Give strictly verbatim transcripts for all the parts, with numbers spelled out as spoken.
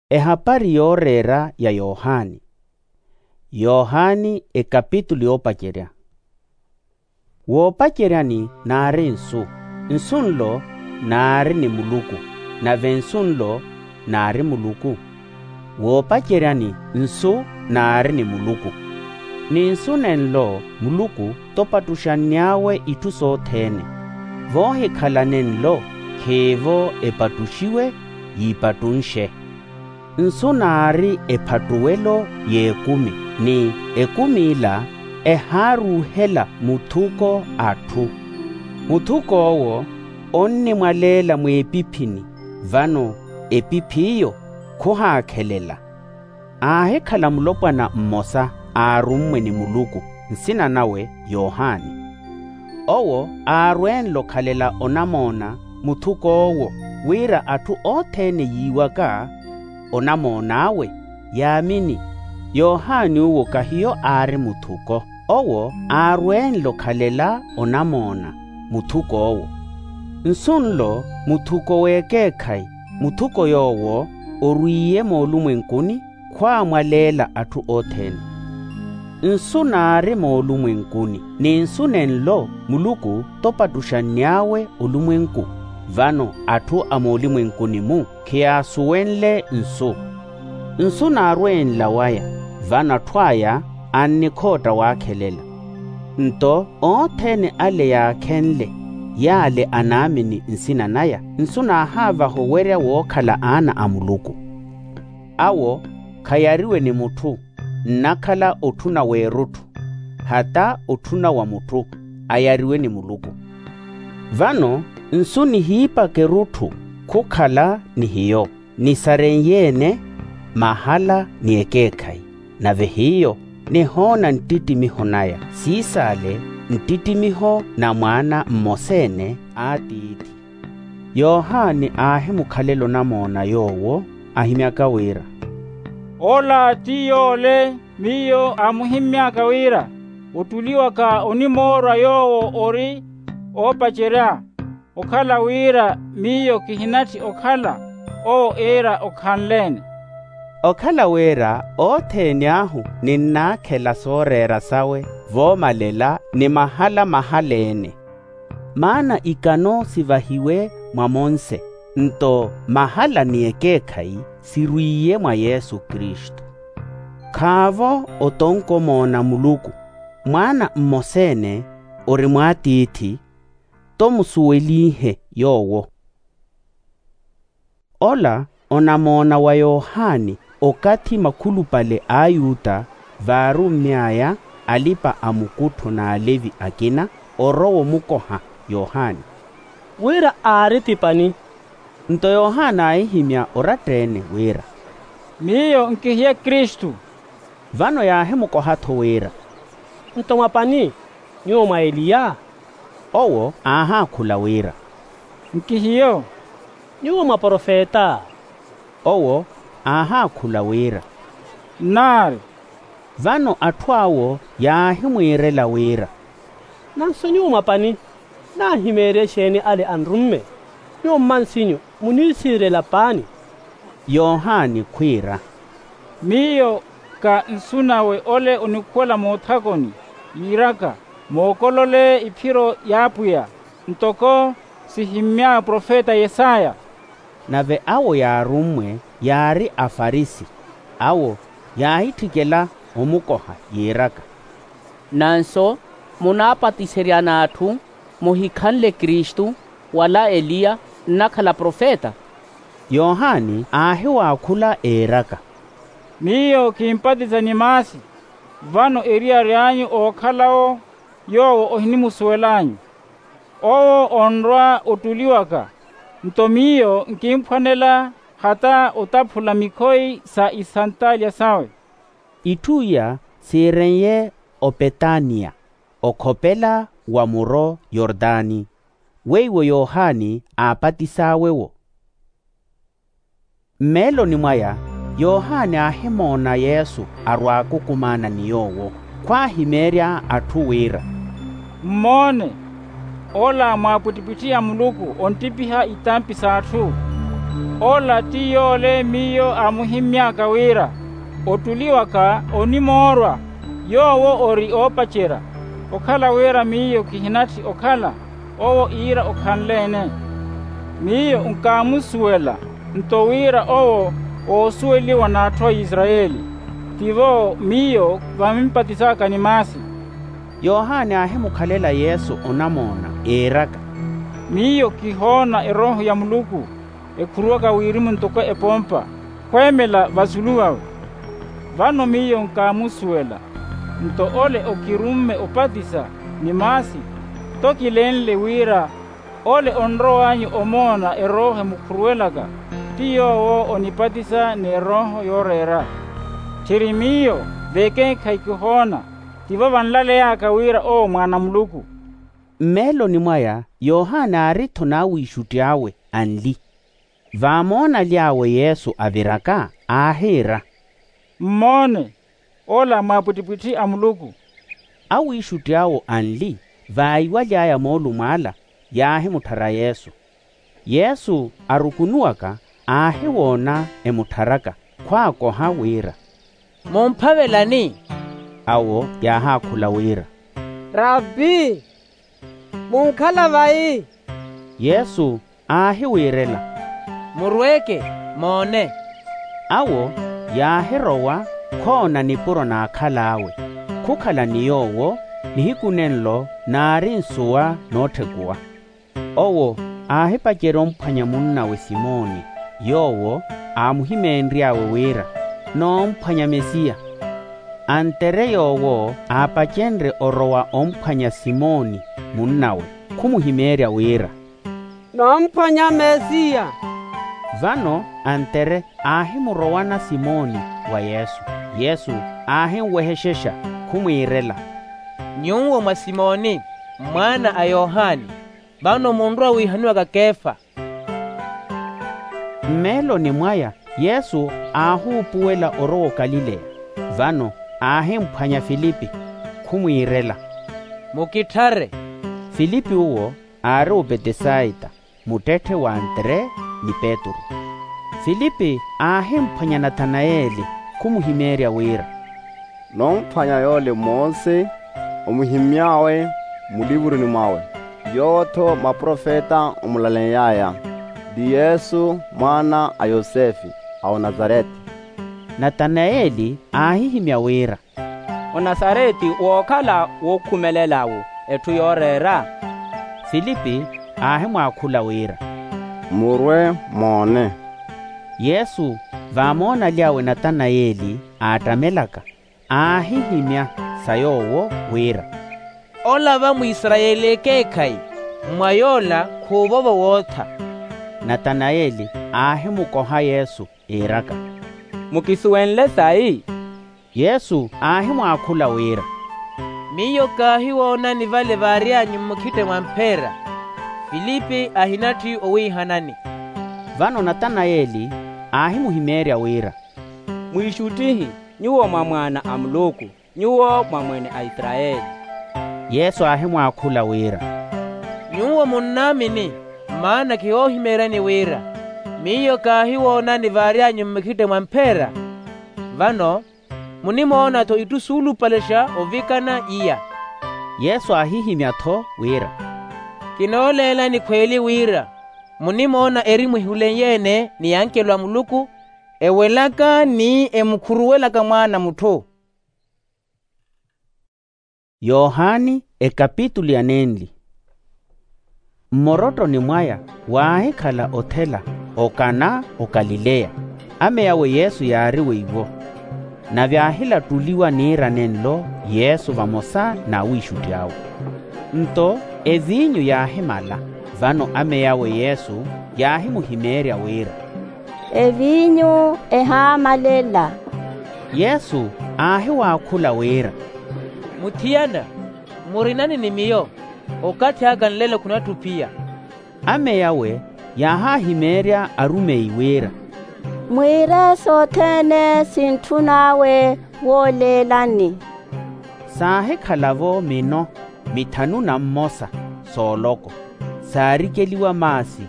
Ehapari yooreera ya yohani. Yohani ekapitulu yoopacerya. Woopaceryani naari nsu, nsu nlo naari ni muluku, nave nsu nlo naari muluku. Woopaceryani nsu naari ni muluku, ni nsu nenlo muluku topattuxanny'awe itthu sothene. Voohikhala nenlo khiivo epattuxiwe, yiipattunxe. Nsu naari ephattuwelo y'ekumi, ni ekumi ila ehaaruuhela muthuko atthu. Muthuk'owo onnimwaleela mweepiphini, vano epiphi iyo khuhaakhelela. Aahikhala mulopwana mmosa aarummwe ni muluku, nsina nawe yohani. Owo aarwenle okhalela onamoona muthuk'owo, wira atthu othene yiiwaka onamoon'awe, yaamini. Yohani uwo kahiyo aari muthuko. Owo aarwenle okhalela onamoona muthuk'owo. Nsu nlo muthuko w'ekeekhayi, muthuko yoowo orwiiye moolumwenkuni khwaamwaleela atthu othene. Nsu naari moolumwenkuni, ni nsu nenlo muluku topattuxanny'awe olumwenku. Vano atthu a moolumwenkuni-mu khiyaasuwenle nsu. Nsu naarwenla waya, vano atthu aya annikhootta waakhelela. Nto othene ale yaakhenle, yaale anaamini nsina naya, nsu naahaavaha owerya wookhala aana a muluku. Awo khayariwe ni mutthu, nnakhala otthuna w'erutthu, hata otthuna wa mutthu, ayariwe ni muluku. Vano nsu nihiipaka erutthu khukhala ni hiyo, nisarenye-ene mahala ni ekeekhayi. Nave hiyo nihoona nttittimiho naya, siisaale nttittimiho na mwaana mmosa-ene a tiithi. Yohani aahimukhalela onamoona yoowo, ahimyaka wira, ola ti yoole miyo aamuhimmy'aka wira, ottuliwaka onimoorwa yoowo ori oopacerya, okhala wira miyo kihinatthi okhala owo iira okhanle-ene. Okhala wira othene ahu ninnaakhela sooreera sawe voomalela ni mahala mahala-ene. Maana ikano sivahiwe mwa monse, nto mahala ni ekeekhayi sirwiiye mwa yesu kristu. Khaavo otonkomoona muluku, mwaana mmosa-ene ori mwaatiithi, tomusuwelihe yoowo. Ola onamoona wa yohani, okathi makhulupale a ayuta vaarummy'aya alipa-a-mukuttho n'alevi akina, orowa omukoha yohani. Wira aari ti pani? Nto yohani aahihimya oratta-ene wira, miyo nkihiye kristu. Vano yaahimukoha-tho wira, nto mwa pani? Nyuwo mwa eliya? Owo aahaakhula wira, nkihiyo. Nyuwo mwa profeta? Owo aahaakhula wira, nnaari. Vano atthu awo yaahimwiirela wira, nanso nyuwo mwa pani? Naahimeerye exeeni ale anrumme? Nyuwo mmansinyu muniisiirela paani? Yohani khwiira, miyo ka nsu nawe ole onikhuwela moothakoni, yiiraka, mookolole iphiro y'apwiya, ntoko sihimmy'awe profeta yesaya. Nave awo yaarummwe yaari afarisi. Awo yaahitthikela omukoha yiiraka, nanso munaapatiseryana atthu muhikhanle kristu, wala eliya, nnakhala profeta? Yohani aahiwaakhula eeraka, miyo kimpatisa ni maasi, vano eriyari anyu ookhala-wo yoowo ohinimusuwel'anyu. Owo onrwa ottuliwaka, nto miyo nkimphwanela hata otaphula mikhoyi sa isantaalya sawe. Itthu iya siiren'ye opetaniya, okhopela wa muro yortani, weiwo yohani aapatis'awe-wo. Mmeeloni mwaya yohani aahimoona yesu arwaaka okumaana ni yoowo, khwaahimeerya atthu wira, mmoone, ola mwaapwittipwitthi a muluku onttipiha itampi s'atthu. Ola ti yoole miyo aamuhimmy'aka wira, ottuli waka onimoorwa, yoowo ori oopacerya. Okhala wira miyo kihinatthi okhala, owo iira okhanle-ene. Miyo nkaamusuwela, nto wira owo woosuweliwa n'atthu a isarayeli. Tivo miyo vamimpatis'aka ni maasi. Yohani aahimukhalela yesu onamoona, iiraka, miyo kihoona erooho ya muluku ekhuruwaka wirimu ntoko epompa, khweemela vasulu vawe. Vano miyo nkaamusuwela, nto ole okirumme opatisa ni maasi, to kilenle wira ole onrow'anyu omoona erooho emukhuruwelaka, ti yoowo onipatisa n'erooho yooreera. Tthiri miyo, vekeekhayi kihoona, tivo vanlaley'aka wira owo mwaana a muluku. Mmeeloni mwaya yohani aari-tho n'awiixutti awe anli. Vaamoonaly'awe yesu aviraka, aahiira, mmoone, ola mwaapwittipwitthi a muluku. Awiixutti awo anli, vaiwaly'aya moolumo ala, yaahimutthara yesu. Yesu arukunuwaka, aahiwoona emuttharaka, khwaakoha wira, mumphavelani? Awo yaahaakhula wira, rabbi, munkhala vayi? Yesu aahiwiirela, murweeke, moone. Awo yaahirowa, khoona nipuro n'akhal'awe, khukhala ni yoowo. Nihiku nenlo naari nsuwa nootthekuwa. Owo aahipacerya omphwanya munnawe simoni, yoowo aamuhimeenry'awe wira, noomphwanya mesiya. Antere yoowo aapacenrye orowa omphwanya simoni munnawe, khumuhimeerya wira, noomphwanya mesiya. Vano antere aahimurowana simoni wa yesu. Yesu aahinwehexexa, khumwiirela, nyuwo mwa simoni, mwaana a yohani, vano munrowa wiihaniwaka kefa. Mmeeloni mwaya yesu aahuupuwela orowa okalileya. Vano aahimphwanya filipi, khumwiirela, mukitthare. Filipi uwo aari opetesaita, muttetthe w'antere ni petru. Filipi aahimphwanya nathanayeli, khumuhimeerya wira, noomphwanya yoole mose omuhimmy'awe mulivuruni mwawe, yoowo-tho maprofeta omulaleny'aya, ti yesu mwaana a yosefe, a onazarete. Nathanayeli aahihimya wira, onazarete wookhala wookhumelel'awo etthu yooreera? Filipi aahimwaakhula wira, murwe moone. Yesu vaamoonaly'awe nathanayeli aattamelaka, aahihimya sa yoowo wira, ola va mwisarayeli ekeekhayi, mwa yoola khuuvovo wootha. Nathanayeli aahimukoha yesu iiraka, mukisuwenle sayi? Yesu aahimwaakhula wira, miyo kaahiwoonani vale vaary'anyu mmukhitte mwa mphera, filipi ahinatthi owiihanani. Vano nathanayeli aahimuhimeerya wira, mwiixuttihi, nyuwo mwa mwaana a muluku, nyuwo mwa mwene a isarayeli. Yesu aahimwaakhula wira, nyuwo munnaamini, maana kihoohimeeryani wira miyo kaahiwoonani vaary'anyu mmukhitte mwa mphera. Vano munimoona-tho itthu suulupalexa ovikana iya. Yesu aahihimya-tho wira, kinooleelani khweeli wira munimoona erimu ehulenye-ene ni ankelo a muluku, ewelaka ni emukhuruwelaka mwaana a mutthu. Yohani ekapitulu ya nenli. Mmorottoni mwaya waahikhala othela okana okalileya. Ame awe yesu yaari weiwo. Nave aahilattuliwa niira nenlo yesu vamosa n'awiixutti awe. Nto eviinyu yaahimala. Vano ame awe yesu yaahimuhimeerya wira, eviinyu ehaamalela. Yesu aahiwaakhula wira, muthiyana, murinani ni miyo? Okathi aka nlelo khunatthuphiya. Ame awe yaahahimeerya arumeyi wira, mwiire sothene sintthun'awe wooleelani. Saahikhala-vo mino mithanu na mmosa sooloko, saarikeliwa maasi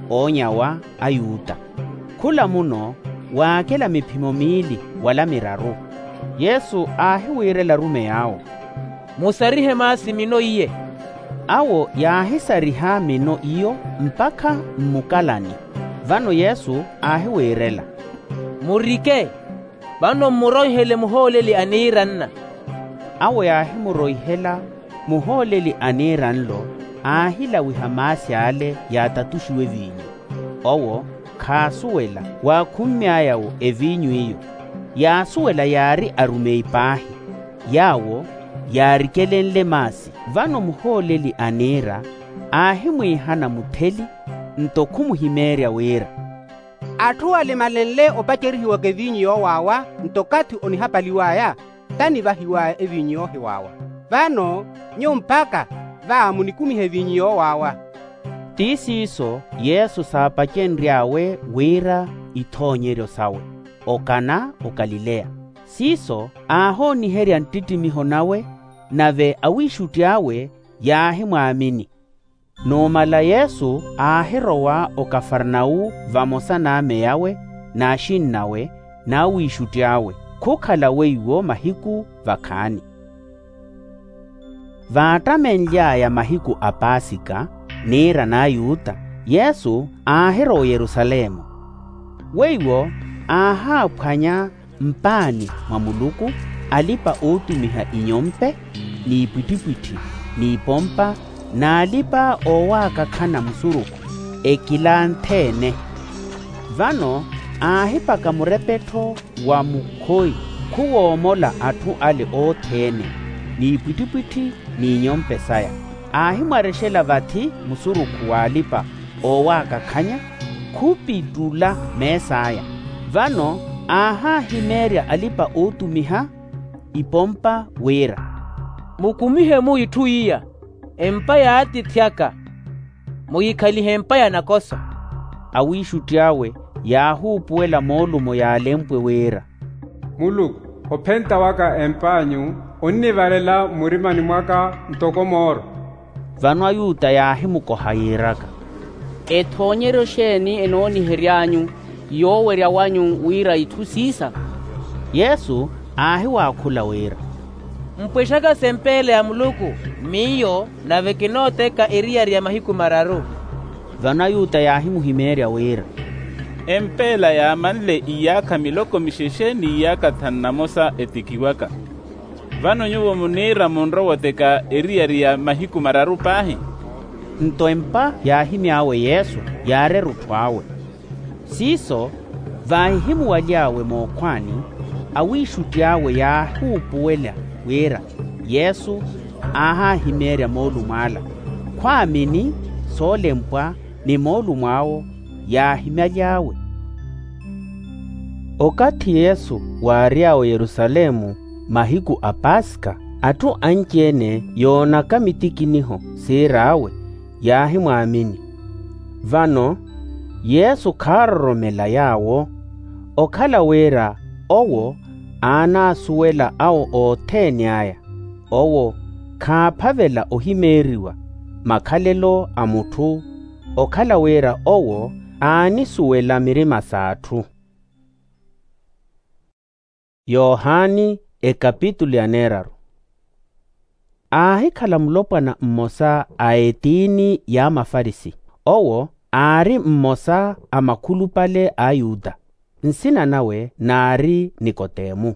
oonyawa ayuta. Khula muno waakela miphimo miili wala miraru. Yesu aahiwiirela arumeyi awo, musarihe maasi mino iye. Awo yaahisariha mino iyo mpakha mmukalani. Vano yesu aahiwiirela, murike, vano mmuroihele muhooleli a niira nna. Awo yaahimuroihela muhooleli a niira nlo, aahilawiha maasi ale yaatatuxiwe eviinyu. Owo khaasuwela waakhummy'aya-wo eviinyu iyo. Yaasuwela yaari arumeyi paahi yaawo yaarikelenle maasi. Vano muhooleli a niira aahimwiihana mutheli, nto khumuhimeerya wira, atthu alimalenle opacerihiwaka eviinyu yoowaawa nto okathi onihapaliw'aya, tanivahiw'aya eviinyu yoohiwaawa. Vano nyuwo mpakha va munikumihe eviinyu yoowaawa. Ti siiso yesu saapacenry'awe wira ithoonyeryo sawe okana okalileya. Siiso aahooniherya nttittimiho nawe, nave awiixutti awe yaahimwaamini. Numala yesu aahirowa okafarnawu vamosa n'ame awe n'axinn'awe n'awiixutti awe. Khukhala weiwo mahiku vakhaani. Vaattamenly'aya mahiku a paasika niira n'ayuta, yesu aahirowa oyerusalemu. Weiwo aahaaphwanya mpaani mwa muluku alipa-ootumiha inyompe n'ipwittipwitthi n'ipompa n'alipa-oowaakakhana musurukhu, ekilanthe-ene. Vano aahipaka murepettho wa mukhoyi khuwoomola atthu ale othene n'ipwittipwitthi n'inyompe saya. Aahimwarexela vathi musurukhu w'alipa-oowaakakhanya khupittula mees'aya. Vano aahaahimeerya alipa-ootumiha ipompa wira, mukumihe-mu itthu iya, empa y'atiithi aka, muyikhalihe empa ya nakoso. Awiixutti awe yaahuupuwela moolumo yaalempwe wira, muluku, ophenta waka emp'anyu onnivarela mmurimani mwaka ntoko mooro. Vano ayuta yaahimukoha yiiraka, ethoonyeryo xeeni enoonihery'anyu yoowerya wanyu wira itthu siisa? Yesu aahiwaakhula wira, mpwexaka sempeela ya muluku miyo, nave kinooteka eriyari ya mahiku mararu. Vano ayuta yaahimuhimeerya wira, empeela yaamanle iyaakha miloko mixexe n'iyaakha thanu na mosa etikiwaka. Vano nyuwo muniira munrowa oteka eriyari ya mahiku mararu paahi? Nto empa yaahimy'awe yesu yaarera otthu awe. Siiso vaahihimuwaly'awe mookhwaani, awiixutti awe yaahuupuwela wira yesu aahaahimeerya moolumo ala. Khwaamini soolempwa ni moolumo awo yaahimyaly'awe. Okathi yesu waary'awe oyerusalemu mahiku a paskha, atthu anci-ene yoonaka mitikiniho siir'awe yaahimwaamini. Vano yesu khaaroromela yaawo, okhala wira owo aanaasuwela awo othene aya. Owo khaaphavela ohimeeriwa makhalelo a mutthu, okhala wira owo aanisuwela mirima s'atthu. Yohani ekapitulu ya neeraru. Aahikhala mulopwana mmosa a etiini y'amafarisi. Owo aari mmosa a makhulupale a ayuta. Nsina nawe naari nikotemu.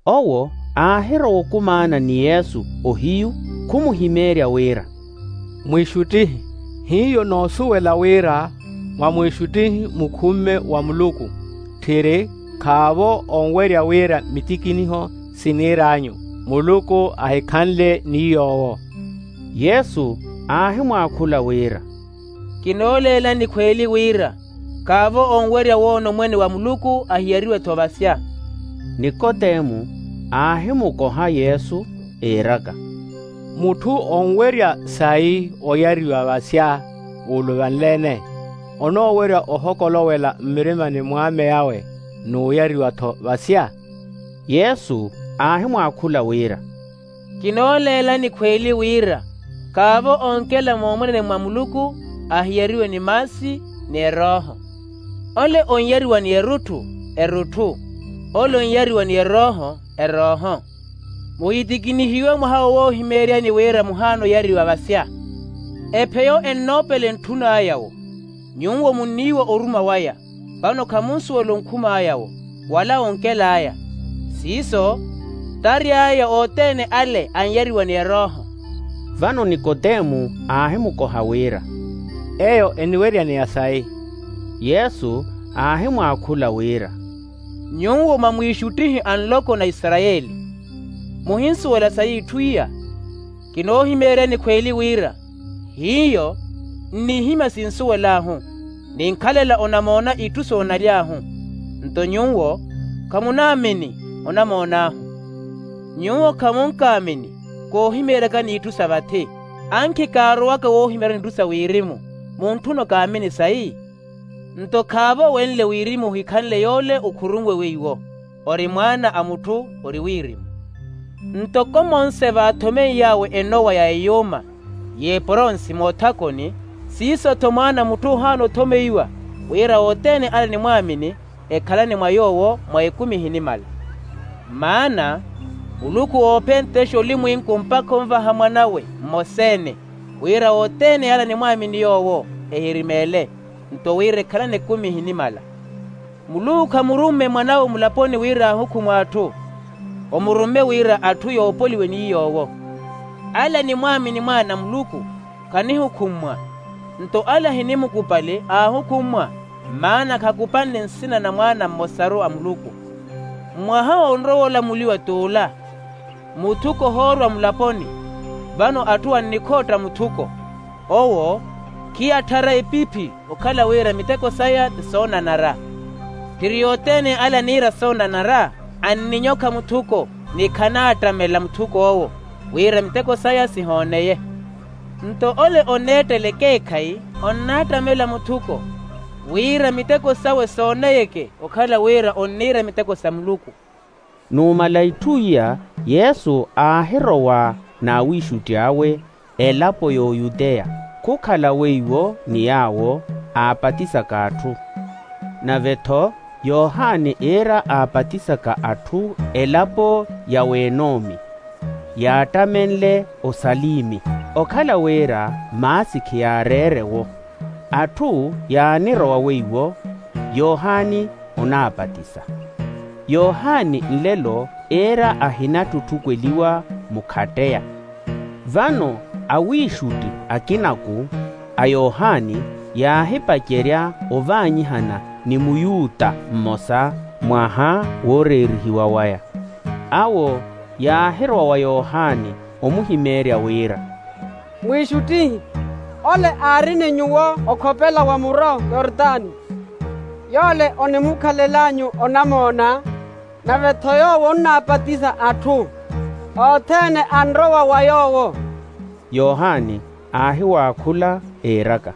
Owo aahirowa okumaana ni yesu ohiyu, khumuhimeerya wira, mwiixuttihi, hiyo noosuwela wira mwa mwiixuttihi mukhumme wa muluku, tthiri khaavo onwerya wira mitikiniho siniir'anyu muluku ahikhanle ni yoowo. Yesu aahimwaakhula wira, kinooleela nikhweeli wira khaavo onwerya woona omwene wa muluku ahiyariwe-tho vasya. Nikotemu aahimukoha yesu, iiraka, mutthu onwerya sayi oyariwa vasya wuuluvanle-ene, onoowerya ohokolowela mmirimani mw'ame awe n'uyariwa-tho vasya? Yesu aahimwaakhula wira, kinooleela nikhweeli wira khaavo onkela moomwenene mwa muluku ahiyariwe ni maasi ni erooho. Ole onyariwa ni erutthu, erutthu. Ole onyariwa ni erooho, erooho. Muhitikinihiwe mwaha wo woohimeeryani wira muhaana oyariwa vasya. Epheyo ennoopela entthun'aya-wo. Nyuwo munniiwa oruma waya, vano khamunsuwela onkhum'aya-wo, wala onkel'aya. Siiso t'ary'aya othene ale anyariwa ni erooho. Vano nikotemu aahimukoha wira, eyo eniweryaneya sayi? Yesu aahimwaakhula wira, nyuwo mwa mwiixuttihi a nloko na isarayeli, muhinsuwela sayi itthu iya? Kinoohimeeryani khweeli wira hiyo nnihimya sinsuwel'ahu, ninkhalela onamoona itthu soonaly'ahu. Nto nyuwo khamunaamini onamoon'ahu. Nyuwo khamunkaamini koohimeeryakani itthu sa vathi. Ankhi kaarowaka woohimeeryani itthu sa wirimu, muntthuna okaamini sayi? Nto khaavo wenle wirimu ohikhanle yoole okhurunwe weiwo, ori mwaana a mutthu ori wirimu. Ntoko monse vaathomeiy'awe enowa ya eyuuma y'eporonsi moothakoni, siiso-tho mwaana a mutthu ohaana othomeiwa, wira othene ale animwaamini ekhalane mwa yoowo mwa ekumi ehinimala. Maana muluku oopentexa olimwinku mpakha onvaha mwan'awe mmosa-ene, wira othene ale animwaamini yoowo ehirimeele, nto wira ekhalane ekumi ehinimala. Muluku khamurumme mwan'awe mulaponi wira aahukhumwe atthu, omurumme wira atthu yoopoliwe ni yoowo. Ale animwaamini mwaana a muluku khanihukhummwa, nto ale ahinimukupali aahukhummwa, maana khakupanle nsina na mwaana mmosaru a muluku. Mwaha onrowa olamuliwa t'ula, muthuko ohoorwa mulaponi, vano atthu annikhootta muthuko. Owo khiyatthara epiphi okhala wira miteko saya ti soonanara. Tthiri yothene ale aniira soonanara anninyokha muthuko, ni khanaattamela muthuk'owo wira miteko saya sihooneye. Nto ole oneettela ekeekhayi onnaattamela muthuko, wira miteko sawe sooneyeke okhala wira onniira miteko sa muluku. Numala itthu iya yesu aahirowa n'awiixutti awe elapo y'oyuteya, khukhala weiwo ni yaawo aapatisaka atthu. Nave-tho yohani iira aapatisaka atthu elapo ya wenomi, yaattamenle osalimi, okhala wira maasi khiyaareere-wo. Atthu yaanirowa weiwo yohani onaapatisa. Yohani nlelo iira ahinatthutthukweliwa mukhatteya. Vano awiixutti akinaku a yohani yaahipacerya ovaanyihana ni muyuta mmosa mwaha wooreerihiwa waya. Awo yaahirowa wa yohani omuhimeerya wira, mwiixuttihi, ole aari ni nyuwo okhopela wa muro yortani, yoole onimukhalel'anyu onamoona, nave-tho yoowo onnaapatisa atthu, othene anrowa wa yoowo. Yohani aahiwaakhula, iiraka,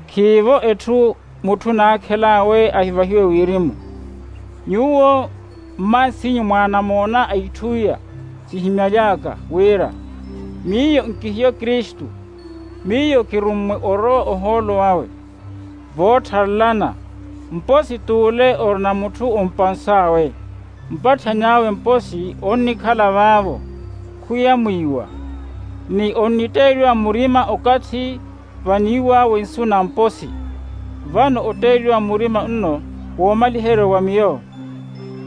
khiivo etthu mutthu naakhel'awe ahivahiwe wirimu. Nyuwo mmaas'inyu mwaanamoona a itthu iya sihimyaly'aka wira miyo nkihiyo kristu, miyo kirummwe orowa ohoolo awe. Voottharelana, mposi t'ule orina mutthu ompans'awe, mpatthan'awe mposi onnikhala vaavo, khuyamwiiwa, ni onnitteeliwa murima okathi vaniiw'awe nsu na mposi. Vano otteeliwa murima nno woomaliheryo wa miyo,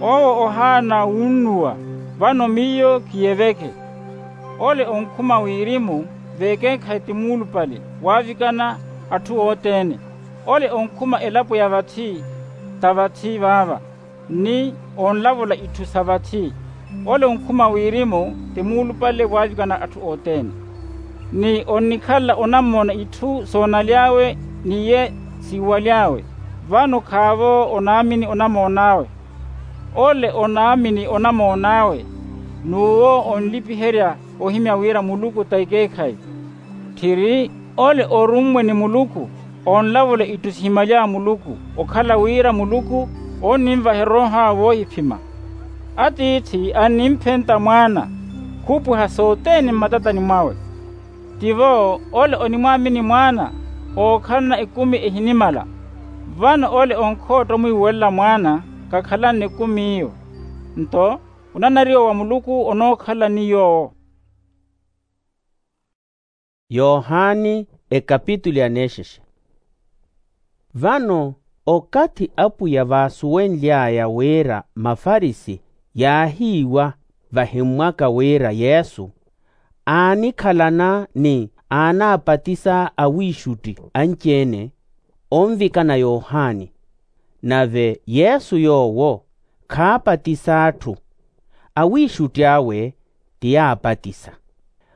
owo ohaana wunnuwa, vano miyo kiyeveke. Ole onkhuma wirimu v'ekeekhayi ti muulupale waavikana atthu othene. Ole onkhuma elapo ya vathi ta vathi vaava, ni onlavola itthu sa vathi. Ole onkhuma wirimu ti muulupale waavikana atthu othene, ni onnikhalela onamoona itthu soonaly'awe ni ye siiwaly'awe. Vano khaavo onaamini onamoon'awe. Ole onaamini onamoon'awe, n'uwo onlipiherya ohimya wira muluku ta ekeekhayi. Tthiri ole orummwe ni muluku onlavola itthu sihimaly'awe muluku, okhala wira muluku onninvaha erooho awe woohiphima. Atiithi annimphentta mwaana, khuupwiha sothene mmatatani mwawe. Tivo ole onimwaamini mwaana ookhalana ekumi ehinimala. Vano ole onkhootta omwiiwelela mwaana khakhalani nikumi iyo. Nto onanariwa wa muluku onookhala ni yoowo. Yohani ekapitulu ya neexexe. Vano okathi apwiya vaasuwenly'aya wira mafarisi yaahiiwa vahimmwaka wira yesu aanikhalana ni aanaapatisa awiixutti anci-ene onvikana yohani. Nave yesu yoowo khaapatisa atthu, awiixutti awe ti yaapatisa.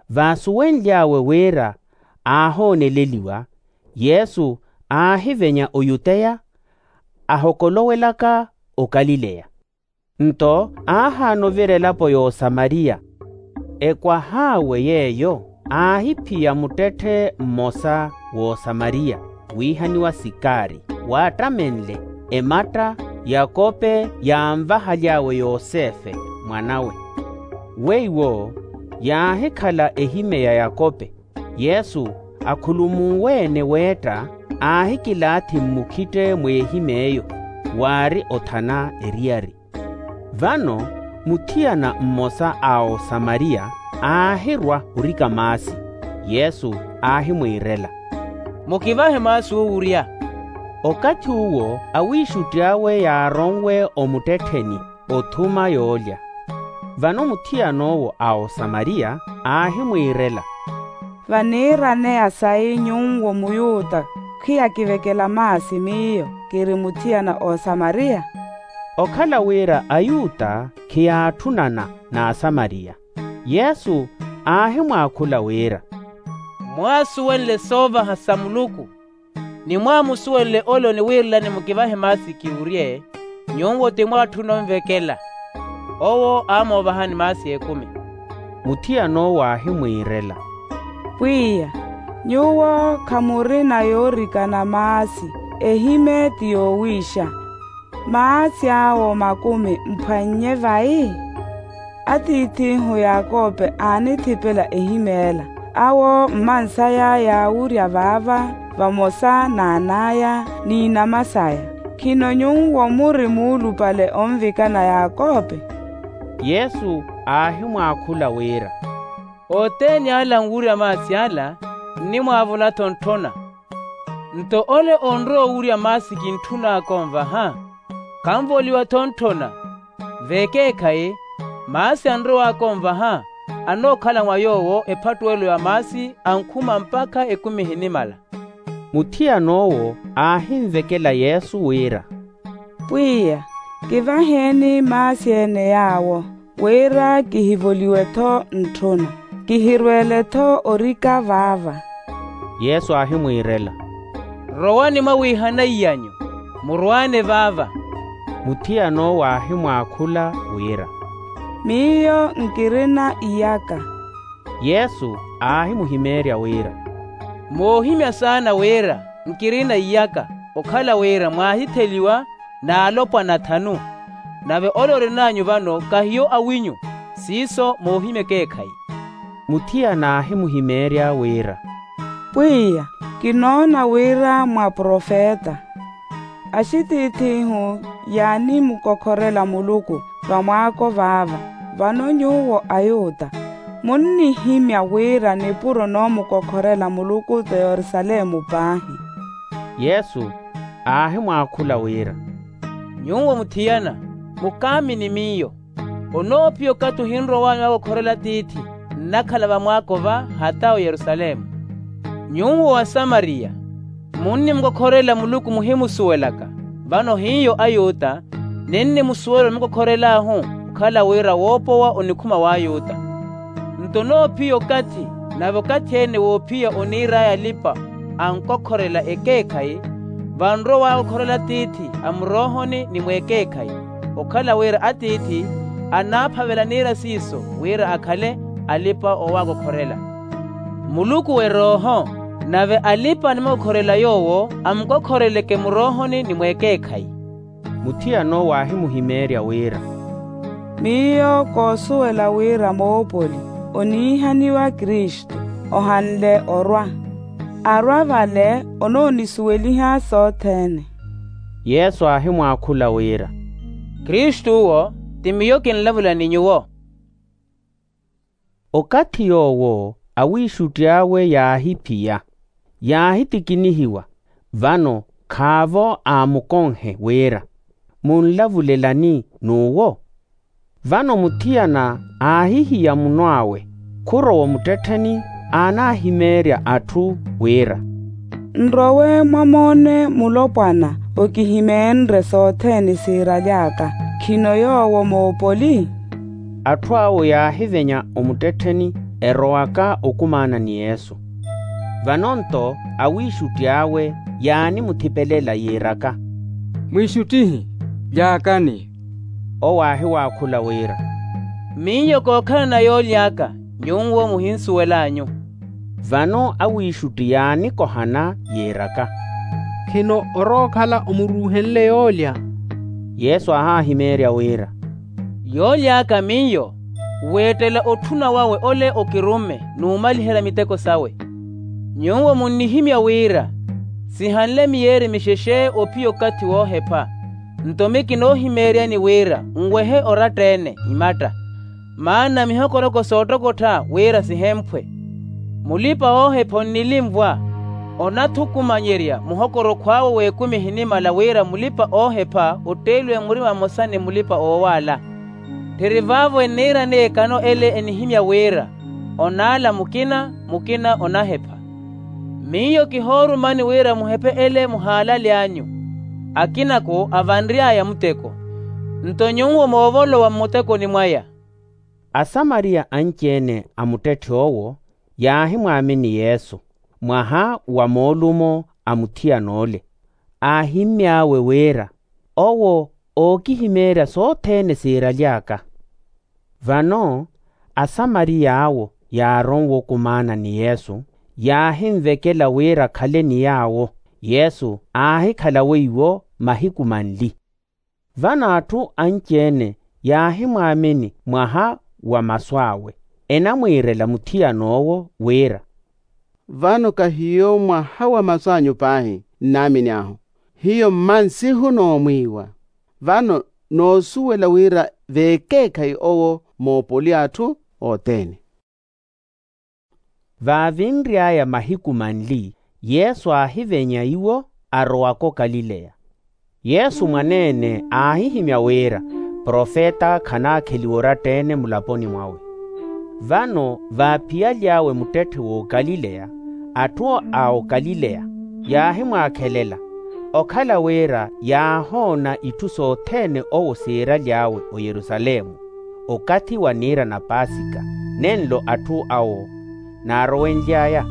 Vaasuwenly'awe wira aahooneleliwa, yesu aahivenya oyuteya ahokolowelaka okalileya. Nto aahaana ovira elapo y'osamariya. Ekwah'awe yeeyo aahiphiya muttetthe mmosa w'osamariya wiihaniwa sikari, waattamenle ematta yakope yaanvahaly'awe yosefe mwanawe. Weiwo yaahikhala ehimye ya yakope. Yesu akhulumuwe-ene weetta aahikilaathi mmukhitte mw'ehimy'eyo waari othana eriyari. Vano muthiyana mmosa a osamariya aahirwa orika maasi. Yesu aahimwiirela, mukivahe maasi owurya. Okathi uwo awiixutti awe yaaronwe omuttettheni othuma yoolya. Vano muthiyan'owo a osamariya aahimwiirela, vaniiraneya sayi nyuwo muyuta khiyakivekela maasi miyo kiri muthiyana osamariya? Okhala wira ayuta khiyaatthunana n'asamariya. Yesu aahimwaakhula wira, mwaasuwenle soovaha sa muluku ni mwaamusuwenle ole oniwiirelani mukivahe maasi kiwurye, nyuwo ti mwaatthuna onvekela. Owo aamoovahani maasi ekumi. Muthiyan'owo aahimwiirela, pwiya, nyuwo khamurina yoorikana maasi, ehimye ti yoowiixa. Maasi awo makumi mphwannye vayi? Atiith'ihu yakope aanithipela ehimy'ela. Awo mmansaya yaawurya vaava vamosa n'an'aya n'inama saya. Khino nyuwo muri muulupale onvikana yakope? Yesu aahimwaakhula wira, othene ala anwurya maasi ala nnimwaavula-tho ntthona. Nto ole onrowa owurya maasi kintthun'aka onvaha khanvoliwa-tho ntthona. Vekeekhayi, maasi anrow'aka onvaha anookhala mwa yoowo ephattuwelo ya maasi ankhuma mpakha ekumi ehinimala. Muthiyan'owo aahinvekela yesu wira, pwiya, kivaheeni maasi-ene yaawo wira kihivoliwe-tho ntthuna, kihirweele-tho orika vaava. Yesu aahimwiirela, rowani mwawiihanaiyanyu, murwaane vaava. Muthiyan'owo aahimwaakhula wira, miyo nkirina iyaka. Yesu aahimuhimeerya wira, moohimya saana wira nkirina iyaka okhala wira mwaahitheliwa n'alopwana athanu, nave ole orin'anyu vano kahiyo awinyu, siiso moohimya ekeekhayi. Muthiyana aahimuhimeerya wira, pwiya, kinoona wira mwaprofeta. Axitiith'ihu yaanimukokhorela muluku vamwaako vaava. Vano nyuwo ayuta munnihimya wira nipuro noomukokhorela muluku t'oyerusalemu paahi. Yesu aahimwaakhula wira, nyuwo muthiyana, mukaamini miyo. Onoophiya okathi ohinrow'anyu wakokhorela tiithi nnakhala vamwaako va hata oyerusalemu. Nyuwo asamariya munnimukokhorela muluku muhimusuwelaka, vano hiyo ayuta ninnimusuwela onimukokhorel'ahu okhala wira woopowa onikhuma w'ayuta. Nto onoophiya okathi nave okathi-ene woophiya oniir'aya alipa ankokhorela ekeekhayi, vanrowa waakokhorela atiithi a muroohoni ni mwekeekhayi, okhala wira atiithi anaaphavela niira siiso wira akhale alipa oowaakokhorela. Muluku w'erooho, nave alipa animukokhorela yoowo amukokhoreleke muroohoni ni mwekeekhayi. Muthiyana owo aahimuhimeerya wira, miyo koosuwela wira moopoli oniihaniwa kristu ohanle orwa. Arwa vale onoonisuweliha sothene. Yesu aahimwaakhula wira, kristu owo ti miyo kinlavula ni nyuwo. Okathi yoowo awiixutti awe yaahiphiya, yaahitikinihiwa, vano khaavo aamukonhe wira, munlavulelani n'uwo? Vano muthiyana aahihiya muno awe, khurowa omuttettheni, aanahimeerya atthu wira, nrowe mwamoone mulopwana okihimeenrye sothene siiraly'aka. Khino yoowo moopoli? Atthu awo yaahivenya omuttettheni erowaka okumaana ni yesu. Vano-nto awiixutti awe yaanimuthipelela yiiraka, mwiixuttihi, lyaakani. Owo aahiwaakhula wira, miyo kookhalana yooly'aka, nyuwo muhinsuwel'anyu. Vano awiixutti yaanikohana yiiraka, khino orowa okhala omuruuhenle yoolya? Yesu aahahimeerya wira, yooly'aka miyo, weettela otthuna wawe ole okirumme, n'umaliherya miteko sawe. Nyuwo munnihimya wira, sihanle miyeeri mixexe ophiya okathi woohepha. Nto miyo kinoohimeeryani wira nwehe oratta-ene imatta, maana mihokoroko soottokottha wira sihemphwe. Mulipa-oohepha onnilinvwa, onathukumanyerya muhokorokho awe w'ekumi ehinimala wira mulipa-oohepha otteeliwe murima mmosa ni mulipa-oowaala. Tthiri vaavo enniirani ekano ele enihimya wira, onaala mukina mukina onahepha. Miyo kihoorumani wira muhephe ele muhaalaly'anyu. Akinako avanry'aya muteko, nto nyuwo moovolowa mmutekoni mwaya. Asamariya anci-ene a muttetthe owo yaahimwaamini yesu, mwaha wa moolumo a muthiyan'ole, aahimmy'awe wira, owo ookihimeerya sothene siiraly'aka. Vano asamariya awo yaaronwe okumaana ni yesu, yaahinvekela wira akhale ni yaawo. Yesu aahikhala weiwo mahiku manli. Vano atthu anci-ene yaahimwaamini mwaha wa masu awe, enamwiirela muthiyan'owo wira, vano kahiyo mwaha wa masu anyu paahi nnaamini ahu, hiyo mma nsihu noomwiiwa. Vano noosuwela wira veekeekhayi owo moopoli a atthu othene. Vaavinry'aya mahiku manli, yesu aahivenya iwo, arowaka okalileya. Yesu mwaneene aahihimya wira profeta khanaakheliwa oratta-ene mulaponi mwawe. Vano vaaphiyaly'awe muttetthe w'okalileya, atthu a okalileya yaahimwaakhelela, okhala wira yaahoona itthu sothene owo siiraly'awe oyerusalemu, okathi wa niira na paasika, nenlo atthu awo naarowenly'aya.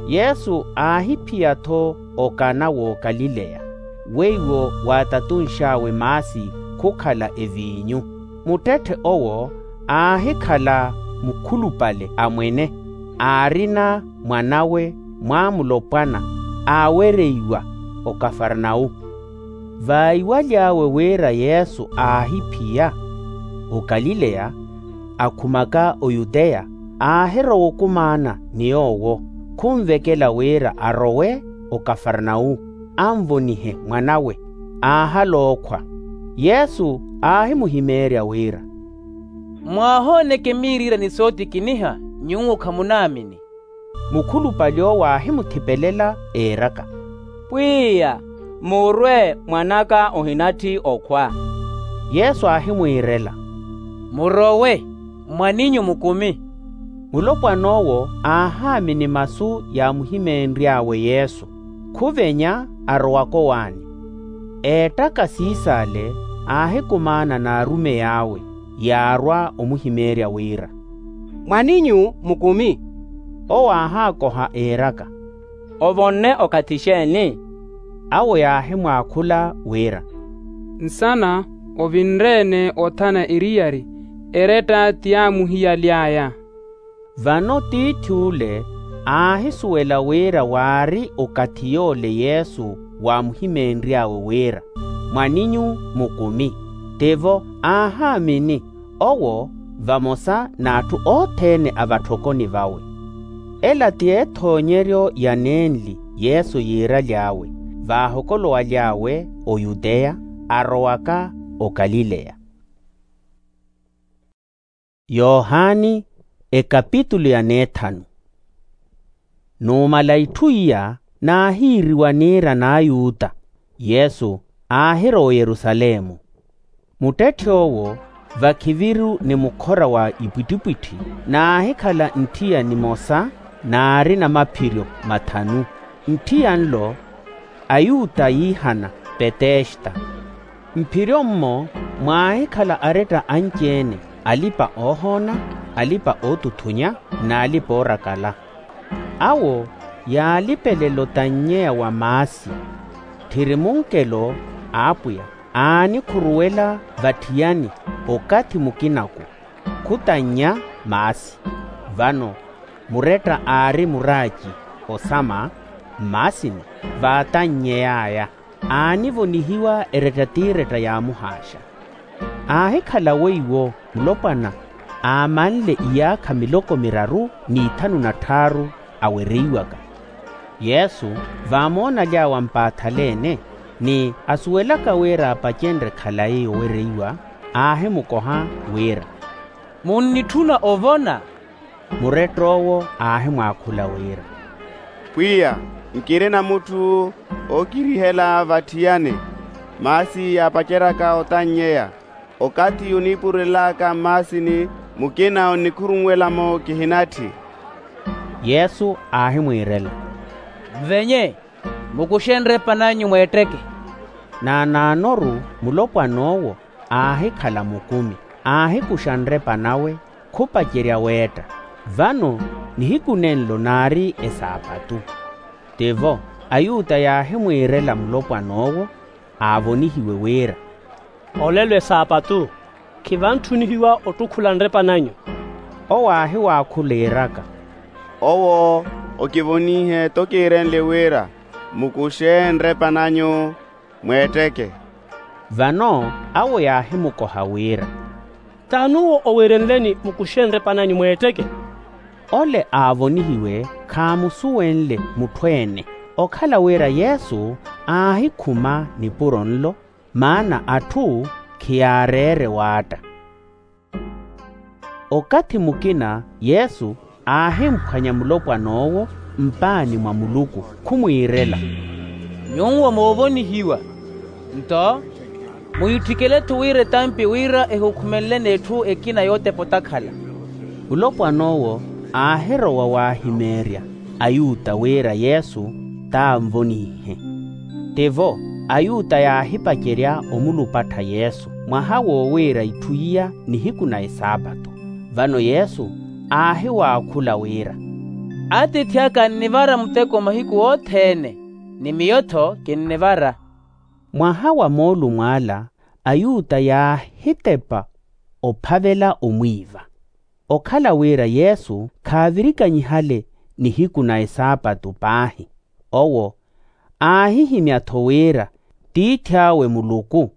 Yesu aahiphiya-tho okana w'okalileya, weiwo waatatunx'awe maasi khukhala eviinyu. Muttetthe owo aahikhala mukhulupale a mwene, aarina mwan'awe mwaamulopwana, aawereiwa okafarnau. Vaiwaly'awe wira yesu aahiphiya okalileya, akhumaka oyuteya, aahirowa okumaana ni yoowo, khunvekela wira arowe okafarnau, anvonihe mwan'awe. Aahal'okhwa. Yesu aahimuhimeerya wira, mwaahooneke miiriira ni sootikiniha, nyuwo khamunaamini. Mukhulupale owo aahimuthipelela, eeraka, pwiya, murwe, mwan'aka ohinatthi okhwa. Yesu aahimwiirela, murowe, mwan'inyu mukumi. Mulopwan'owo aahaamini masu yaamuhimeenry'awe yesu, khuvenya arowaka owaani. Eettaka siisaale aahikumaana n'arumey'awe, yaarwa omuhimeerya wira, mwan'inyu mukumi. Owo aahaakoha eeraka, ovonne okathi xeeni? Awo yaahimwaakhula wira, nsana ovinre-ene othana eriyari, eretta ti yaamuhiyaly'aya. Vano tiith'ule aahisuwela wira waari okathi yoole yesu waamuhimeenry'awe wira, mwan'inyu mukumi. Tivo aahaamini, owo vamosa n'atthu othene a vatthokoni vawe. Ela ti ethoonyeryo ya nenli yesu yiiraly'awe, vaahokolowaly'awe oyuteya, arowaka okalileya. Yohani, ekapitulu ya neethanu. Numala itthu iya naahiiriwa niira n'ayuta, yesu aahirowa oyerusalemu. Muttetthi owo vakhiviru ni mukhora wa ipwittipwitthi, naahikhala ntthiya nimosa naari namaphiryo mathanu. Ntthiya nlo ayuta yiihana petesta. Mphiryo-mmo mwaahikhala aretta anci-ene, alipa-oohoona, alipa-ootuthunya, n'alipa-oorakala. Awo yaalipelela otannyeya wa maasi. Tthiri munkelo a apwiya, aanikhuruwela vatthiyani okathi mukina-ku, khutannya maasi. Vano muretta aari muraaci osama mmaasini, vaatannyey'aya aanivonihiwa eretta t'iretta yaamuhaaxa. Aahikhala weiwo mulopwana aamanle iyaakha miloko miraru n'ithanu na tthaaru awereiwaka. Yesu vaamoona aly'awe ampaathaleene, ni asuwelaka wira apacenrye khalayi owereiwa, aahimukoha wira, munnitthuna ovona? Muretta owo aahimwaakhula wira, pwiya, nkirina mutthu ookirihela vatthiyani. Maasi yaapaceryaka otannyeya, okathi oniipurelelaka mmaasini, mukina onnikhurunwela-mo kihinatthi. Yesu aahimwiirela, nvenye, mukuxe nrepananyu mweetteke. Naanaanoru mulopwan'owo aahikhala mukumi, aahikuxa nrepa nawe, khupacerya weetta. Vano nihiku nenlo naari esaapatu. Tivo ayuta yaahimwiirela mulopwan'owo aavonihiwe wira, olelo esaapatu, khivanttunihiwa ottukhula nrepananyu. Owo aahiwaakhula iiraka, owo okivonihe tokiirenle wira, mukuxe nrepananyu mweetteke. Vano awo yaahimukoha wira, t'anuwo owerenleni mukuxe nrepananyu mweetteke? Ole aavonihiwe khaamusuwenle mutthu-ene, okhala wira yesu aahikhuma nipuro nlo, maana atthu khiyaareere waatta. Okathi mukina yesu aahimphwanya mulopwan'owo mpaani mwa muluku, khumwiirela, nyuwo moovonihiwa, nto muyitthikele-tho wira etampi wira ehukhumenleni etthu ekina yootepa otakhala. Mulopwan'owo aahirowa waahimeerya ayuta wira yesu t'anvonihe. Tivo ayuta yaahipacerya omulupattha yesu mwaha woowiira itthu iya nihiku na esaapatu. Vano yesu aahiwaakhula wira, atiithi aka annivara muteko mahiku othene, ni miyo-tho kinnivara. Mwaha wa moolumo ala ayuta yaahitepa ophavela omwiiva. Okhala wira yesu khaavirikanyihale nihiku na esaapatu paahi, owo aahihimya-tho wira tiithi awe muluku,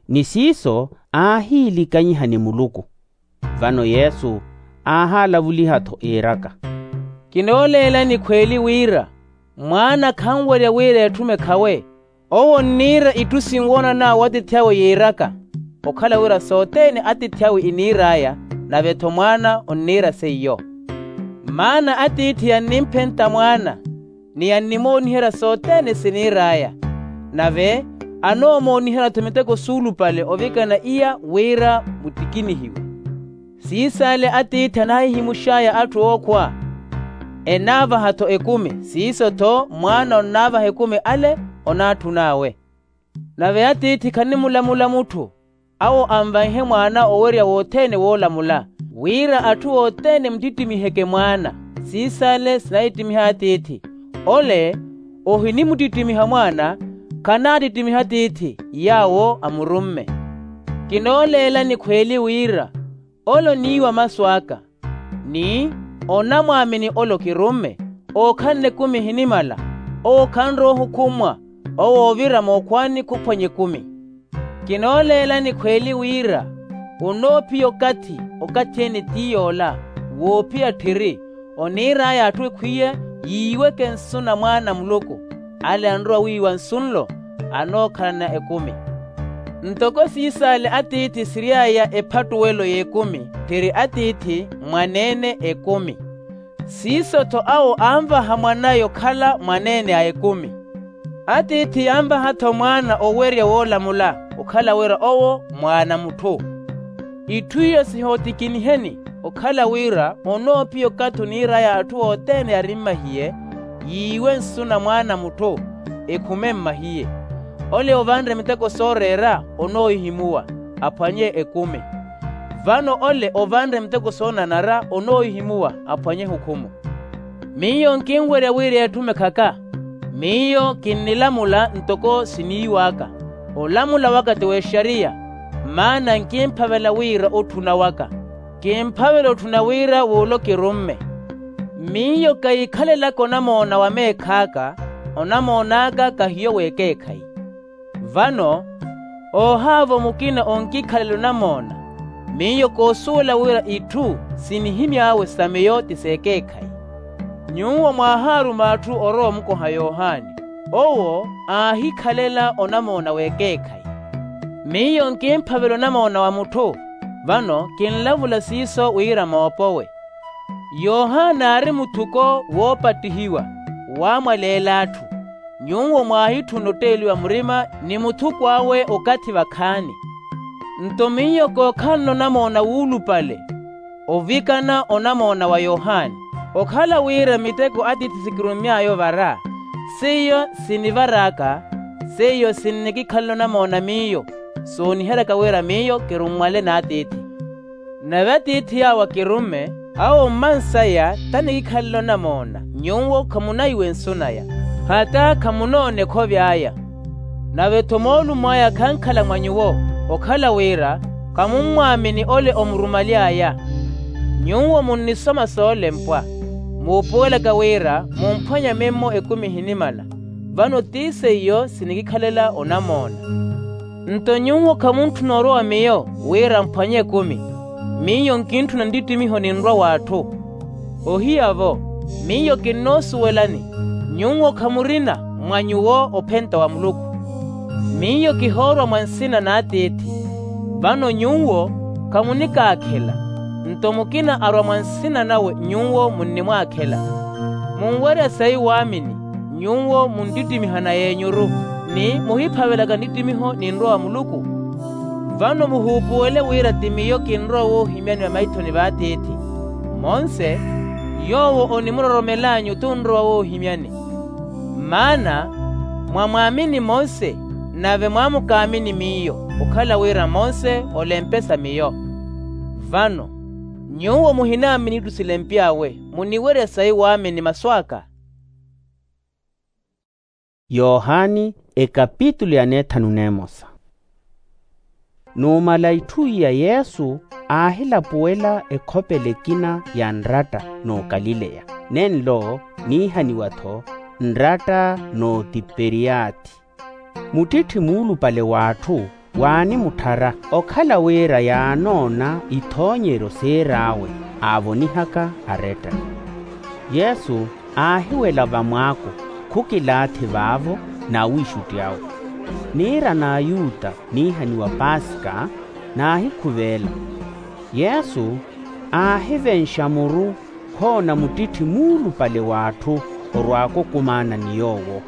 ni siiso aahiilikanyiha ni muluku. Vano yesu aahaalavuliha-tho iiraka, kinooleela nikhweeli wira mwaana khanwerya wira etthume khawe. Owo onniira itthu sinwoonan'awe atiithi awe yiiraka, okhala wira sothene atiithi awe iniir'aya, nave-tho mwaana onniira seiyo. Maana atiithi yannimphenta mwaana, ni yannimooniherya sothene siniir'aya, nave anoomooniherya-tho miteko suulupale ovikana iya wira mutikinihiwe. Siis'ale atiithi anaahihimux'aya atthu ookhwa, enaavaha-tho ekumi siiso-tho mwaana onnaavaha ekumi ale onaatthun'awe. Nave atiithi khanimulamula mutthu awo anvaihe mwaana owerya wothene woolamula, wira atthu othene mutittimiheke mwaana. Siis'ale sinaittimiha atiithi, ole ohinimuttittimiha mwaana khanaattittimiha atiithi yaawo amurumme. Kinooleela nikhweeli wira ole oniiwa masu aka, ni onamwaamini ole okirumme, ookhanle ekumi ehinimala, owo khanrowa ohukhummwa, owo oovira mookhwaani khuphwanya ekumi. Kinooleela nikhweeli wira onoophiya okathi, okathi ene ti yoola woophiya tthiri, oniir'aya atthu ekhwiye yiiweke nsu na mwaana a muluku, ale anrowa wiiwa nsu nlo. anookhalana ekumi. Ntoko siis'ale atiithi siry'aya ephattuwelo y'ekumi, tthiri atiithi mwaneene ekumi. Siiso-tho awo anvaha mwan'aya okhala mwaneene a ekumi. Atiithi yanvaha-tho mwaana owerya woolamula okhala wira owo mwaana a mutthu. Itthu iyo sihootikiniheni okhala wira onoophiya okathi oniir'aya atthu othene yari mmahiye, yiiwe nsu na mwaana a mutthu, ekhume mmahiye. Ole ovanre miteko sooreera onoohihimuwa, aphwanye ekumi. Vano ole ovanre miteko soonanara onoohihimuwa, aphwanye hukhumu. Miyo nkinwerya wira etthume khaka. Miyo kinnilamula ntoko siniiw'aka. Olamula waka ti w'exariya, maana nkimphavela wira otthuna waka. Kimphavela otthuna wira w'ulo kirumme. Miyo kaikhalelaka onamoona wa meekh'aka, onamoon'aka kahiyo w'ekeekhayi. Vano oohaavo mukina onkikhalela onamoona. Miyo koosuwela wira itthu sinihimy'awe sa miyo ti s'ekeekhayi. Nyuwo mwaahaaruma atthu orowa omukoha yohani, owo aahikhalela onamoona w'ekeekhayi. Miyo nkimphavela onamoona wa mutthu. Vano kinlavula siiso wira moopowe. Yohani aari muthuko woopattihiwa, waamwaleela atthu. Nyuwo mwaahitthuna otteeliwa murima ni muthuko awe okathi vakhaani. Nto miyo kookhalana onamoona wuulupale, ovikana onamoona wa yohani. Okhala wira miteko atiithi sikirumy'aya ovara, seiyo sinivaraaka. Seiyo sinnikikhalela onamoona miyo, sooniheryaka wira miyo kirummwale n'atiithi. Nave atiithi awo akirumme, awo mmansaya tanikikhalela onamoona, nyuwo khamunaiwe nsu naya, hata khamunoona ekhovi aya. Nave-tho moolumo aya khankhala mwa nyuwo, okhala wira khamummwaamini ole omurumaly'aya. Nyuwo munnisoma soolempwa, muupuwelaka wira mumphwanya mimmo ekumi ehinimala. Vano ti seiyo sinikikhalela onamoona. Nto nyuwo khamuntthuna orowa miyo wira mphwanye ekumi. Miyo nkintthuna nttittimiho ninrwa w'atthu. Ohiya-vo, miyo kinnoosuwelani, nyuwo khamurina mwa nyuwo ophenta wa muluku. Miyo kihoorwa mwa nsina n'atiithi. Vano nyuwo khamunikaakhela, nto mukina arwa mwa nsina nawe nyuwo munnimwaakhela. Munwerya sayi waamini, nyuwo munttittimiha na yenyuru, ni muhiphavelaka nttittimiho ninrwa wa muluku. Vano muhuupuwele wira ti miyo kinrowa woohimyani vamaithoni v'atiithi. Monse yoowo onimuroromel'anyu tunrowa woohimyani. Maana mwamwaamini monse, nave mwaamukaamini miyo, okhala wira monse olempesa miyo. Vano nyuwo muhinaamini itthu silempy'awe, muniwerya sayi waamini masu aka. Yohani ekapitulu ya neethanu n'emosa. Numala itthu iya yesu aahilapuwela ekhopela ekina ya nratta n'okalileya, nenlo niihaniwa-tho nratta n'otiperiyaathi. Muttitthi muulupale w'atthu waanimutthara, okhala wira yaanoona ithoonyeryo siir'awe aavonihaka aretta. Yesu aahiwela vamwaako, khukilaathi vaavo n'awiixutti awe. Niira n'ayuta niihaniwa paasika naahikhuveela. Yesu aahivenxa muru khoona muttitthi muulupale w'atthu orwaaka okumaana ni yoowo.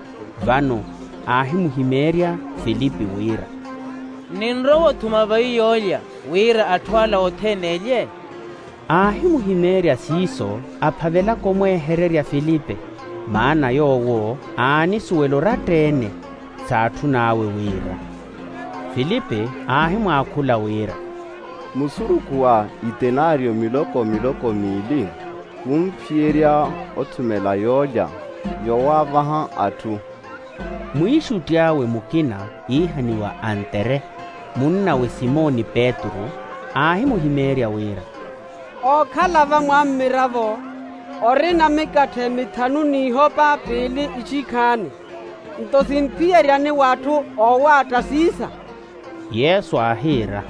Vano aahimuhimeerya filipi wira, ninrowa othuma vayi yoolya wira atthu ala othene elye? Aahimuhimeerya siiso aphavelaka omweehererya filipi, maana yoowo aanisuwela oratta-ene s'atthu n'awe wira. Filipi aahimwaakhula wira, musurukhu wa itenario miloko miloko miili khumphiyerya othumela yoolya yowaavaha atthu. Mwiixutti awe mukina iihaniwa antere, munnawe simoni petru, aahimuhimeerya wira, ookhala va mwammiravo orina mikatthe mithanu n'ihopa piili ixikhaani, nto simphiyeryani w'atthu oowaatta siisa? Yesu aahiira,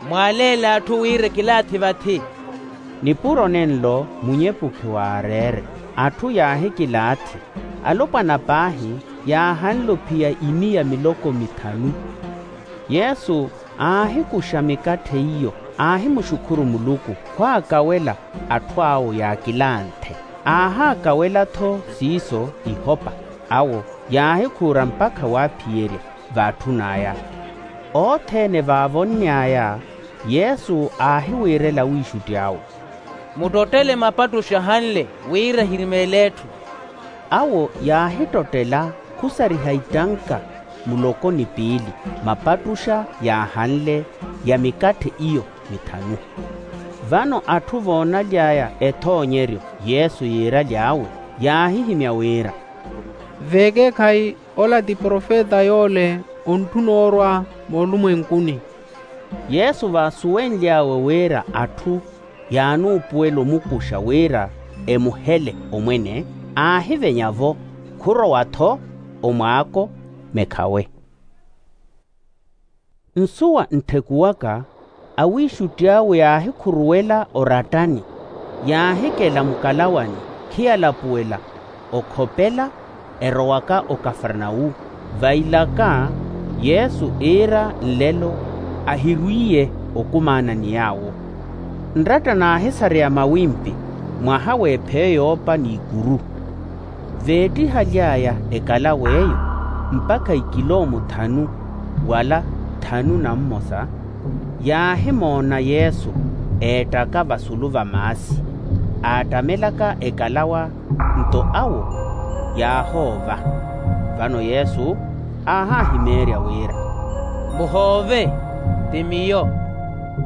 mwaaleela atthu wira ekilaathi vathi. Nipuro nenlo munyepukhi waareere, atthu yaahikilaathi. Alopwana paahi yaahanle ophiya imiya miloko mithanu. Yesu aahikuxa mikatthe iyo, aahimuxukhuru muluku, khwaakawela atthu awo yaakilanthe. Aahaakawela-tho siiso ihopa. Awo yaahikhuura mpakha waaphiyerya vaatthun'aya. Othene vaavonny'aya, yesu aahiwiirela awiixutti awe, muttottele mapattuxa ahanle wira ehirimeele etthu. Awo yaahittottela khusariha itanka muloko ni piili mapattuxa yaahanle ya mikatthe iyo mithanu. Vano atthu voonaly'aya ethoonyeryo yesu yiiraly'awe, yaahihimya wira, veekeekhayi ola ti profeta yoole ontthuna orwa moolumwenkuni. Yesu vaasuwenly'awe wira atthu yaanuupuwela omukuxa wira emuhele omwene, aahivenya-vo, khurowa-tho omwaako mekhawe. Nsuwa ntthekuwaka, awiixutti awe yaahikhuruwela orattani, yaahikela mukalawani khiyalapuwela okhopela, erowaka okafarnawu. Vailaka yesu iira nlelo ahirwiiye okumaana ni yaawo. Nratta naahisareya mawimpi mwaha w'epheyo yoopa n'ikuru. Veettihaly'aya ekalaw'eyo mpakha ikiloomu thanu wala thanu na mmosa, yaahimoona yesu eettaka vasulu va maasi, aattamelaka ekalawa nto awo yaahoova. Vano yesu aahaahimeerya wira, muhoove, ti miyo.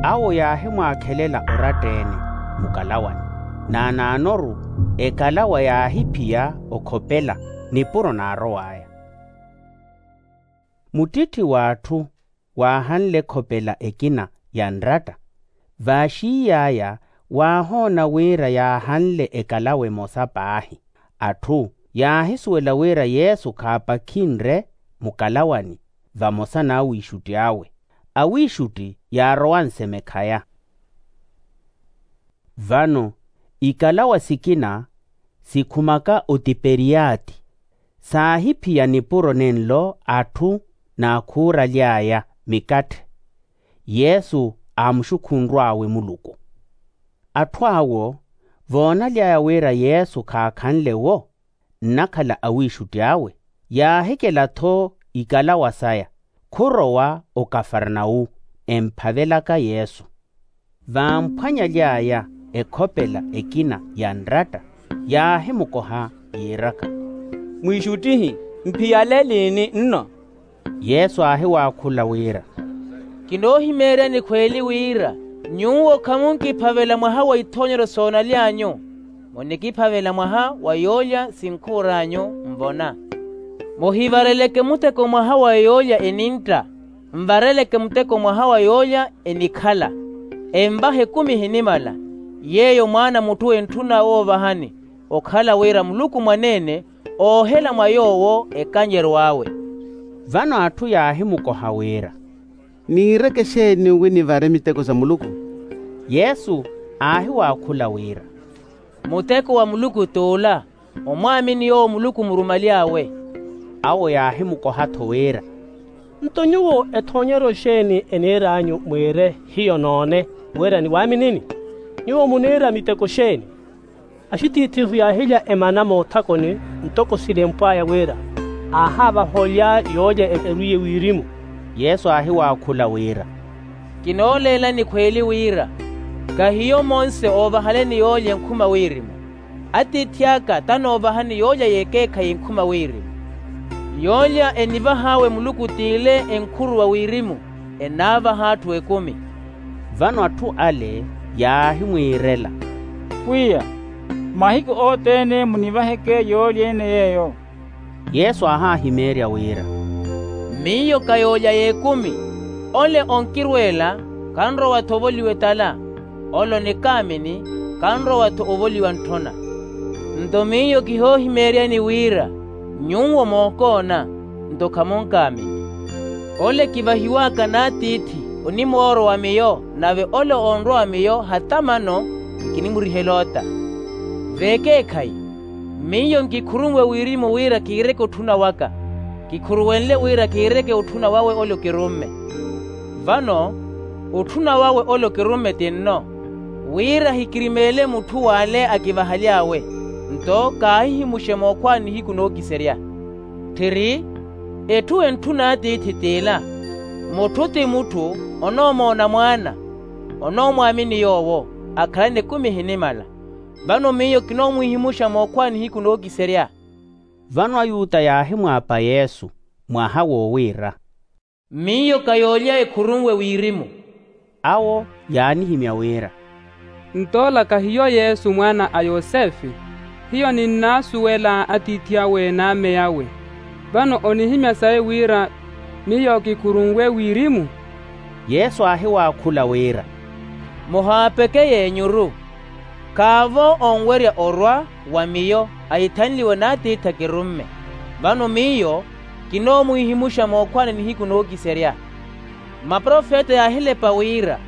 Awo yaahimwaakhelela oratta-ene mukalawani. Naanaanoru ekalawa yaahiphiya okhopela nipuro naarow'aya. Muttitthi w'atthu waahanle ekhopela ekina ya nratta. Vaaxiiy'aya waahoona wira yaahanle ekalawa emosa paahi. Atthu yaahisuwela wira yesu khaapakhinre mukalawani vamosa n'awiixutti awe. Awiixutti yaarowa nsemekhaya. Vano ikalawa sikina sikhumaka otiperiyati saahiphiya nipuro nenlo atthu naakhuuraly'aya mikatthe. Yesu aamuxukhunrw'awe muluku. Atthu awo voonaly'aya wira yesu khaakhanle-wo nnakhala awiixutti awe, yaahikela-tho ikalawa saya khurowa okafarnawu, emphavelaka yesu. Vaamphwanyaly'aya ekhopela ekina ya nratta yaahimukoha yiiraka, mwiixuttihi, mphiyale eliini nno? Yesu aahiwaakhula wira, kinoohimeeryani khweeli wira nyuwo khamunkiphavela mwaha wa ithoonyeryo soonaly'anyu, munikiphavela mwaha wa yoolya sinkhuur'anyu nvona. Muhivareleke muteko mwaha wa yoolya enintta, nvareleke muteko mwaha wa yoolya enikhala. Envaha ekumi ehinimala, yeeyo mwaana a mutthu entthuna woovahani okhala wira muluku mwaneene oohela mwa yoowo ekanyeryo awe. Vano atthu yaahimukoha wira, niireke exeeni wi nivare miteko sa muluku? Yesu aahiwaakhula wira, muteko wa muluku t'ula, omwaamini yoowo muluku murumaly'awe. Awo yaahimukoha-tho wira, nto nyuwo ethoonyeryo exeeni eniir'anyu mwiire hiyo noone wira niwaaminini? Nyuwo muniira miteko exeeni? Axitiithihu yaahilya emana moothakoni ntoko silempw'aya wira aahaavaha olya yoolya erwiiye wirimu. Yesu aahiwaakhula wira, kinooleelani khweeli wira kahiyo monse oovahaleni yoolya enkhuma wirimu. Atiithi aka tanoovahani yoolya y'ekeekhayi enkhuma wirimu. Yoolya enivah'awe muluku t'ile enkhuruwa wirimu enaavaha atthu ekumi. Vano atthu ale yaahimwiirela, pwiya, mahiku othene munivaheke yoolya ene yeeyo. Yesu aahaahimeerya wira, miyo ka yoolya y'ekumi. Ole onkirweela kanrowa-tho ovoliwa etala, ole onikaamini kanrowa-tho ovoliwa ntthona. Nto miyo kihoohimeeryani wira nyuwo mookoona, nto khamunkaamini. Ole kivahiw'aka n'atiithi onimoorowa miyo, nave ole onrowa miyo hata mano nkinimurihela ota. V'ekeekhayi, miyo nkikhurunwe wirimu wira kiireke otthuna waka. kikhuruwenle wira kiireke otthuna wawe ole okirumme. Vano otthuna wawe ole okirumme ti nno, wira ahikirimeele mutthu w'ale akivahaly'awe. Nto kaahihimuxe mookhwani nihiku nookiserya. Tthiri, etthu entthun'atiithi t'ila, mutthu ti mutthu onoomoona mwaana, onoomwaamini yoowo, akhalana ekumi ehinimala. Vano miyo kinoomwihimuxa mookhwani nihiku nookiserya. Vano ayuta yaahimwaapa yesu mwaha woowiira, miyo ka yoolya ekhurunwe wirimu. Awo yaanihimya wira, nto ola kahiyo yesu mwaana a yosefe? Hiyo ninnaasuwela atiithi awe n'ame awe. Vano onihimya sayi wira miyo kikhurunwe wirimu? Yesu aahiwaakhula wira, muhaapeke y'enyuru. Khaavo onwerya orwa wa miyo ahithanliwe n'atiithi akirumme. Vano miyo kinoomwihimuxa mookhwani nihiku nookiserya. Maprofeta yaahilepa wira,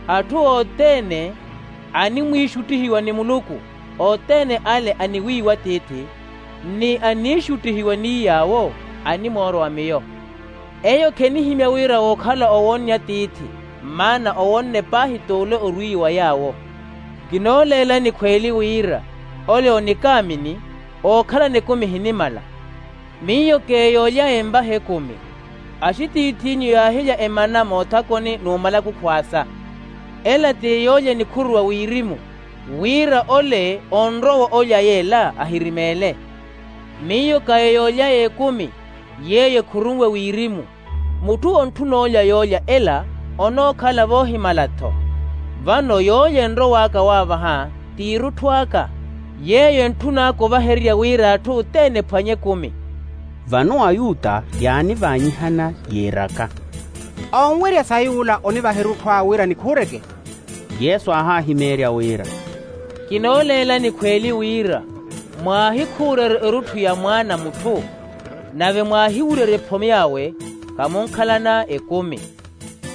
atthu othene animwiixuttihiwa ni muluku, othene ale aniwiiwa atiithi, ni aniixuttihiwa ni yaawo, animoorwa wa miyo. Eyo khenihimya wira wookhala owonnya atiithi, maana owonne paahi t'ule orwiiwa yaawo. Kinooleelani khweeli wira ole onikaamini, ookhalana ekumi ehinimala. Miyo k'eyoolya emvaha ekumi. Axitiith'inyu yaahilya emana moothakoni n'umalaku khwaasa. Ela ti yoolya enikhuruwa wirimu, wira ole onrowa olya yeela ahirimeele. Miyo ka eyoolya y'ekumi yeeyo ekhurunwe wirimu. Mutthu ontthuna olya yoolya ela onookhala voohimala-tho. Vano yoolya enrow'aka waavaha ti erutthu aka, yeeyo entthun'aka ovahererya wira atthu othene ephwanye ekumi. Vano ayuta yaanivaanyihana yiiraka, onwerya sayi ula onivaha erutthu aya wira nikhuureke? Yesu aahahimeerya wira, kinooleelani khweeli wira mwaahikhuurerya erutthu ya mwaana a mutthu, nave mwaahiwurerya ephomi awe, khamunkhalana ekumi.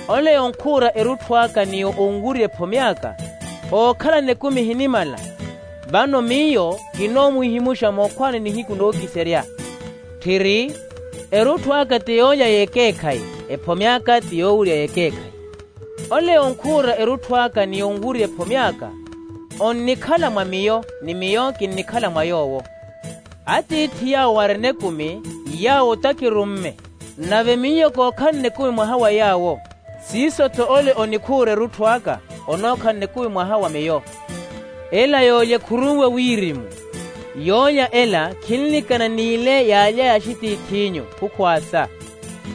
Ole onkhuura erutthu aka ni onwurya ephomi aka, ookhalana ekumi ehinimala. Vano miyo kinoomwihimuxa mookhwaani nihiku nookiserya. Tthiri, erutthu aka ti yoolya y'ekeekhayi, ephomi aka ti yoowurya y'ekeekhayi. Ole onkhuura erutthu aka ni onwurya ephomi aka, onnikhala mwa miyo, ni miyo kinnikhala mwa yoowo. Atiithi yaawo arina ekumi, yaawo otakirumme. Nave miyo kookhalana ekumi mwaha wa yaawo, siiso-tho ole onikhuura erutthu aka, onookhalana ekumi mwaha wa miyo. Ela yoolya ekhurunwe wirimu. Yoolya ela khinlikana n'ile yaalya ya axitiith'inyu khukhwaasa.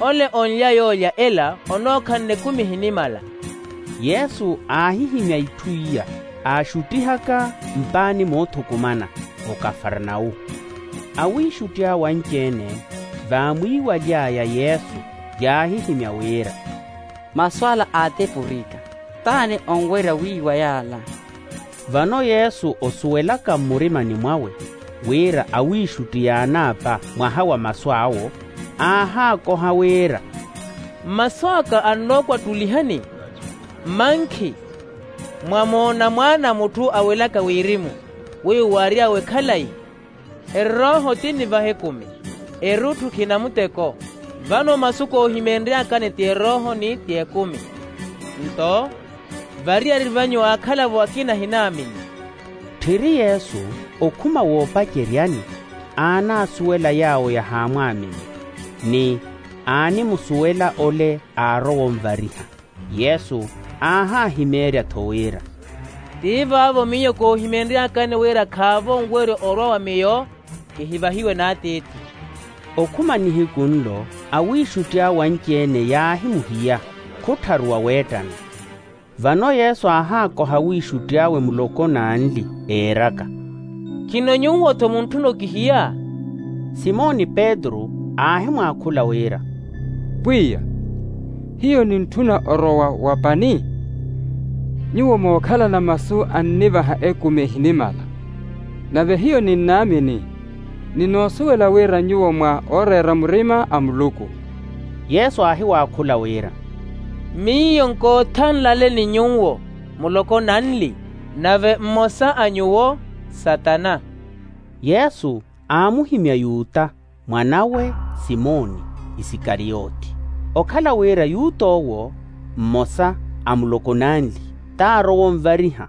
Ole onlya yoolya ela onookhalana ekumi ehinimala. Yesu aahihimya itthu iya, aaxuttihaka mpaani moothukumana okafarnawu. Awiixutti awe anci-ene vaamwiiwaly'aya yesu, yaahihimya wira, masu ala aatepurika. T'ani onwerya wiiwa yaala? Vano yesu osuwelaka mmurimani mwawe wira awiixutti yaanaapa mwaha wa masu awo, aahaakoha wira, mmasu aka annookwattulihani. Mmankhi, mwamoona mwaana a mutthu awelaka wirimu, wiiwo waary'awe khalayi. Erooho ti nnivaha ekumi, erutthu khina muteko. Vano masu koohimeenry'akani ti erooho ni ti ekumi. Nto variyari vanyu aakhalavo akina ahinaamini. Tthiri yesu okhuma woopaceryani, aanaasuwela yaawo yahaamwaamini, ni aanimusuwela ole aarowa onvariha. Yesu aahaahimeerya-tho wira, ti vaavo miyo koohimeenry'akani wira khaavo onwerya orwa wa miyo, kihivahiwe n'atiithi. Okhuma nihiku nlo awiixutti awe anci-ene yaahimuhiya, khuttharuwa weettana. Vano yesu aahaakoha awiixutti awe muloko n'anli, eeraka, khino nyuwo-tho muntthuna okihiya? Simoni petru aahimwaakhula wira, pwiya, hiyo nintthuna orowa wa pani. Nyuwo mookhalana masu annivaha ekumi ehinimala. Nave hiyo ninnaamini, ninoosuwela wira nyuwo mwa ooreera murima a muluku. Yesu aahiwaakhula wira, miyo nkoothanlaleni nyuwo muloko nanli, nave mmosa a nyuwo satana. Yesu aamuhimya yuta, Mwanawe simoni isikariyoti. Okhala wira yut'owo mmosa a muloko nanli, t'arowa onvariha.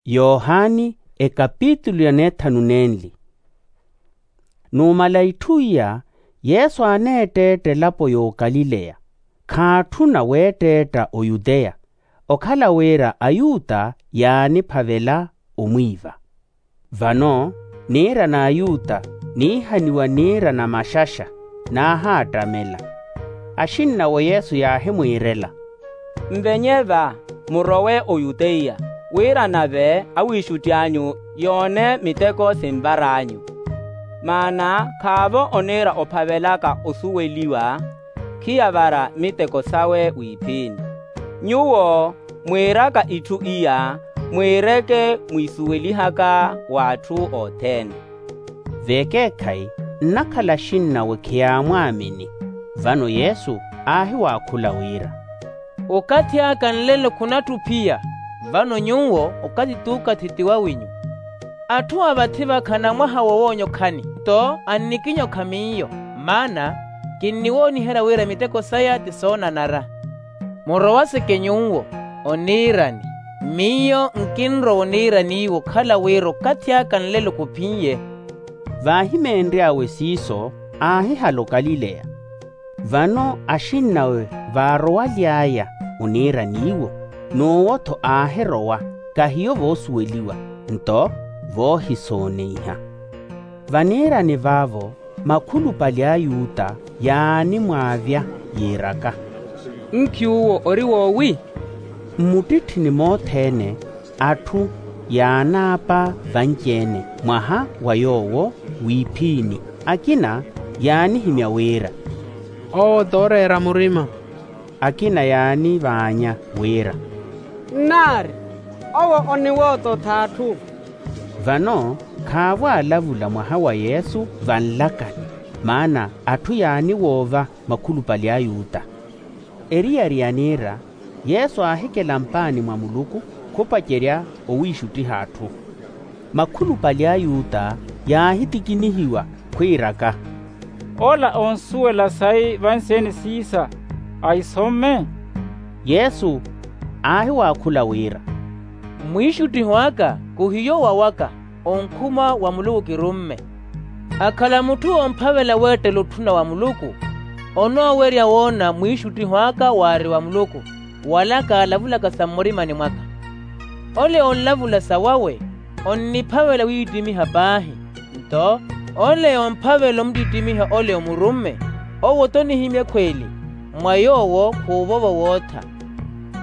Yohani ekapitulu ya neethanu nenli. Numala itthu iya, yesu aaneetteetta elapo y'okalileya, khaatthuna weetteetta oyuteya, okhala wira ayuta yaaniphavela omwiiva. Vano niira n'ayuta niihaniwa niira na maxaxa, naahaattamela. Axinnawe yesu yaahimwiirela, nvenye va, murowe oyuteya, wira nave awiixutti anyu yoone miteko sinvar'anyu. Maana khaavo oniira ophavelaka osuweliwa, khiyavara miteko sawe wiiphini. Nyuwo mwiiraka itthu iya, mwiireke mwiisuwelihaka w'atthu othene. Vekeekhayi nnakhala axinnawe khiyaamwaamini. Vano yesu aahiwaakhula wira, okathi aka nlelo khunatthi ophiya. Vano nyuwo okathi t'ukathi ti wawinyu. Atthu a vathi vakha anamwaha wowoonya okhani, nto annikinya okha miyo. Maana kinniwooniherya wira miteko saya ti soonanara. Murowaseke nyuwo oniirani, miyo nkinrowa oniiraniiwe okhala wira okathi aka nlelo khuphiye. Vaahimeenry'awe siiso aahihala okalileya. Vano axinnawe vaarowaly'aya oniiraniiwo, n'uwo-tho aahirowa, kahiyo voosuweliwa, nto voohisooneiha. Vaniirani vaavo makhulupale a ayuta yaanimwaavya, yiiraka, nki uwo ori woowi? Mmutitthini mothene atthu yaanaapa vanci-ene mwaha wa yoowo wiiphini. Akina yaanihimya wira, owo t'oreera murima. Akina yaanivaanya wira, nnaari, owo oniwoototha atthu. Vano khaavo aalavula mwaha wa yesu vanlakani, maana atthu yaaniwoova makhulupale a ayuta. Eriyari yaniira, yesu aahikela mpaani mwa muluku khupacerya owiixuttiha atthu. Makhulupale a ayuta yaahitikinihiwa khwiiraka, ola onsuwela sayi vansi-ene siisa, ahisomme? Yesu aahiwaakhula wira, mwiixuttiho aka khuhiyo wawaka, onkhuma wa muluku kirumme. Akhala mutthu oomphavela weettela otthuna wa muluku, onoowerya woona mwiixuttiho aka waari wa muluku, wala kaalavulaka sa mmurimani mwaka. Ole onlavula sawawe onniphavela wiittimiha paahi. Nto ole omphavela omuttittimiha ole omurumme, owo-tho onihimya ekhweeli, mwa yoowo khuuvova owootha.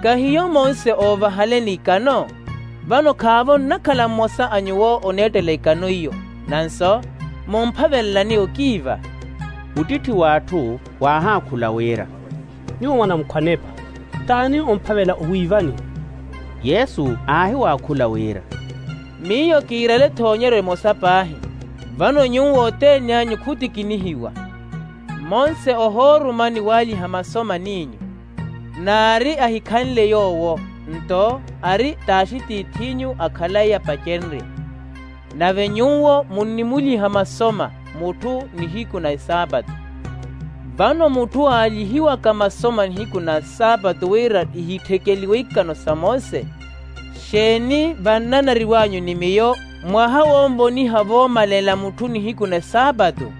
Kahiyo monse oovahaleni ikano? Vano khaavo nnakhala mmosa a nyuwo oneettela ikano iyo. Nanso mumphavelelani okiiva. Mutitthi w'atthu waahaakhula wira, nyuwo mwanamukhwanepa, t'ani omphavela owiivani? Yesu aahiwaakhula wira, miyo kiirale-tho onyeryo emosa paahi. Vano nyuwo othene anyu khutikinihiwa. Monse ohooruma ni waaliha maso man'inyu, naari ahikhanle yoowo, nto ari t'axitiith'inyu a khalayi apacenrye. Nave nyuwo munnimuliha masoma mutthu nihiku na esaapatu. Vano mutthu aalihiwaka masoma nihiku na saapatu wira ihitthekeliwe ikano sa mose, xeeni vannanariw'anyu ni miyo mwaha wonvoniha voomalela mutthu nihiku na esaapatu?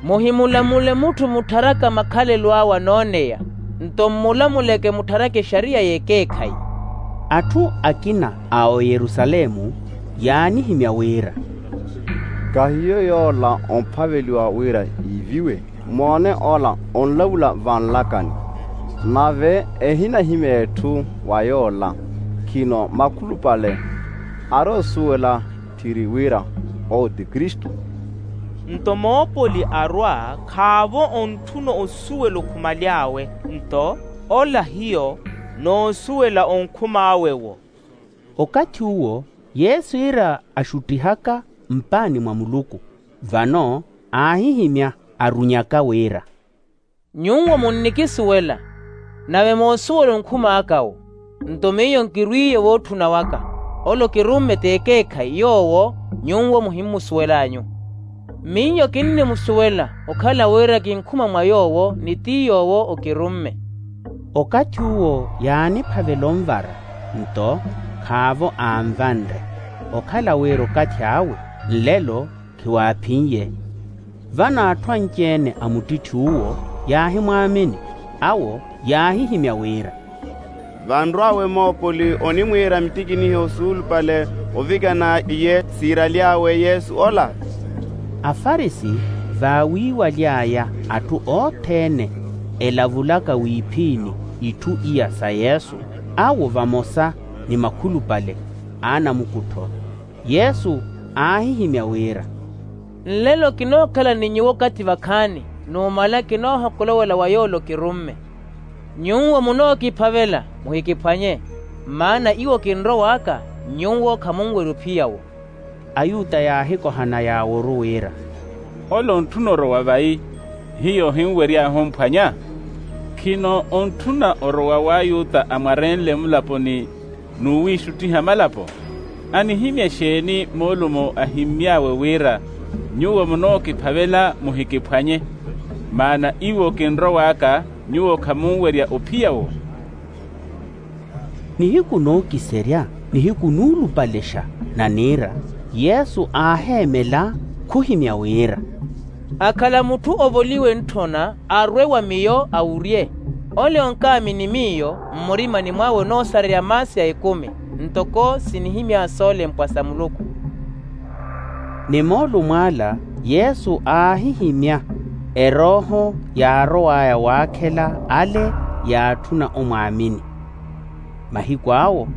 Muhimulamule mutthu muttharaka makhalelo awe anooneya, nto mmulamuleke muttharaka exariya y'ekeekhayi. Atthu akina a oyerusalemu yaanihimya wira, kahiyo yoola omphaveliwa wira iiviwe. Moone ola onlavula vanlakani, nave ehinahimya etthu wa yoola. Khino makhulupale ari osuwela tthiri wira owo ti kristu. Nto moopoli arwa khaavo ontthuna osuwela okhumaly'awe, nto ola hiyo noosuwela onkhum'awe-wo. Okathi uwo yesu iira axuttihaka mpaani mwa muluku. Vano aahihimya arunyaka wira, nyuwo munnikisuwela, nave moosuwela onkhum'aka-wo. Nto miyo nkirwiiye wootthuna waka, ole okirumme t'ekeekhayi yoowo nyuwo muhimmusuwel'anyu. Miyo kinnimusuwela okhala wira kinkhuma mwa yoowo ni ti yoowo okirumme. Okathi uwo yaaniphavela onvara, nto khaavo aanvanre, okhala wira okathi awe nlelo khiwaaphin'ye. Vano atthu anci-ene a muttitthi uwo yaahimwaamini, awo yaahihimya wira, vanrw'awe moopoli onimwiira mittikinihe osuulupale ovikana iye siiraly'awe yesu ola. Afarisi vaawiiwaly'aya atthu othene elavulaka wiiphiini itthu iya sa yesu, awo vamosa ni makhulupale a anamukuttho. Yesu aahihimya wira, nlelo kinookhala ni nyuwo okathi vakhaani, numala kinoohokolowela wa yoole okirumme. Nyuwo munookiphavela, muhikiphwanye, maana iwo kinrow'aka, nyuwo khamunwerya ophiya-wo. Ayuta yaahikohana yaaworu wira, ole ontthuna orowa vayi, hiyo ohinwery'ahu omphwanya? Khino ontthuna orowa w'ayuta amwarenle mulaponi n'uwiixuttiha malapo? Anihimya exeeni moolumo ahimmy'awe wira, nyuwo munookiphavela muhikiphwanye, maana iwo kinrow'aka, nyuwo khamunwerya ophiya-wo? Nihiku nookiserya, nihiku nuulupalexa naniira, yesu aaheemela khuhimya wira, akhala mutthu ovoliwe ntthona arwe wa miyo awurye. Ole onkaamini miyo, mmurimani mwawe onoosareya maasi a ekumi, ntoko sinihimya soolempwa sa muluku. Ni moolumo ala yesu aahihimya erooho yaarow'aya waakhela ale yaatthuna omwaamini. Mahiku awo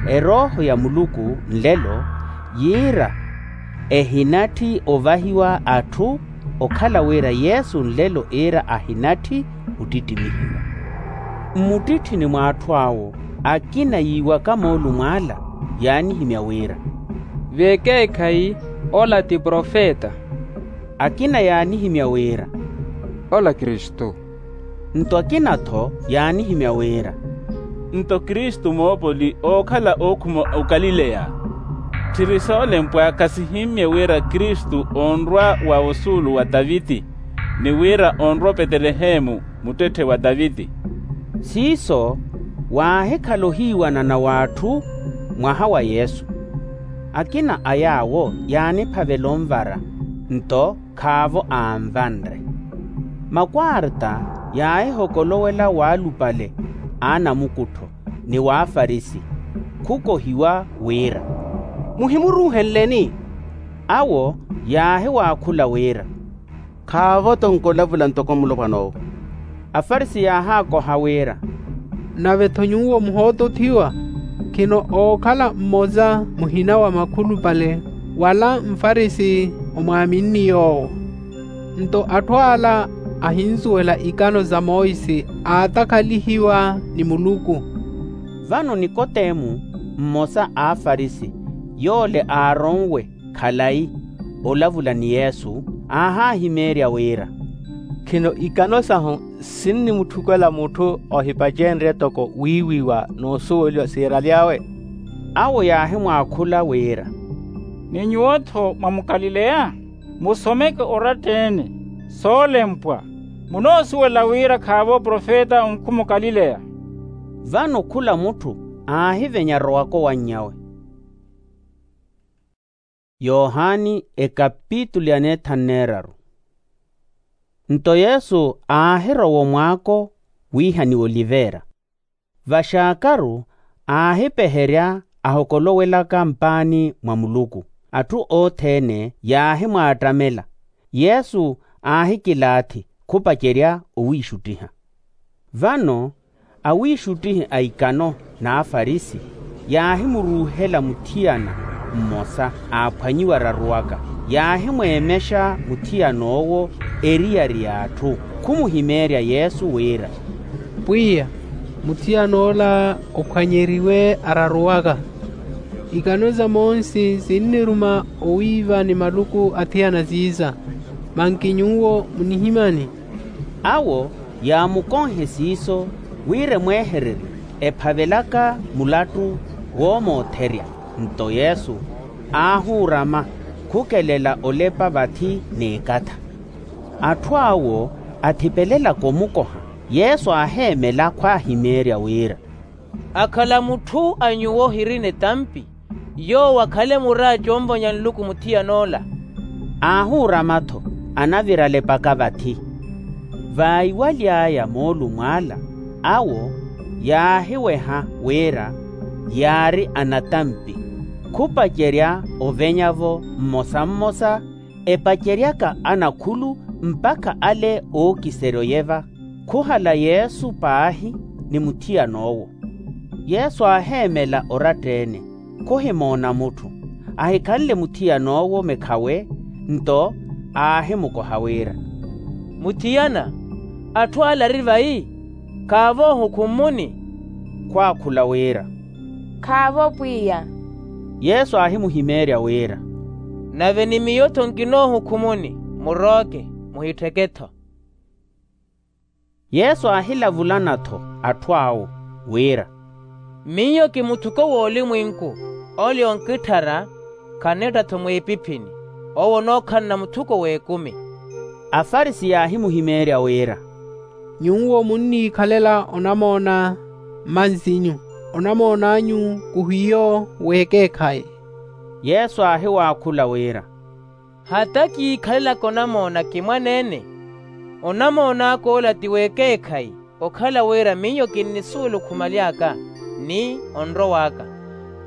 erooho ya muluku nlelo yiira ehinatthi ovahiwa atthu, okhala wira yesu nlelo iira ahinatthi ottittimihiwa. Mmuttitthini mw'atthu awo akina yiiwaka moolumo ala yaanihimya wira, vekeekhayi ola ti profeta. Akina yaanihimya wira, ola kristu. Nto akina-tho yaanihimya wira, nto kristu moopoli ookhala ookhuma okalileya. Tthiri soolempwa khasihimmye wira kristu onrwa wa osuulu wa taviti, ni wira onrwa opetelehemu muttetthe wa taviti. Siiso waahikhala ohiiwanana w'atthu mwaha wa yesu. Akina a yaawo yaaniphavela onvara, nto khaavo aanvanre. Makwarta yaahihokolowela waalupale a anamukuttho ni w'afarisi, khukohiwa wira, muhimuruuhenleni? Awo yaahiwaakhula wira, khaavo-tho onkolavula ntoko mulopwan'owo. Afarisi yaahaakoha wira, nave-tho nyuwo muhootothiwa, khino ookhala mmosa muhina wa makhulupale wala mfarisi omwaaminni yoowo. Nto atthu ala ahinsuwela ikano sa monsi aatakhalihiwa ni muluku. Vano nikotemu mmosa a afarisi yoole aaronwe khalayi olavula ni yesu aahaahimeerya wira, khino ikano sahu sinnimutthukela mutthu ohipacenrye toko wiiwiwa n'usuweliwa siiraly'awe? Awo yaahimwaakhula wira, ni nyuwo-tho mwa mukalileya? Musomeke oratta-ene soolempwa, munoosuwela wira khaavo profeta onkhuma okalileya. Vano khula mutthu aahivenya arowaka owannyawe. Yohani ekapitulu ya neethanu neeraru. Nto yesu aahirowa omwaako wiihaniwa olivera. Vaxaakaru aahipeherya ahokolowelaka mpaani mwa muluku. Atthu othene yaahimwaattamela. Yesu aahikilaathi khupacerya owiixuttiha. Vano awiixuttihi a ikano n'afarisi yaahimuruuhela muthiyana mmosa aaphwanyiwa araruwaka. Yaahimweemexa muthiyan'owo eriyari y'atthu khumuhimeerya yesu wira, pwiya, muthiyana ola ophwanyeriwe araruwaka. Ikano sa monsi sinniruma owiiva ni maluku athiyana siiza. Manki nyuwo munihimyani? Awo yaamukonhe siiso wira emweehererye ephavelaka mulattu woomootherya. Nto yesu aahuurama Khukelela olepa vathi n'ekatha. Atthu awo athipelelaka omukoha. Yesu aaheemela khwaahimeerya wira, akhala mutthu a nyuwo ohirina etampi, yoowo akhale muraaci onvonya nluku muthiyan'ola. Aahuurama-tho, anavira alepaka vathi. Vaaiwaly'aya moolumo ala, awo yaahiweha wira yaari anatampi, khupacerya ovenya-vo mmosa-mmosa, epaceryaka anakhulu mpakha ale ookiserya oyeva. Khuhala yesu paahi ni muthiyan'owo. Yesu aaheemela oratta-ene, khuhimoona mutthu. Ahikhanle muthiyan'owo mekha'we, nto aahimukoha wira, mutthiyana, atthu ala ari vayi? Khaavo ohukhummuni? Khwaakhula wira, khaavo pwiya. Yesu aahimuhimeerya wira, nave ni miyo-tho nkinoohukhummuni. Murooke, muhittheke-tho. Yesu aahilavulana-tho atthu awo wira, miyo ki muthuko w'olimwenku. Ole onkitthara khaneetta-tho mwiipiphini, owo onookhalana muthuko w'ekumi. Afarisi yaahimuhimeerya wira, nyuwo munniikhalela onamoona mmansinyu, onamoon'anyu khuhiyo w'ekeekhayi. Yesu aahiwaakhula wira, hata kiikhalelaka onamoona kimwaneene. Onamoon'aka ola ti w'ekeekhayi, okhala wira miyo kinnisuwela okhumaly'aka ni onrow'aka.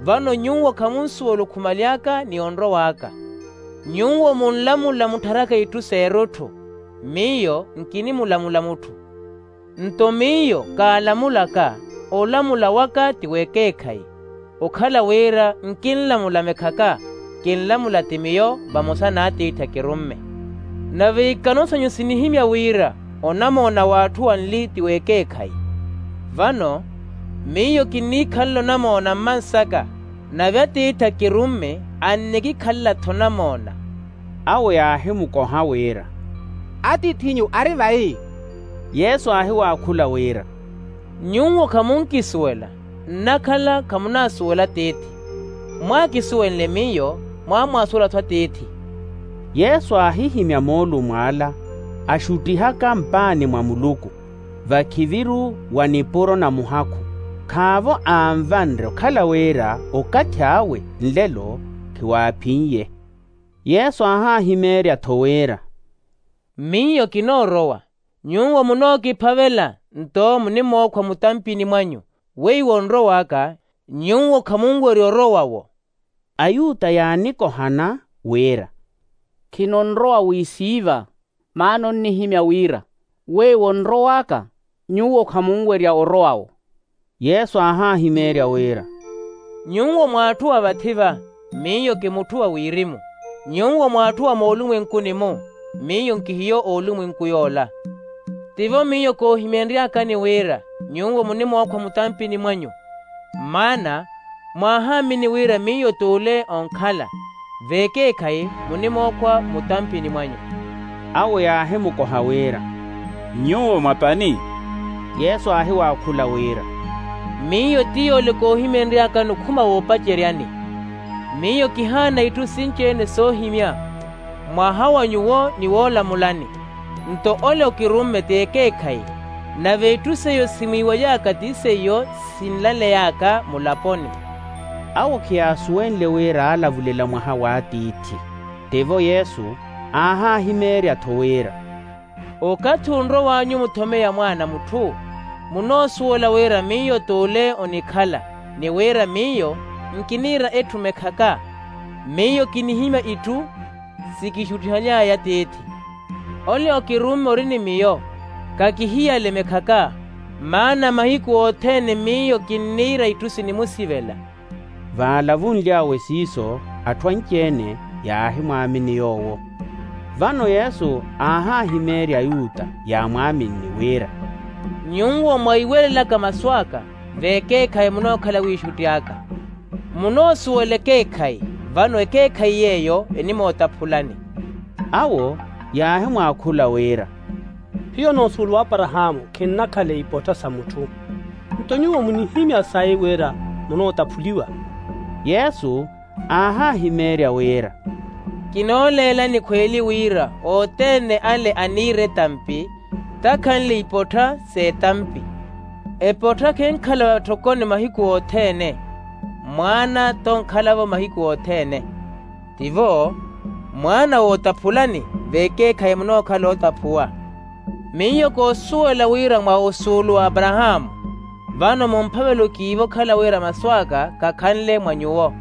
Vano nyuwo khamunsuwela okhumaly'aka ni onrow'aka. Nyuwo munlamula muttharaka itthu s'erutthu, miyo nkinimulamula mutthu. Nto miyo kaalamulaka, olamula waka ti w'ekeekhayi. Okhala wira nkinlamula mekhaka, kinlamula ti miyo vamosa n'atiithi akirumme. Nave ikano sanyu sinihimya wira onamoona w'atthu anli ti w'ekeekhayi. Vano miyo kinniikhalela onamoona mmansaka, nave atiithi akirumme annikikhalela-tho onamoona. Awo yaahimukoha wira, atiith'inyu ari vayi? Yesu aahiwaakhula wira, nyuwo khamunkisuwela, nnakhala khamunaasuwela atiithi. Mwaakisuwenle miyo, mwaamwaasuwela-tho atiithi. Yesu aahihimya moolumo ala, axuttihaka mpaani mwa muluku, vakhiviru wa nipuro na muhakhu. Khaavo aanvanre okhala wira okathi awe nlelo khiwaaphin'ye. Yesu aahaahimeerya-tho wira, miyo kinoorowa. Nyuwo munookiphavela nto munimookhwa mutampini mwanyu, weiwo onrow'aka, nyuwo khamunwerya orowa-wo. Ayuta yaanikohana wira, khinonrowa wisiiva, maana onnihimya wira weiwo onrow'aka, nyuwo khamunwerya orowa-wo. Yesu aahaahimeerya wira, nyuwo mwaatthuwa vathi-va, miyo ki mutthu wa wirimu. Nyuwo mwaatthuwa moolumwenkuni-mu, miyo nkihiyo oolumwenku yoola. Tivo miyo koohimenry'akani wira nyuwo munimookhwa mutampini mwanyu, maana mwaahaamini wira miyo t'ule onkhala, v'ekeekhayi munimookhwa mutampini mwanyu. Awo yaahimukoha wira, nyuwo mwa pani? Yesu aahiwaakhula wira, miyo ti yoole koohimenry'akani okhuma woopaceryani. Miyo kihaana itthu sinci-ene soohimya, mwaha wa nyuwo ni woolamulani. Nto ole okirumme t'ekeekhayi, nave itthu seiyo simwiiwaly'aka ti seiyo sinlaley'aka mulaponi. Awo khiyaasuwenle wira aalavulela mwaha w'atiithi. Tivo yesu aahaahimeerya-tho wira, okathi onrow'anyu muthomeya mwaana a mutthu, munoosuwela wira miyo t'ule onikhala, ni wira miyo nkiniira etthu mekhaka. Miyo kinihimya itthu sikixuttihaly'aya atiithi. Ole okirumme ori ni miyo, kakihiyale mekhaka, maana mahiku othene miyo kinniira itthu sinimusivela. Vaalavunly'awe siiso, atthu anci-ene yaahimwaamini yoowo. Vano yesu aahaahimeerya ayuta yaamwaaminni wira, nyuwo mwaiwelelaka masu aka, v'ekeekhayi munookhala wiixutti aka. Munoosuwela ekeekhayi, vano ekeekhayi yeeyo enimootaphulani. Awo yaahimwaakhula wira, hiyo noosuwela w'aparahaamu khinnakhala ipotta sa mutthu. Nto nyuwo munihimya sayi wira munootaphuliwa. Yesu aahaahimeerya wira, Kinooleelani khweeli wira othene ale aniira etampi takhanle ipottha s'etampi. Epottha khenkhala vatthokhoni mahiku othene. Mwaana tonkhalavo mahiku othene. Tivo mwaana wootaphulani veekeekhayi munookhala ootaphuwa. Miyo koosuwela wira mwa osuulu w'aparahaamu. Vano mumphavela okiiva okhala wira masu aka khakhanle mwa nyuwo.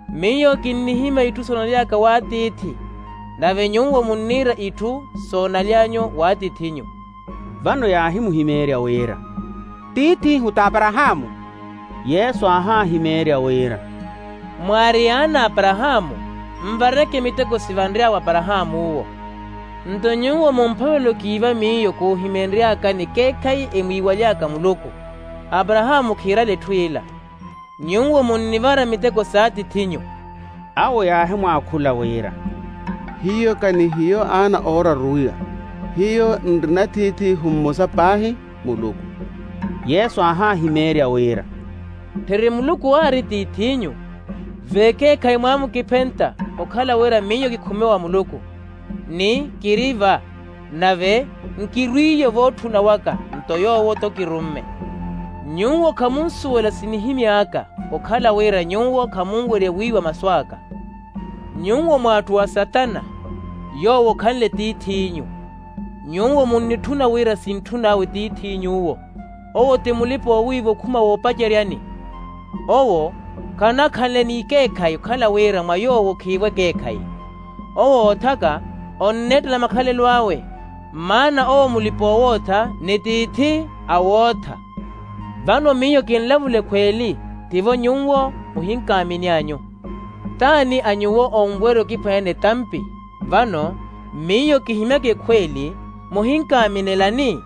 Miyo kinnihimya itthu soonaly'aka w'atiithi. Nave nyuwo munniira itthu soonaly'anyu w'atiith'inyu. Vano yaahimuhimeerya wira, tiith'ihu t'aparahaamu. Yesu aahaahimeerya wira, mwaari yaana a aparahaamu. Nvareke miteko sivanry'awe aparahaamu'wo. Nto nyuwo mumphavela okiiva miyo koohimenry'aka ni keekhayi emwiiwaly'aka muluku. Aparahaamu khiirala etthu ila. Nyuwo munnivara miteko s'atiith'inyu. Awo yaahimwaakhula wira, hiyo ka ni hiyo aana ooraruwiwa. Hiyo nrina tiith'ihu mmosa paahi, muluku. Yesu aahaahimeerya wira, tthiri muluku aari tiith'inyu. Veekeekhayi mwaamukiphenta okhala wira miyo kikhume wa muluku, ni kiri va, nave nkirwiiye vootthuna waka. Nto yoowo-tho kirumme. Nyuwo khamunsuwela sinihimy'aka okhala wira nyuwo khamunwerya wiiwa masu aka. Nyuwo mw'atthu a satana, yoowo khanle tiith'inyu. Nyuwo munnitthuna wira sintthun'awe tiith'inyuwo. Owo ti mulipa-oowiiva okhuma woopaceryani. Owo khanakhanle n'ikeekhayi okhala wira mwa yoowo khiivo ekeekhayi. Owo oothaka onneettela makhalelo awe. Maana owo mulipa-oowootha ni tiithi a wootha. Vano miyo kinlavula ekhweeli, tivo nyuwo muhinkaamini anyu. T'ani a nyuwo onwerya okiphwanyana etampi? Vano miyo kihimyaka ekhweeli, muhinkaaminelani?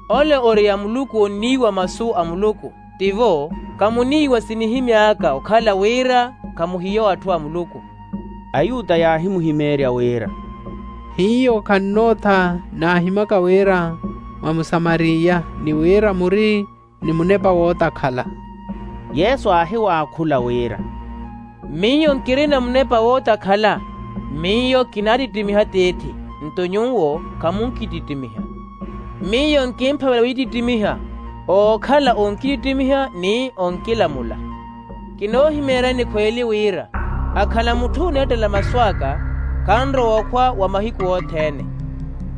Ole ori a muluku onniiwa masu a muluku. Tivo khamuniiwa sinihimy'aka okhala wira khamuhiyo atthu a muluku. Ayuta yaahimuhimeerya wira, hiyo khannootha naahimaka wira mwa musamariya ni wira muri ni munepa wootakhala. Yesu aahiwaakhula wira, miyo nkirina munepa wootakhala. Miyo kinaattittimiha tiithi, nto nyuwo khamunkittittimiha. Miyo nkimphavela wittittimiha ookhala onkittittimiha ni onkilamula. Kinoohimeeryani khweeli wira akhala mutthu oneettela masu aka khanrowa okhwa wa mahiku othene.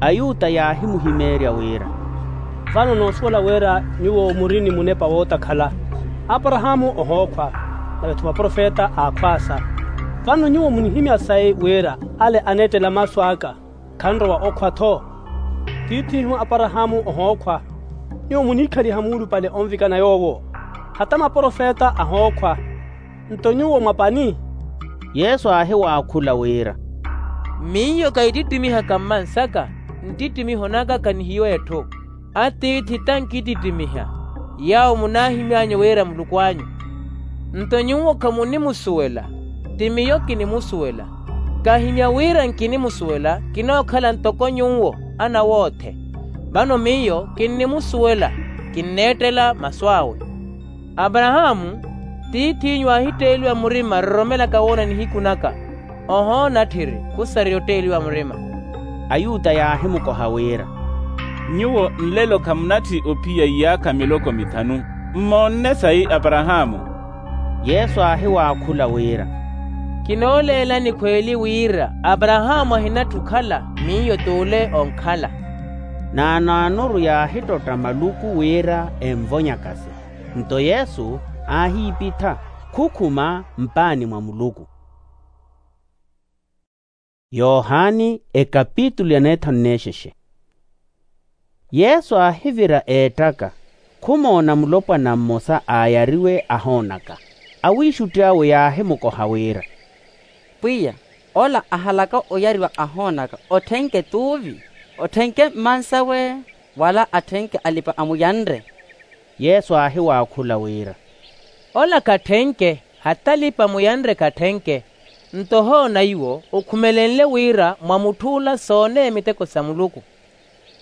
Ayuta yaahimuhimeerya wira, vano noosuwela wira nyuwo muri ni munepa wootakhala. Aparahaamu ohookhwa, nave-tho maprofeta aakhwaasa. Vano nyuwo munihimya sayi wira ale aneettela masu aka khanrowa okhwa-tho. Tiith'ihu aparahaamu ohookhwa. Nyuwo muniikhaliha muulupale onvikana yoowo, hata maprofeta ahookhwa. Nto nyuwo mwa pani? Yesu aahiwaakhula wira, miyo kaitittimihaka mmansaka. Nttittimiho naka khanihiyo etthu. Atiithi tankittittimiha, yaawo munaahimy'anyu wira muluku anyu. Nto nyuwo khamunimusuwela, ti miyo kinimusuwela. Kahimya wira nkinimusuwela kinookhala ntoko nyuwo, ana woothe. Vano miyo kinnimusuwela, kinneettela masu awe. Aparahaamu tiith'inyu aahitteeliwa murima roromelaka woona nihiku naka. Ohoona tthiri khusareya otteeliwa murima. Ayuta yaahimukoha wira, nyuwo nlelo khamunatthi ophiya iyaakha miloko mithanu, mmoonne sayi aparahaamu? Yesu aahiwaakhula wira, kinooleelani khweeli wira aparahaamu ahinatthu okhala, miyo t'ule onkhala. Naanaanuru yaahittotta maluku wira envonyakase. Nto yesu aahiipitha, khukhuma mpaani mwa muluku. Yohani ekapitulu ya neethanu n'exexe. Yesu aahivira eettaka, khumoona mulopwana mmosa aayariwe ahoonaka. Awiixutti awe yaahimukoha wira, pwiya, ola ahalaka oyariwa ahoonaka otthenke t'uvi? Otthenke mmansawe, wala atthenke alipa-amuyanre? Yesu aahiwaakhula wira, ola khatthenke, hata alipa-amuyanre khatthenke. Nto ohoona iwo okhumelenle wira mwa mutth'ula sooneya miteko sa muluku.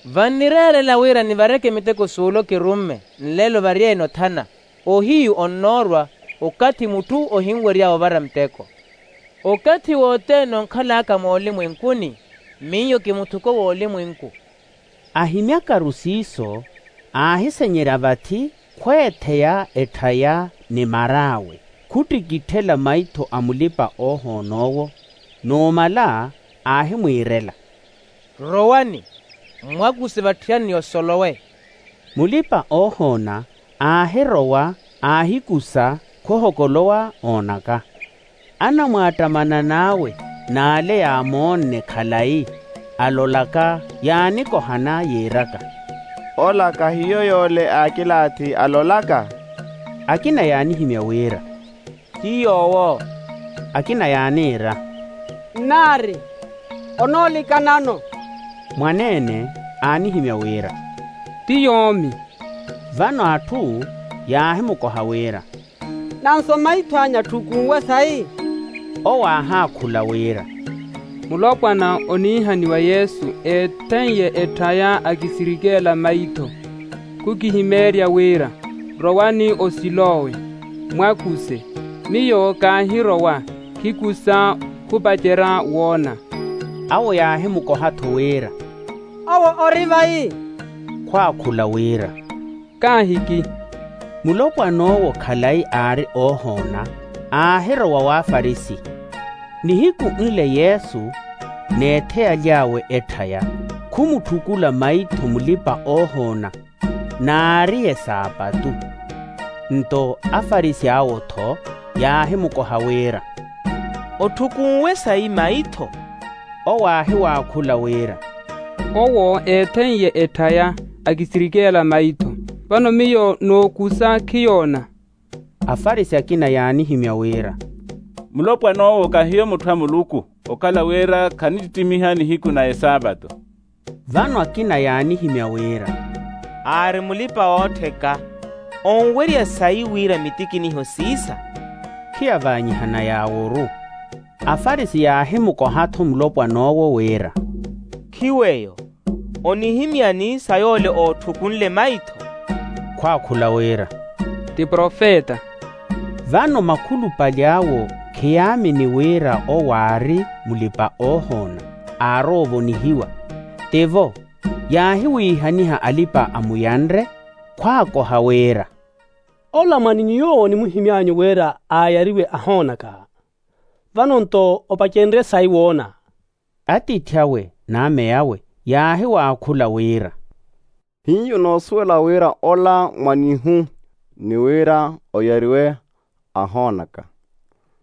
Vannireerela wira nivareke miteko s'ule okirumme, nlelo varyeene othana. Ohiyu onnoorwa okathi mutthu ohinwerya ovara muteko. Okathi wothene onkhal'aka moolimwenkuni, miyo kimuthuko w'olimwenku. Ahimyakaru siiso, aahisenyerya vathi khweetheya etthaya ni mar'awe, khuttikitthela maitho a mulipa-oohoon'owo. Numala aahimwiirela, rowani, mmwakuse vatthiyani ni osolowe. Mulipa-oohoona aahirowa, aahikusa, khohokolowa oonaka. Anamwaattamanan'awe n'ale yaamoonne khalayi, alolaka, yaanikohana yiiraka, ola khahiyo yoole aakilaathi alolaka? Akina yaanihimya wira, ti yoowo. Akina yaaniira, nnaari, onoolikanano. Mwaneene aanihimya wira, ti yoomi. Vano atthu yaahimukoha wira, nanso maitho anyu atthukunwe sayi? Owo aahaakhula wira, mulopwana oniihaniwa yesu eetheiye etthaya akisirikeela maitho, khukihimeerya wira, rowani osilowe, mwakuse. Miyo kaahirowa, khikusa, khupacerya woona. Awo yaahimukoha-tho wira, owo ori vayi? Khwaakhula wira, kaahiki. Mulopwan'owo khalayi aari oohoona, aahirowa w'afarisi. Nihiku nle yesu, n'etheyaly'awe etthaya, khumutthukulla maitho mulipa-oohoona, n'aari esaapatu. Nto afarisi awo-tho yaahimukoha wira, otthukunwe sayi maitho? Owo aahiwaakhula wira, owo eetheiye etthaya, akisirikeela maitho. Vano miyo nookusa khiyoona. Afarisi akina yaanihimya wira, mulopwan'owo khahiyo mutthu a muluku, okhala wira khanittittimiha nihiku na esaapato. Vano akina yaanihimya wira, aari mulipa-oottheka, onwerya sayi wira mitikiniho siisa? Khiyavaanyihana yaaworu. Afarisi yaahimukoha-tho mulopwan'owo wira, khiweyo, onihimyani sa yoole ootthukunle maitho? Khwaakhula wira, ti profeta. Vano makhulupale awo khiyaamini wira owo aari mulipa-oohoona, aarowa ovonihiwa. Tivo, yaahiwiihaniha alipa-amuyanre, khwaakoha wira, ola mwaninyu yoowo onimuhimy'anyu wira aayariwe ahoonaka, vano-nto opacenrye sayi woona? Atiithi awe n'ameyawe yaahiwaakhula wira, hiyo noosuwela wira ola mwanihu, ni wira oyariwe ahoonaka.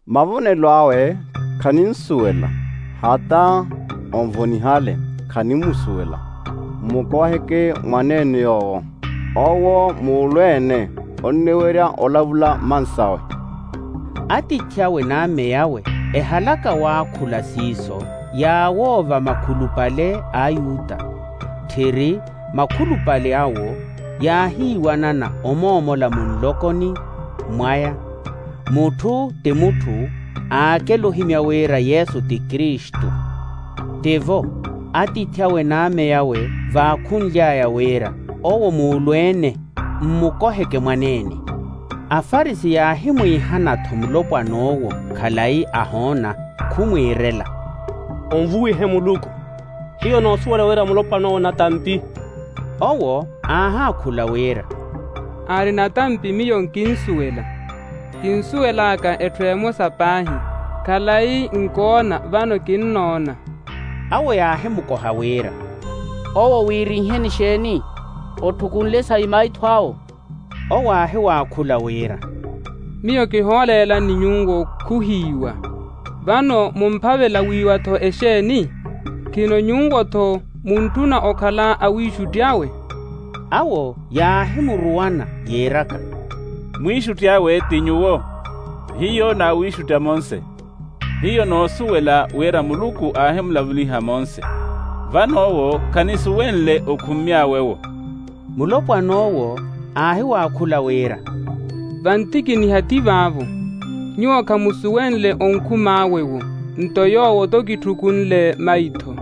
Mavonelo awe khaninsuwela, hata onvonihale, khanimusuwela. Mmukoheke mwaneene yoowo, owo muulweene onniwerya olavula mmansawe. Atiithi awe n'ameyawe ehalaka waakhula siiso, yaawoova makhulupale a ayuta, tthiri makhulupale awo yaahiiwanana omoomola munlokoni mwaya, mutthu ti mutthu aakela ohimya wira yesu ti kristu. Tivo, atiithi awe n'ameyawe vaakhunly'aya wira, owo muulweene, mmukoheke mwaneene. Afarisi yaahimwiihana-tho mulopwan'owo khalayi ahoona, khumwiirela, onvuwihe muluku, hiyo noosuwela wira mulopwan'owo natampi. Owo aahaakhula wira, aari natampi miyo nkinsuwela. Kinsuwel'aka etthu emosa paahi, khalayi nkoona vano kinnoona. Awo yaahimukoha wira, owo wiirinheni xeeni? Otthukunle sayi maitho awo? Owo aahiwaakhula wira, miyo kihooleelani nyuwo khuhiiwa. Vano mumphavela wiiwa-tho exeeni? Khino nyuwo-tho muntthuna okhala awiixutti awe? Awo yaahimuruwana yiiraka, mwiixutti awe ti nyuwo, hiyo n'awiixutti a monse. Hiyo noosuwela wira muluku aahimulavuliha monse, vano owo khanisuwenle okhummy'awe-wo. Mulopwan'owo aahiwaakhula wira, vantikiniha ti vaavo. Nyuwo khamusuwenle onkhum'awe-wo, nto yoowo-tho kitthukunle maitho.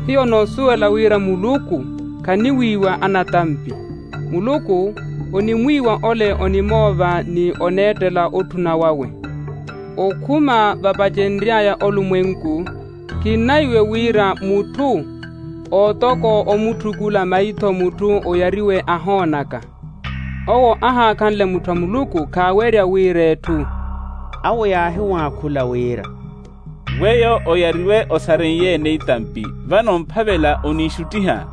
Hiyo noosuwela wira muluku khaniwiiwa anatampi. Muluku onimwiiwa ole onimoova ni oneettela otthuna wawe. Okhuma vapacenry'aya olumwenku, kinahiwe wira mutthu ootoko omutthukula maitho mutthu oyariwe ahoonaka. Owo ahaakhanle mutthu a muluku khaawerya wira etthu. Awo yaahiwaakhula wira, weyo oyariwe osarenye-ene itampi, vano mphavela oniixuttiha.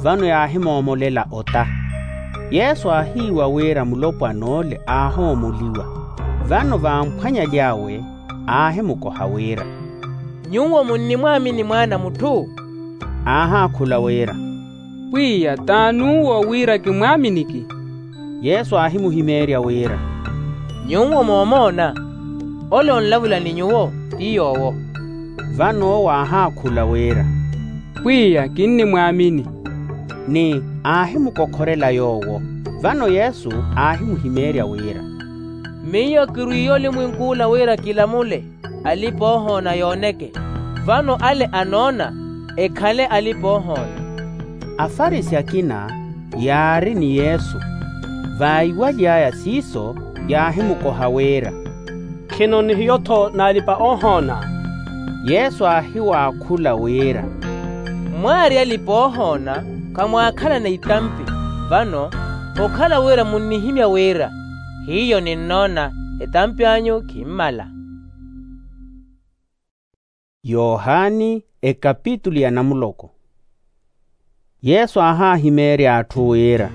Vano yaahimoomolela ota. Yesu aahiiwa wira mulopwan'ole aahoomoliwa. Vano vamphwanyaly'awe aahimukoha wira, nyuwo munnimwaamini mwaana a mutthu? Aahaakhula wira, pwiya t'ani uwo wira kimwaaminiki? Yesu aahimuhimeerya wira, nyuwo moomoona, ole onlavula ni nyuwo ti yoowo. Vano owo aahaakhula wira, pwiya kinnimwaamini. Ni aahimukokhorela yoowo. Vano yesu aahimuhimeerya wira, miyo kirwiiye olimwenk'ula wira kilamule alipa-oohoona yooneke. Vano ale anoona ekhale alipa-oohoona. Afarisi akina yaari ni yesu, vaiwaly'aya siiso yaahimukoha wira, khino ni hiyo-tho n'alipa-oohoona? Yesu aahiwaakhula wira, mwaari alipa-oohoona, khamwaakhalana itampi. Vano okhala wira munnihimya wira hiyo ninnoona, etampi anyu khimmala. Yohani ekapitulu ya namuloko. Yesu aahaahimeerya atthu wira,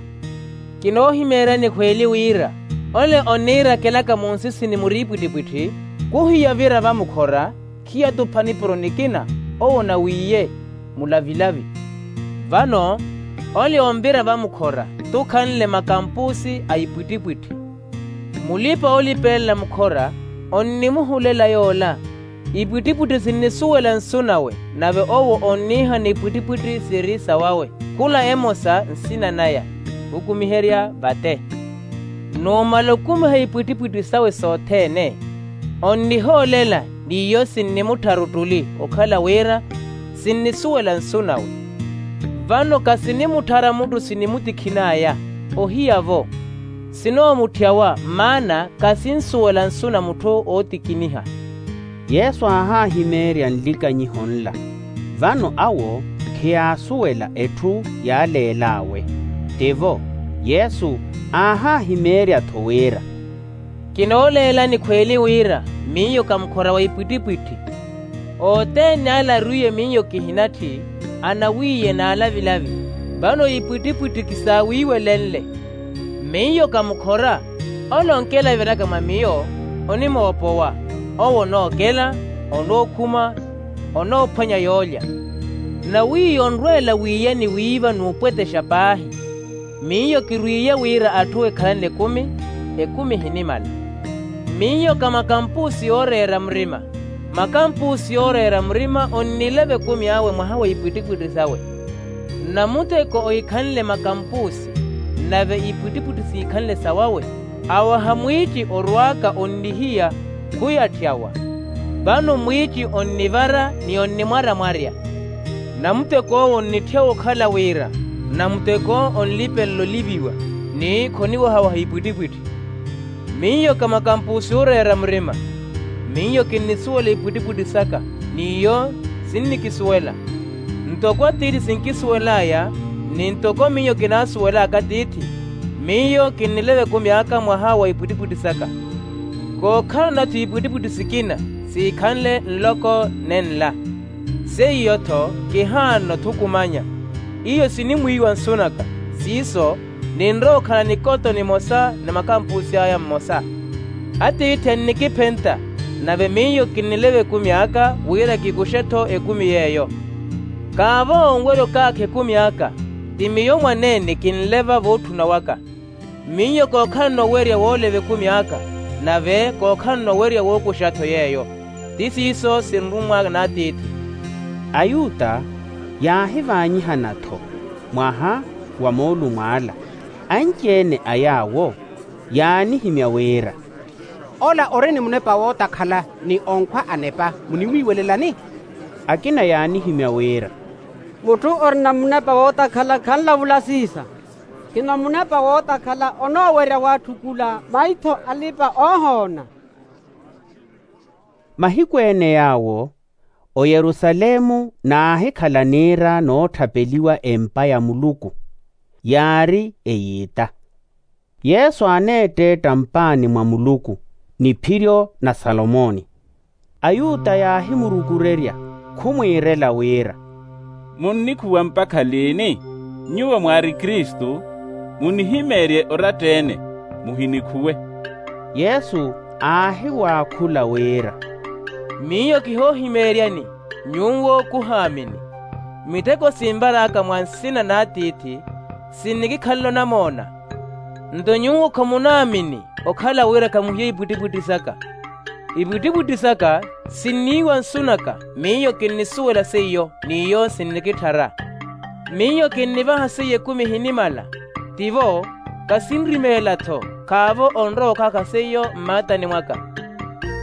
kinoohimeeryani khweeli wira ole onniirakelaka munsisini muri ipwittipwitthi, khuhiya vira vamukhora, khiyatupha nipuro nikina owo nawiiye mulavilavi. Vano ole onvira vamukhora tukhanle makampusi a ipwittipwitthi. Mulipa-oolipelela mukhora onnimuhulela yoola, ipwittipwitthi sinnisuwela nsu nawe, nave owo onniihana ipwittipwitthi siri sawawe, khula emosa nsina naya, khukumiherya vate. Numala okumiha ipwittipwitthi sawe sothene, onnihoolela, n'iyo sinnimuttharu ottuli okhala wira sinnisuwela nsu nawe. Vano khasinimutthara mutthu sinimutikhin'aya, ohiya-vo sinoomutthiyawa, maana khasinsuwela nsu na mutthu ootikiniha. Yesu aahaahimeerya nlikanyiho nla. Vano awo khiyaasuwela etthu yaaleel'awe. Tivo, yesu aahaahimeerya-tho wira, kinooleelani khweeli wira miyo kha mukhora wa ipwittipwitthi. Othene ale arwiiye miyo kihinatthi, anawiiye n'alavilavi. Vano ipwittipwitthi kisaawiiwelenle. Miyo kha mukhora, ole onkelaviraka mwa miyo onimoopowa. Owo onookela, onookhuma, onoophwanya yoolya. Nawiiya onrweela wiiyani wiiva n'upwetexa paahi. Miyo kirwiiye wira atthu ekhalanle ekumi, ekumi ehinimala. Miyo kha makampusi yooreera murima. Makampusi yooreera murima onnileva ekumi awe mwaha wa ipwittipwitthi sawe. Namuteko ohikhanle makampusi, nave ipwittipwitthi siikhanle sawawe, awaha mwiici orwaaka onnihiya, khuyatthyawa. Vano mwiici onnivara ni onnimwaramwarya. Namuteko owo onnitthiya okhala wira namuteko onlipenle oliviwa, ni khoniwahawaha ipwittipwitthi. Miyo kha makampusi yooreera murima. Miyo kinnisuwela ipwittipwitthi saka, n'iyo sinnikisuwela. Ntoko atiithi sinkisuwel'aya, ni ntoko miyo kinaasuwel'aka atiithi, miyo kinnileva ekumi aka mwaha wa ipwittipwitthi saka. Kookhalana-tho ipwittipwitthi sikina siikhanle nloko nenla. Seiyo-tho kihaana othukumanya. Iyo sinimwiiwa nsu naka, siiso ninrowa okhala nikoto nimosa na makampusi aya mmosa. Atiithi annikiphenta, nave miyo kinnileva ekumi aka wira kikuxe-tho ekumi yeeyo. Kaavo onwerya okaakha ekumi aka, ti miyo mwaneene kinleva vootthuna waka. Miyo kookhalana owerya wooleva ekumi aka, nave kookhalana owerya wookuxa-tho yeeyo. Ti siiso sinrummwaka n'atiithi. Ayuta yaahivaanyihana-tho mwaha wa moolumo ala. Anci-ene a yaawo yaanihimya wira, ola ori ni munepa wootakhala ni onkhwa anepa munimwiiwelelani? Akina yaanihimya wira, mutthu orina munepa wootakhala khanlavula siisa. Khino munepa wootakhala onoowerya waatthukula maitho alipa-oohoona. Mahiku ene yaawo oyerusalemu naahikhala niira nootthapeliwa empa ya muluku, yaari eyiita. Yesu aaneetteetta mpaani mwa muluku niphiryo na salomoni. Ayuta yaahimurukurerya khumwiirela wira, munnikhuwa mpakha liini? Nyuwo mwaari kristu, munihimeerye oratta-ene, muhinikhuwe. Yesu aahiwaakhula wira, miyo kihoohimeeryani, nyuwo khuhaamini. Miteko sinvar'aka mwa nsina n'atiithi, sinnikikhalana omoona. Nto nyuwo khamunaamini, okhala wira khamuhiya ipwittipwitthi saka. Ipwittipwitthi saka sinniiwa nsu naka, miyo kinnisuwela seiyo, n'iyo sinnikitthara. Miyo kinnivaha seiyo ekumi ehinimala. Tivo, kasinrimeela-tho, khaavo onrowa okhaakha seiyo mmaatani mwaka.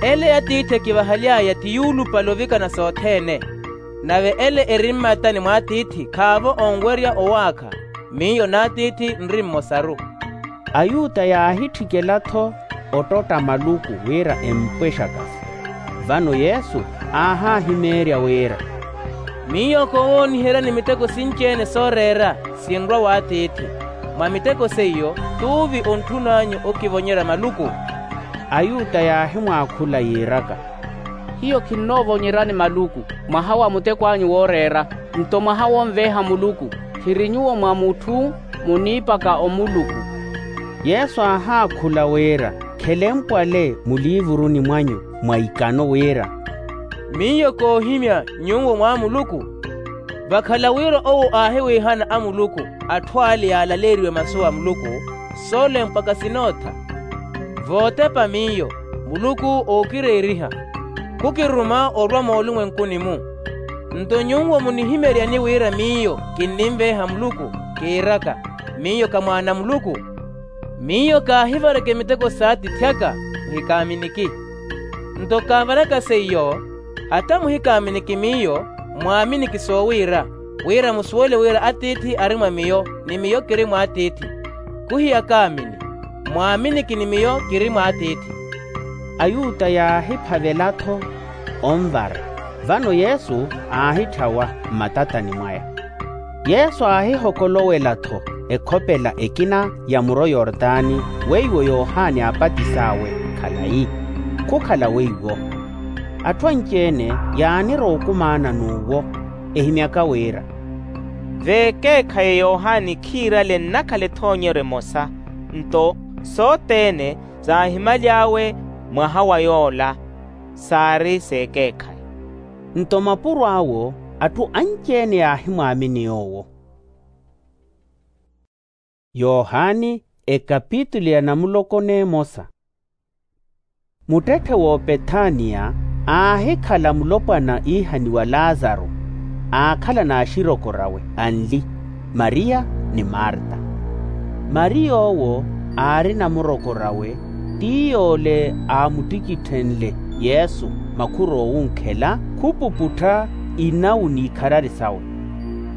Ele atiithi ekivahaly'aya ti yuulupale ovikana sothene. Nave ele eri mmaatani mw'atiithi khaavo onwerya owaakha. Miyo n'atiithi nri mmosaru. Ayuta yaahitthikela-tho ottotta maluku wira empwe exakasi. Vano yesu aahahimeerya wira, miyo koowooniheryani miteko sinci-ene sooreera, sinrwa w'atiithi. Mwa miteko seiyo t'uvi ontthun'anyu okivonyerya maluku? Ayuta yaahimwaakhula yiiraka, hiyo khinnoovonyerani maluku. Mwaha wa muteko anyu wooreera, nto mwaha wonveeha muluku. Khiri nyuwo mwa mutthu, muniipaka omuluku. Yesu aahaakhula wira, khelempwale muliivuruni mwanyu mwa ikano wira, miyo koohimya nyuwo mwa muluku. Vakhala wira owo aahiwiihana amuluku, atthu ale yaalaleeriwe masu a muluku, soolempwaka sinootha. Vootepa miyo, muluku ookireeriha. Khukiruma orwa moolumwenkuni-mu. Nto nyuwo munihimeryani wira miyo kinninveeha muluku, kiiraka, miyo kha mwaana a muluku? Miyo kaahivareke miteko s'atiithi aka, muhikaaminiki. Nto kaavaraka seiyo, hata muhikaaminiki miyo, mwaaminiki soowiira, wira musuwele wira atiithi ari mwa miyo, ni miyo kiri mw'atiithi. Khuhiyakaamini, mwaaminiki ni miyo kiri mw'atiithi. Ayuta yaahiphavela-tho onvara. Vano yesu aahitthyawa mmatatani mwaya. Yesu aahihokolowela-tho ekhopela ekina ya muro yortani, weiwo yohani aapatis'awe khalayi. Khukhala weiwo. Atthu anci-ene yaanirowa okumaana n'uwo, ehimyaka wira, v'ekeekhayi yohani khiirale nnakhala ethoonyeryo emosa. Nto sothene saahimaly'awe mwaha wa yoola, saari s'ekeekhayi. Nto mapuro awo atthu anci-ene yaahimwaamini yoowo. Yohani, ekapitulu ya namuloko n'emosa. Muttetthe w'opethaniya aahikhala mulopwana iihaniwa lazaru, aakhala n'axirokorawe anli, mariya ni marta. Mariya owo aari namurokorawe, ti yoole aamuttikitthenle yesu makhur'owunkhela, khupuputtha inawu n'ikharari sawe.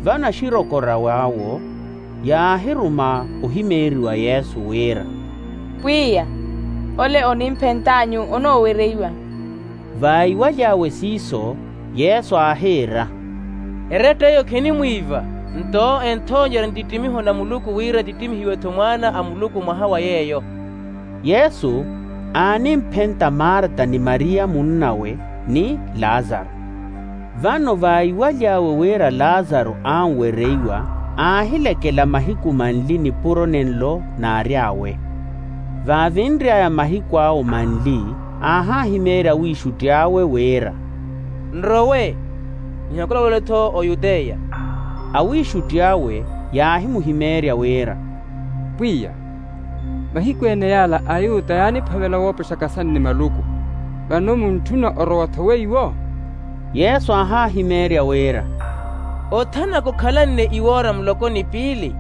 Vano axirokorawe awo yaahiruma ohimeeriwa yesu wira, pwiya, ole onimphent'anyu onoowereiwa. Vaiwaly'awe siiso, yesu aahiira, eretta eyo khinimwiiva. Nto enthoonyerya nttittimiho na muluku wira ttittimihiwe-tho mwaana a muluku mwaha wa yeeyo. Yesu aanimphenta marta ni mariya munn'awe, ni lazaru. Vano vaiwaly'awe wira lazaru anwereiwa, aahilekela mahiku manli nipuro nenlo naary'awe. Vaavinry'aya mahiku awo manli, aahahimeerya awiixutti awe wira, nrowe, nihakulawele-tho oyuteya. Awiixutti awe yaahimuhimeerya wira, pwiya, mahiku ene yaala ayuta yaaniphavela woopexaka sani ni maluku. Vano muntthuna orowa-tho weiwo? Yesu aahahimeerya wira, othanaka okhalanne iwoora muloko ni piili.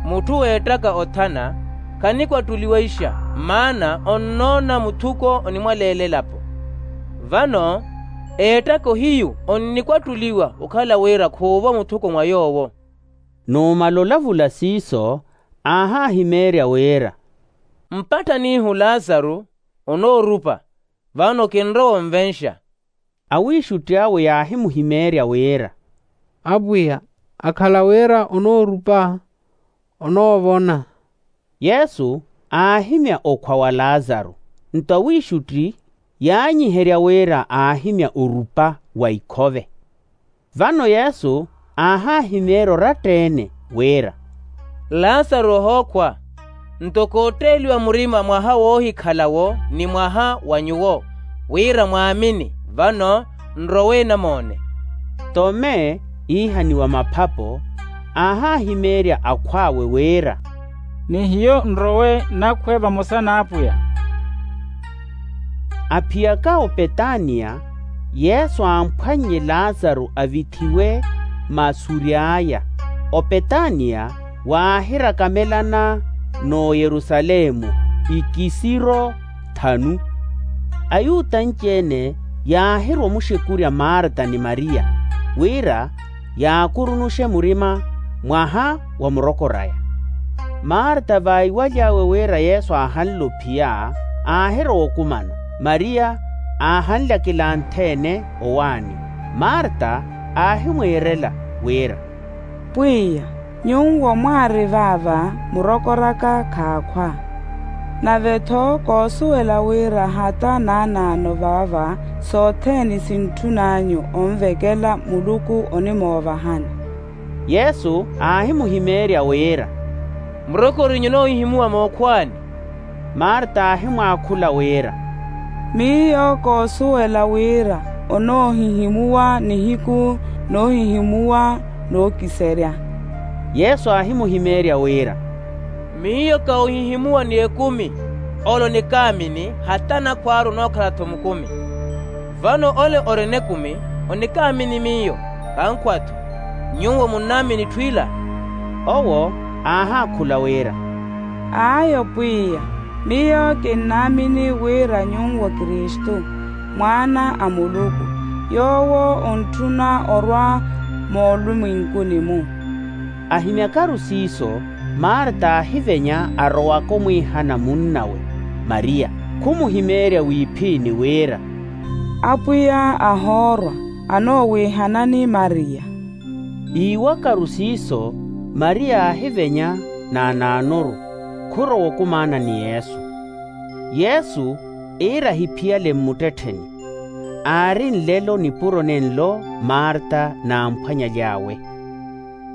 Mutthu weettaka othana, khanikwattuliwa ixa, maana onnoona muthuko onimwaleela elapo. Vano eettaka ohiyu onnikwattuliwa okhala wira khuuvo muthuko mwa yoowo. Numala olavula siiso, aahahimeerya wira, mpatthanihu lazaru onoorupa. vano kinrowa onvenxa. Awiixutti awe yaahimuhimeerya wira, apwiya, akhala wira onoorupa, onoovona. Yesu aahimya okhwa wa lazaru. Nto awiixutti yaanyiherya wira aahimya orupa wa ikhove. Vano yesu aahaahimeerya oratta-ene wira, lazaru ohookhwa. Nto kootteeliwa murima mwaha woohikhalawo ni mwaha wa nyuwo, wira mwaamini vano nrowe namoone. Tome iihaniwa maphapo aahaahimeerya akhw'awe wira, ni hiyo nrowe nakhwe vamosa n'apwiya. Aphiyaka opetaniya, yesu amphwannye lazaru avithiwe masuri aya. Opetaniya waahirakamelana n'oyerusalemu ikisiro thanu. Ayuta anci-ene yaahirwa omuxekurya marta ni mariya, wira yaakurunuxe murima mwaha wa murokor'aya. Marta vaiwaly'awe wira yesu aahanle ophiya, aahirowa okumana. Mariya aahanlyakela antheene owaani. Marta aahimwiirela wira, pwiya, nyuwo mwaari vaava murokoraka khaakhwa. Nave-tho koosuwela wira hata naanaano vaava sothene sintthun'anyu onvekela muluku onimoovahani. Yesu aahimuhimeerya wira, murokorinyuno ohihimuwa mookhwaani? Marta aahimwaakhula wira, miyo koosuwela wira onoohihimuwa nihiku noohihimuwa nookiserya. Yesu aahimuhimeerya wira, miyo kawohihimuwa ni ekumi. Ole onikaamini hata nakhw'aru onookhala-tho mukumi. Vano ole orina ekumi onikaamini miyo, kankhwa-tho. Nyuwo munnaamini itthu ila? Owo aahaakhula wira, ayo pwiya, miyo kinnaamini wira nyuwo kristu, mwaana a muluku, yoowo ontthuna orwa moolumwenkuni-mu. Ahimyakaru siiso, marta aahivenya arowaka omwiihana munnawe mariya, khumuhimeerya wiiphiini wira, apwiya ahoorwa, anoowiihanani mariya. Iiwakaru siiso, mariya aahivenya naanaanoru, khurowa okumaana ni yesu. Yesu iira ahiphiyale mmuttettheni. Aari nlelo nipuro nenlo marta n'amphwanyaly'awe.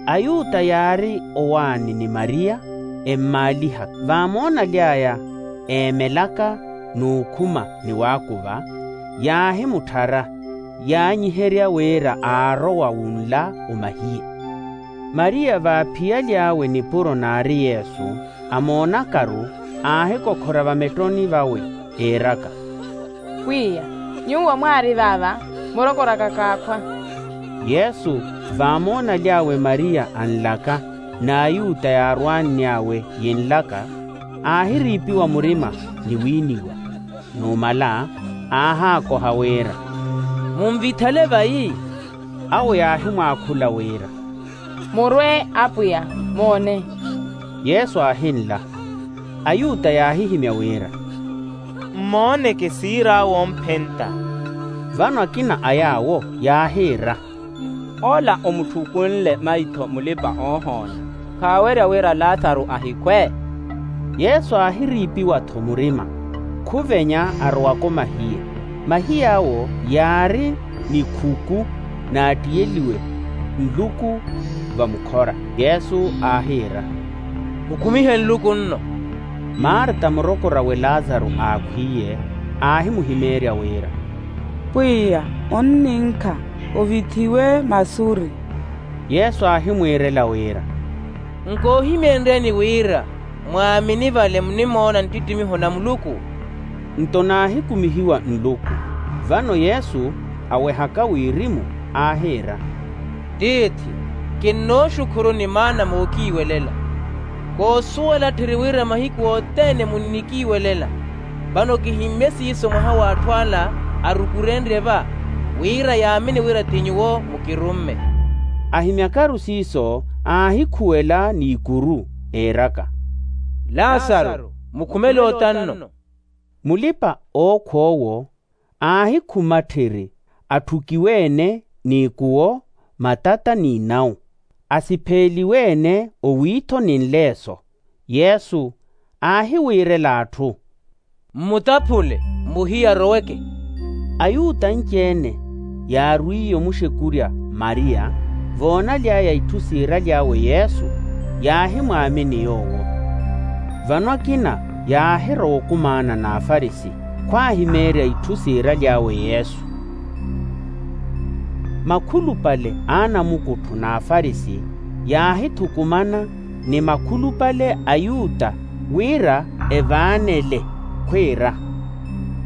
Ayuta yaari owaani ni mariya, emmaalihaka vaamoonaly'aya, eemelaka n'ukhuma ni waakuva, yaahimutthara, yaanyiherya wira aarowa wunla omahiye. Mariya vaaphiyaly'awe nipuro naari yesu, amoonakaru, aahikokhora vametthoni vawe, eeraka, pwiya, nyuwo mwaari vaava murokoraka kaakhwa. Yesu vaamoonaly'awe mariya anlaka, n'ayuta yaarwaanny'awe yinlaka, aahiriipiwa murima ni wiiniwa. Numala aahaakoha wira, munvithale vayi? Awo yaahimwaakhula wira, murwe apwiya, moone. Yesu aahinla. Ayuta yaahihimya wira, mmooneke siir'awe omphenta. Vano akina a yaawo yaahiira, ola omutthukunle maitho mulipa-oohoona, khaawerya wira lasaru ahikhwe? Yesu aahiriipiwa-tho murima, khuvenya arowaka omahiye. Mahiy'awo yaari nikhuku naattiyeliwe nluku vamukhora. Yesu aahiira, mukhumihe nluku nno. Marta murokor'awe lasaru aakhwiiye, aahimuhimeerya wira, pwiya, onninkha, ovithiwe masuri. Yesu aahimwiirela wira, nkoohimeenryani wira mwaamini vale munimoona nttittimiho na muluku. Nto naahikumihiwa nluku. Vano yesu awehaka wirimu, aahiira, tiithi, kinnooxukhuruni maana mookiiwelela. Koosuwela tthiri wira mahiku othene munnikiiwelela. Vano kihimmye siiso mwaha w'atthu ala arukurenrye va, wira yaamini wira ti nyuwo mukirumme. Ahimyakaru siiso, aahikhuwela n'ikuru, eeraka, lasaru, mukhumele ota nno. Mulipa-ookhwa owo Aahikhumatthiri atthukiwe-ene n'ikuwo, matata n'inawu, asipheeliwe-ene owiitho ni nleeso. Yesu aahiwiirela atthu, mmutaphule, muhiya aroweke. Ayuta anci-ene yaarwiiye omuxekurya mariya voonaly'aya itthu siiraly'awe yesu, yaahimwaamini yoowo. Vano akina yaahirowa okumaana n'afarisi khwaahimeerya itthu siiraly'awe yesu. Makhulupale a anamukuttho n'afarisi yaahithukumana ni makhulupale a ayuta wira evaanele, khwiira,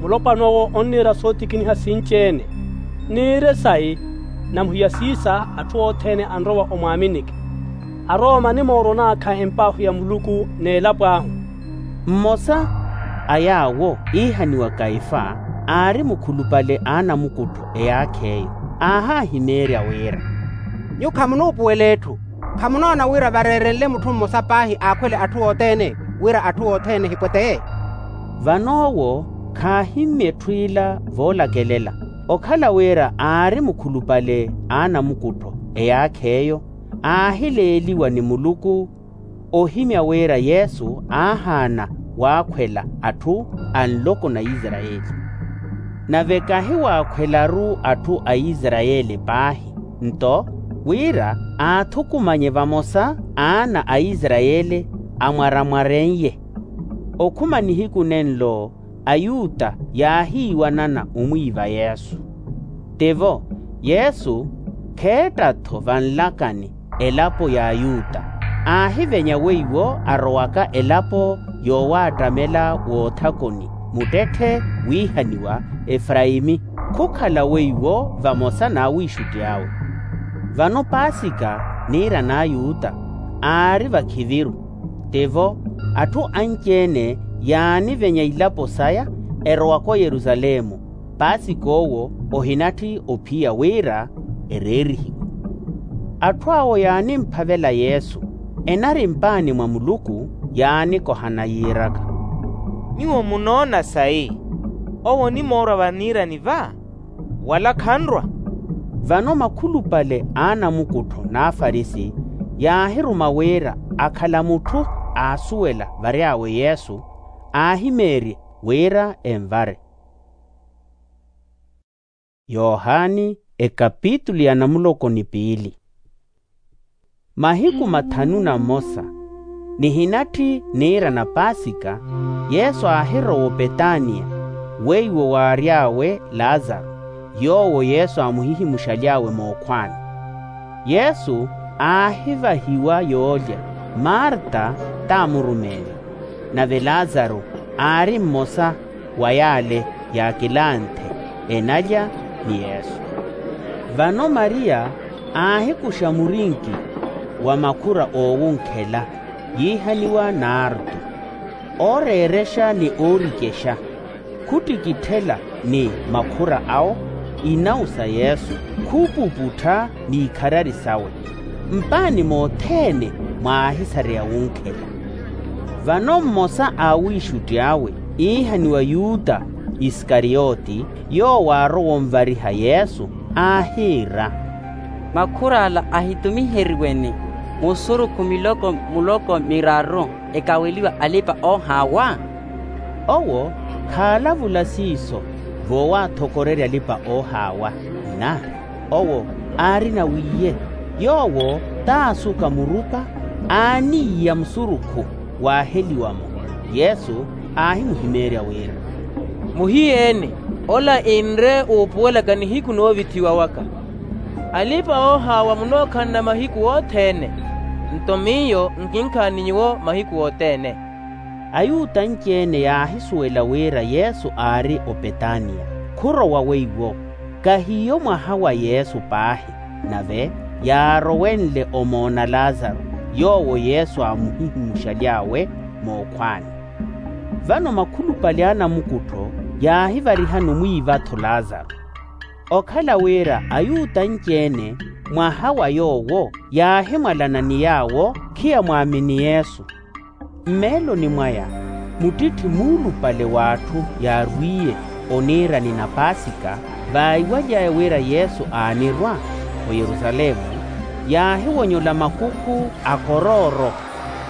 mulopwana owo onniira sootikiniha sinci-ene. Niire sayi, namuhiya siisa atthu othene anrowa omwaaminike. Arooma animoorwa onaakha empaahu ya muluku n'elapo ahu. Mmosa a yaawo iihaniwa kaifa, aari mukhulupale a anamukuttho eyaakha eyo, aahaahimeerya wira, nyuwo khamunoopuwela etthu. Khamunoona wira vareerenle mutthu mmosa paahi aakhwele atthu othene, wira atthu othene ehipweteye? Vano owo khaahimmya etthu ila voolakelela. Okhala wira aari mukhulupale a anamukuttho eyaakha eyo, aahileeliwa ni muluku ohimya wira yesu aahaana waakhwela atthu a nloko na isarayeli. Nave kahiwaakhwelaru atthu a isarayeli paahi, nto wira aathukumanye vamosa aana a isarayeli amwaramwaren'ye. Okhuma nihiku nenlo ayuta yaahiiwanana omwiiva yesu. Tivo, yesu kheetta-tho vanlakani elapo y'ayuta, aahivenya weiwo arowaka elapo yoowaattamela woothakoni muttetthe wiihaniwa efraimi, khukhala weiwo vamosa n'awiixutti awe. Vano paasika niira n'ayuta aari vakhiviru. Tivo, atthu anci-ene yaanivenya ilapo saya erowaka oyerusalemu, paasika owo ohinatthi ophiya wira ereerihiwe. Atthu awo yaanimphavela yesu, enari mpaani mwa muluku, yaanikohana yiiraka, nyuwo munoona sayi? Owo onimoorwa vaniirani va, wala khanrwa. Vano makhulupale a anamukuttho n'afarisi yaahiruma wira akhala mutthu aasuwela vary'awe yesu, aahimeerye wira envare. Yohani ekapitulu ya namuloko ni piili. Mahiku mathanu na mmosa, nihinatthi niira na paasika, yesu aahirowa opetaniya, weiwo waary'awe laazaro, yoowo yesu aamuhihimuxaly'awe mookhwaani. Yesu aahivahiwa yoolya, marta t'amurumeele, nave laazaro aari mmosa wa yaale yaakilanthe enalya ni yesu. Vano mariya aahikuxa murinki wa makhura oowunkhela yiihaniwa naartu, ooreerexa ni oorikexa, khuttikitthela ni makhura awo inawu sa yesu, khuupuputtha n'ikharari sawe. Mpaani mothene mwaahisareya wunkhela. Vano mmosa a awiixutti awe iihaniwa yuta isikariyoti, yoowo aarowa onvariha yesu, aahiira, makhur'ala ahitumiheriwe ni musurukhu miloko muloko miraru, ekaweliwa alipa-oohaawa? Owo khaalavula siiso voowaathokorerya alipa-oohaawa, nna owo aarina wiiye. Yoowo t'asuka murupa, aaniiya musurukhu waaheliwa-mo. Yesu aahimuhimeerya wira, muhiyeene, ola inre uupuwelaka nihiku noovithiwa waka. Alipa-oohaawa munookhanna mahiku othene, nto miyo nkinkhaani nyuwo mahiku othene. Ayuta anci-ene yaahisuwela wira yesu aari opetaniya, khurowa weiwo. Kahiyo mwaha wa yesu paahi, nave yaarowenle omoona laazaro, yoowo yesu aamuhihimuxaly'awe mookhwaani. Vano makhulupale a anamukuttho yaahivarihana omwiiva-tho laazaro. Okhala wira ayuta anci-ene mwaha wa yoowo yaahimwalana ni yaawo khiyamwaamini yesu. Mmeeloni mwaya muttitthi muulupale w'atthu yaarwiiye, Oniirani na paasika, vaiwaly'aya wira yesu aanirwa oyerusalemu, yaahiwonyola makukhu a korooro,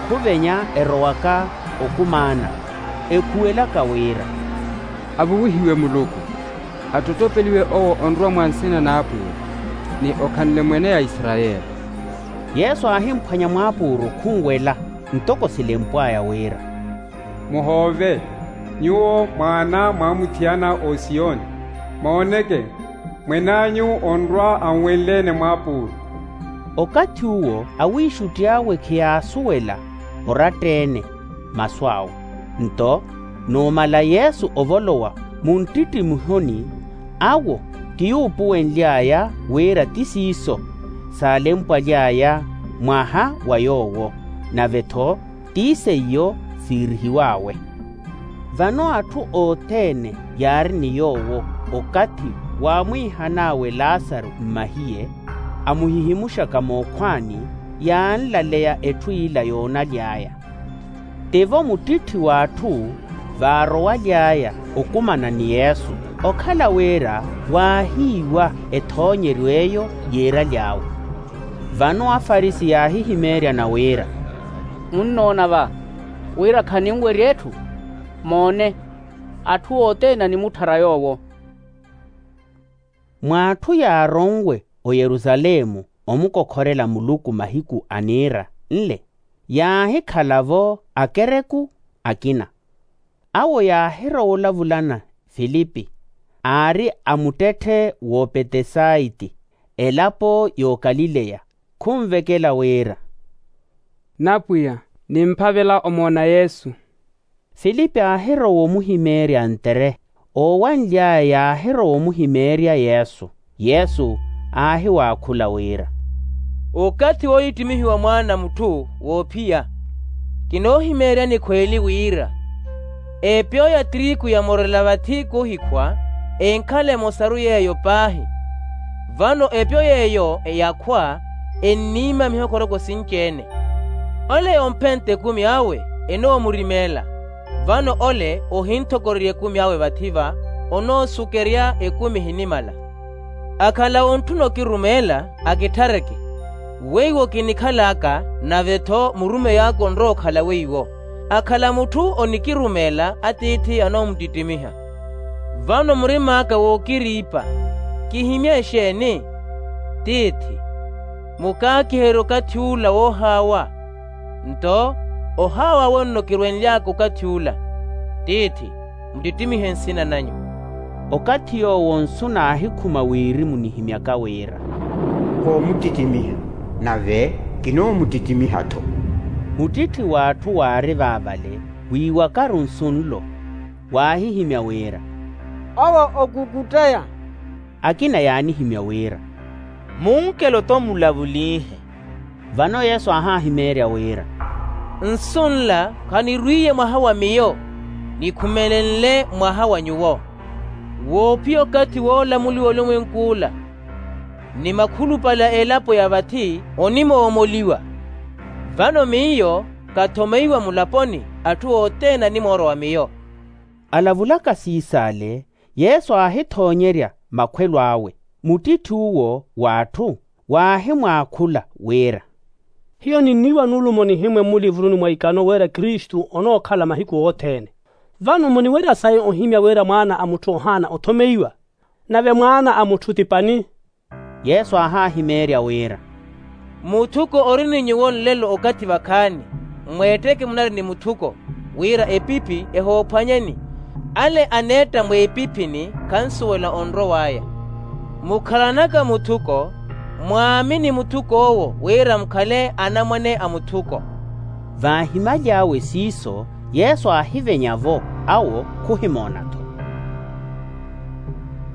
khuvenya erowaka okumaana, ekhuwelaka wira, avuwihiwe muluku, attottopeliwe owo onrwa mwa nsina n'apwiya, ni okhanle mwene ya isarayeli. Yesu aahimuphwanya mwaapuuro khunwela, ntoko silempw'aya wira, muhoove, nyuwo mwaana mwaamuthiyana osiyoni. Mooneke, mwen'anyu onrwa anwenle-ene mwaapuuro. Okathi uwo awiixutti awe khiyaasuwela oratta-ene masu awe. Nto numala yesu ovolowa munttittimiho-ni, awo ti yuupuwenly'aya wira ti siiso saalempwaly'aya mwaha wa yoowo, nave-tho ti seiyo siirihiw'awe. Vano atthu othene yaari ni yoowo okathi waamwiihan'awe lasaru mmahiye, amuhihimuxaka mookhwaani, yaanlaleya etthu ila yoonaly'aya. Tivo muttitthi w'atthu vaarowaly'aya okumana ni yesu, okhala wira waahiiwa ethoonyeryo eyo yiiraly'awe. Vano afarisi yaahihimeeryana wira, munnoona va wira khaninwerya etthu? Moone, atthu othene animutthara yoowo. Mw'atthu yaaronwe oyerusalemu omukokhorela muluku mahiku a niira nle, yaahikhala-vo akereku akina. Awo yaahirowa olavulana filipi, aari a muttetthe w'opetesaiti, elapo y'okalileya, khunvekela wira, napwiya, nimphavela omoona yesu. Filipi aahirowa omuhimeerya ntere. Oowanly'aya yaahirowa omuhimeerya yesu. Yesu aahiwaakhula wira, okathi woohittimihiwa mwaana a mutthu woophiya, kinoohimeeryani khweeli wira, epyo ya tiriku yamorela vathi koohikhwa enkhala emosaru yeeyo paahi. Vano epyo yeeyo eyakhwa enniima mihokoroko sinci-ene. Ole yoomphentte ekumi awe enoomurimela, vano ole ohinthokorerya ekumi awe vathi-va onoosukerya ekumi ehinimala. Akhala ontthuna okirumeela akithareke, weiwo kinikhal'aka, nave-tho murumeyi aka onrowa-okhala weiwo. Akhala mutthu onikirumeela atiithi anoomuttittimiha. Vano murim'aka wookiriipa, kihimye exeeni? Tiithi, mukaakiherye okathi ula woohaawa. Nto ohaawa wenno kirwenly'aka okathi ula. Tiithi, muttittimihe nsina nanyu. Okathi yoowo nsu naahikhuma wirimu nihimyaka wira, koomuttittimiha, nave kinoomuttittimiha-tho. Muttitthi w'atthu waari vaavale wiiwakaru nsu nlo, waahihimya wira, owo okukutteya. Akina yaanihimya wira, munkelo-tho mulavuliihe. Vano yesu aahahimeerya wira, nsu nla khanirwiiye mwaha wa miyo, nikhumelenle mwaha wa nyuwo. Woophiya okathi woolamuliwa olumwenk'ula, ni makhulupale a elapo ya vathi onimoomoliwa. Vano miyo kathomeiwa mulaponi, atthu othene animoorowa miyo. Alavulaka siis'ale, yesu aahithoonyerya makhwelo awe. Muttitthi'uwo w'atthu waahimwaakhula wira, hiyo ninniiwa nulumo nihimwe mmulivuruni mwa ikano wira kristu onookhala mahiku othene. Vano muniwerya sayi ohimya wira mwaana a mutthu ohaana othomeiwa? Nave mwaana a mutthu ti pani? Yesu aahahimeerya wira, muthuko ori ni nyuwo nlelo okathi vakhaani, mweetteke munari ni muthuko, wira epipi ehoophwanyeni. Ale aneetta mweepiphini khansuwela onrow'aya. Mukhalanaka muthuko, mwaamini muthuk'owo wira mukhale anamwane a muthuko. Vaahimaly'awe siiso, yesu aahivenya-vo, awo khuhimoona-tho.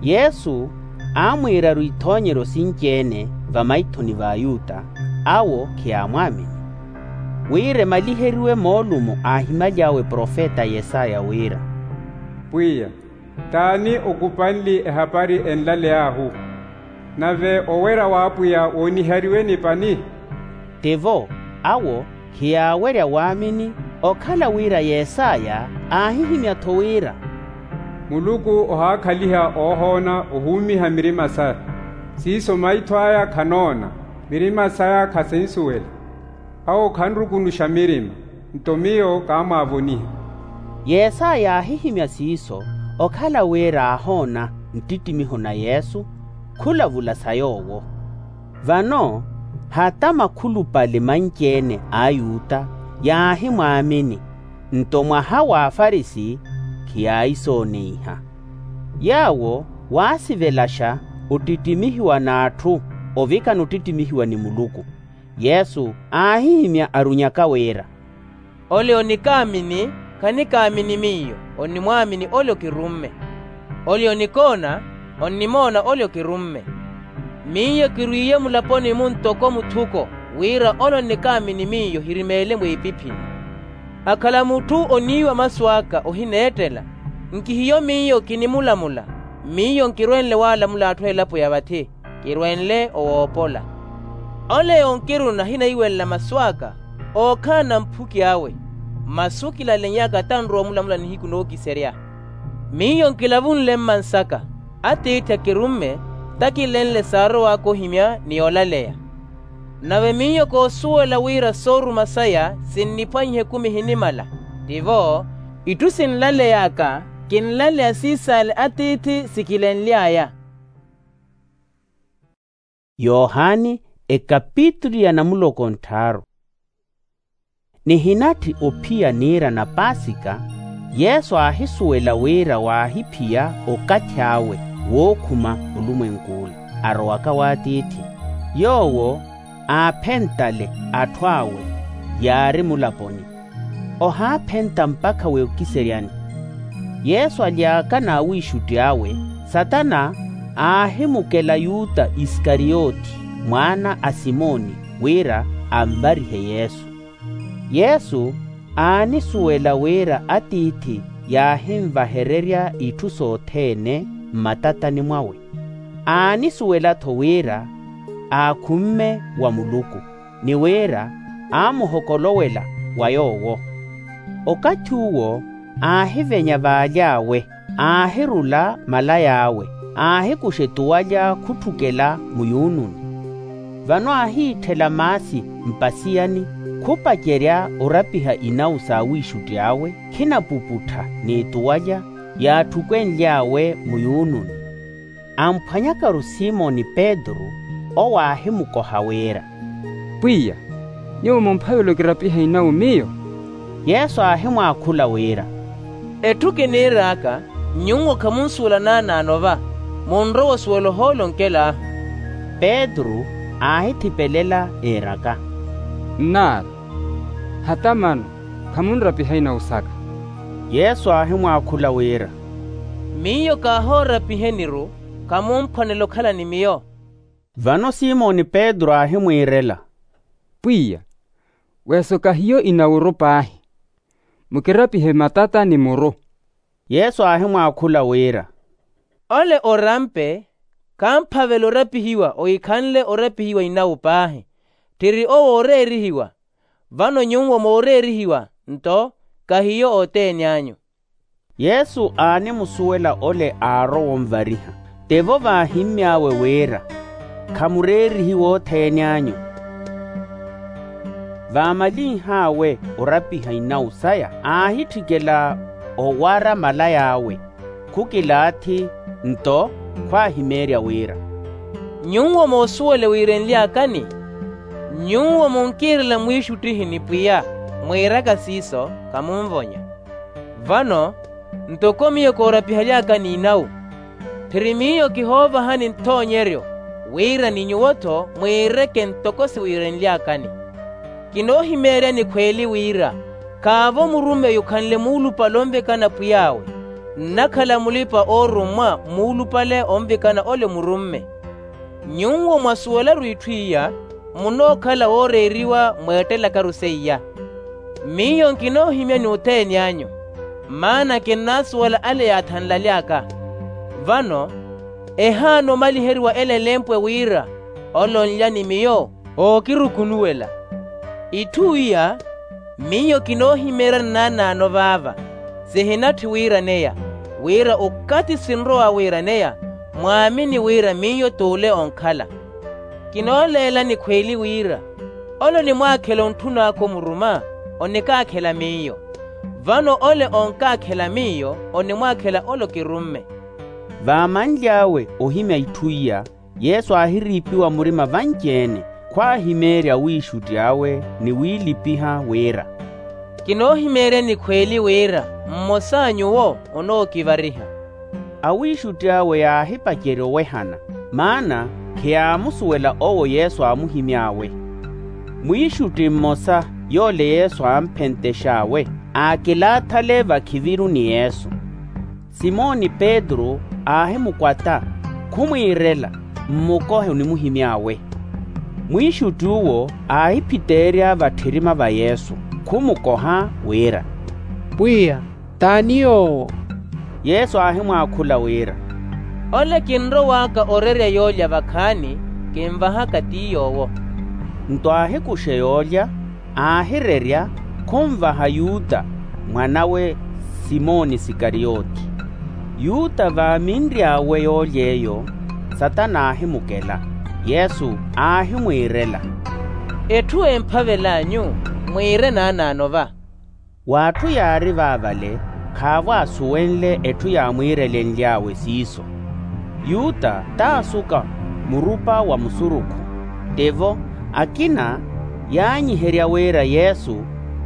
Yesu aamwiiraru ithoonyeryo sinci-ene vamaithoni va ayuta, awo khiyaamwaamini. Wira emaliheriwe moolumo aahimaly'awe profeta yesaya wira, pwiya, t'ani okupanli ehapari enlaley'ahu? Nave owerya w'apwiya woonihariwe ni pani? Tivo, awo khiyaawerya waamini, okhala wira yesaya aahihimya-tho wira, Muluku ohaakhaliha oohoona ohuumiha mirima saya. Siiso maitho aya khanoona, mirima saya khasinsuwela. Awo khanrukunuxa mirima, nto miyo kaamwaavoniha. Yesu yaahihimya siiso, okhala wira aahoona nttittimiho na yesu, khulavula sa yoowo. Vano hata makhulupale manci-ene a ayuta yaahimwaamini, nto mwaha wa afarisi khiyaayisooneiha. Yaawo waasivelaxa ottittimihiwa n'atthu ovikana ottittimihiwa ni muluku. Yesu aahihimya arunyaka wira, ole onikaamini, khanikaamini miyo, onnimwaamini ole okirumme. Ole onikoona, onnimoona ole okirumme. Miyo kirwiiye mulaponi-mu ntoko muthuko, wira ole onnikaamini miyo hirimeele mwiipiphini. Akhala mutthu oniiwa masu aka ohineettela, nkihiyo miyo kinimulamula. Miyo nkirwenle waalamula atthu a elapo ya vathi, kirwenle owoopola. Ole onkiruna ahinaiwelela masu aka, ookhala na mphuki awe. Masu kilalenyaaka tanrowa omulamula nihiku nookiserya. Miyo nkilavunle mmansaka, atiithi akirumme, takilenle saarowaka ohimya ni olaleya. Nave miyo koosuwela wira sooruma saya sinniphwanyiha ekumi ehinimala. Tivo, itthu sinlaleyaka, kinlaleya siisaale atiithi sikilenly'aya. Yohani, ekapitulu ya namuloko ntthaaru. Nihinatthi ophiya niira na paasika. Yesu aahisuwela wira waahiphiya okathi awe wookhuma olumwenk'ula, arowaka w'atiithi. Yoowo aaphentale atthu awe yaari mulaponi, ohaaphenta mpakha weekiseryani. Yesu aly'aka n'awiixutti awe, satana aahimukela yuta isikariyoti, mwaana a simoni, wira anvarihe yesu. Yesu aanisuwela wira atiithi yaahinvahererya itthu sothene mmatatani mwawe. Aanisuwela-tho wira aakhumme wa muluku, ni wira aamuhokolowela wa yoowo. Okathi uwo aahivenya vaaly'awe, aahirula malay'awe, aahikuxa etuwalya khutthukela muyuununi. Vano aahiitthela maasi mpasiyani, khupacerya orapiha inawu s'awiixutti awe, khinapuputtha n'etuwalya yaatthukwennly'awe muyuununi. Amphwanyakaru simoni petru, owo aahimukoha wira, pwiya, nyuwo mumphavela okirapiha inawu miyo? Yesu aahimwaakhula wira, etthu kiniir'aka, nyuwo khamunsuwela naanaano va, munrowa osuwela ohoolo onkel'ahu. Petru aahithipelela, iiraka, nnaala, hata mano khamunrapiha inawu saka. Yesu aahimwaakhula wira, miyo kaahoorapiheni-ru, khamumphwanela okhala ni miyo. Vano simoni petru aahimwiirela, pwiya, weso kahiyo inawu-ru paahi, mukirapihe matata ni muru. Yesu aahimwaakhula wira, ole orampe khamphavela orapihiwa ohikhanle orapihiwa inawu paahi, tthiri owo ooreerihiwa. Vano nyuwo mooreerihiwa, nto kahiyo othene anyu. Yesu aanimusuwela ole aarowa onvariha, tivo vaahimmy'awe wira, khamureerihiwa othene anyu. Vaamalinh'awe orapiha inawu saya aahitthikela owara malay'awe, khukilaathi, nto khwaahimeerya wira, nyuwo moosuwela wiirenly'akani? Nyuwo munkiirela mwiixuttihi ni pwiya, mwiiraka siiso, khamunvonya. Vano ntoko miyo koorapihaly'akani inawu, tthiri miyo kihoovahani nthoonyeryo, wira ni nyuwo-tho mwiireke ntoko siwiirenly'akani. Kinoohimeeryani khweeli wira, khaavo murumeyi okhanle muulupale onvikana pwiy'awe, nnakhala mulipa-oorummwa muulupale onvikana ole murumme. Nyuwo mwasuwelaru itthu iya, munookhala wooreeriwa mweettelakaru seiya. Miyo nkinoohimyani othene anyu, maana kinnaasuwela ale yaathanlaly'aka. Vano ehaana omaliheriwa ele elempwe wira, ole onlya ni miyo ookirukunuwela. Itthu iya miyo kinoohimeeryani naanaano vaava, sihinatthi wiiraneya. wira okathi sinrowa wiiraneya mwaamini wira miyo t'ule onkhala. Kinooleelani khweeli wira ole onimwaakhela ontthun'aka omuruma, onikaakhela miyo. Vano ole onkaakhela miyo onimwaakhela ole okirumme. Vaamanly'awe ohimya itthu iya, yesu aahiriipiwa murima vanci-ene, khwaahimeerya wiixutti awe ni wiilipiha wira, kinoohimeeryani khweeli wira mmosa a nyuwo onookivariha. Awiixutti awe yaahipacerya owehana, maana khiyaamusuwela owo yesu aamuhimy'awe. Mwiixutti mmosa yoole yesu aampentex'awe, aakilaatha ale vakhiviru ni yesu. Simoni petru aahimukwata, khumwiirela, mmukohe onimuhimy'awe. Mwiixutti uwo aahiphiteerya vatthirima va yesu, khumukoha wira, pwiya, t'ani yoowo? Yesu aahimwaakhula wira, ole kinrow'aka orerya yoolya vakhaani, kinvahaka ti yoowo. Nto aahikuxe yoolya, aahirerya, khunvaha yuta, mwan'awe simoni sikariyoti. Yuta vaaminry'awe yoolya eyo, satana aahimukela. Yesu aahimwiirela, etthu emphavel'anyu, mwiire naanaano va. W'atthu yaari vaavale, khaavo aasuwenle etthu yaamwiirelenly'awe siiso. Yuta t'asuka murupa wa musurukhu, tivo akina yaanyiherya wira yesu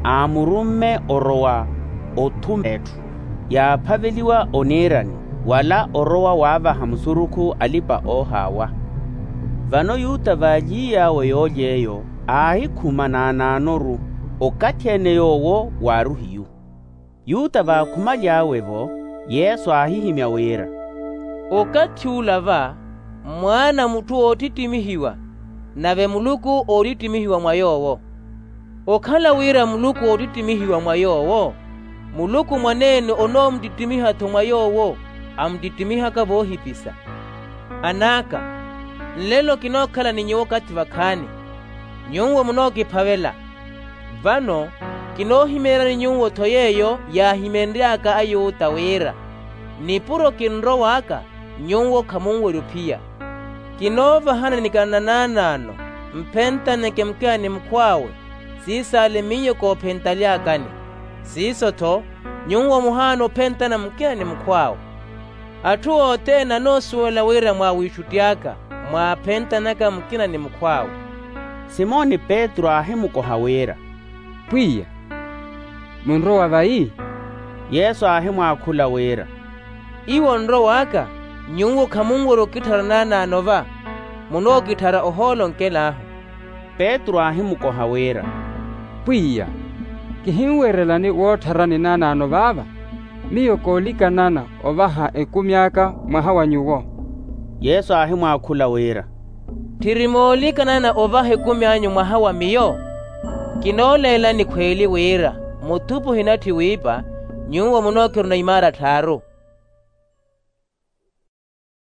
aamurumme orowa othuma etthu yaaphaveliwa oniirani, wala orowa waavaha musurukhu alipa-oohaawa. Vano yuta vaaly'iy'awe yoolya eyo, aahikhuma naanaano-ru, okathi-ene yoowo waari ohiyu. Yuta vaakhumaly'awe-vo, yesu aahihimya wira, okathi ula va mwaana a mutthu oottittimihiwa, nave muluku oottittimihiwa mwa yoowo. Okhala wira muluku oottittimihiwa mwa yoowo, muluku mwaneene onoomuttittimiha-tho mwa yoowo amuttittimiha-ka voohipisa. An'aka, nlelo kinookhala ni nyuwo okathi vakhaani, nyuwo munookiphavela. Vano kinoohimeeryani nyuwo-tho yeeyo yaahimenry'aka ayuta wira, nipuro kinrow'aka, nyuwo khamunwerya ophiya. Kinoovahani nikina na naanaano, mphentaneke mukina ni mukhw'awe, siisaale miyo koophentaly'akani. Siiso-tho, nyuwo muhaana ophentana mukina ni mukhw'awe. Atthu othene anoosuwela wira mwaawiixutti aka mwaaphentanaka mukina ni mukhw'awe. Simoni petru aahimukoha wira, pwiya, munrowa vayi? Yesu aahimwaakhula wira, iwo onrow'aka, nyuwo khamunwerya okitthara naanaano va, munookitthara ohoolo onkel'ahu. Petru aahimukoha wira, pwiya, kihinwerelani woottharani naanaano vaava. Miyo koolikanana ovaha ekumi aka mwaha wa nyuwo. Yesu aahimwaakhula wira, tthiri moolikanana ovaha ekumi anyu mwaha wa miyo? Kinooleelani khweeli wira mutthupi ohinatthi wiipa, nyuwo munookiruna imaara tthaaru.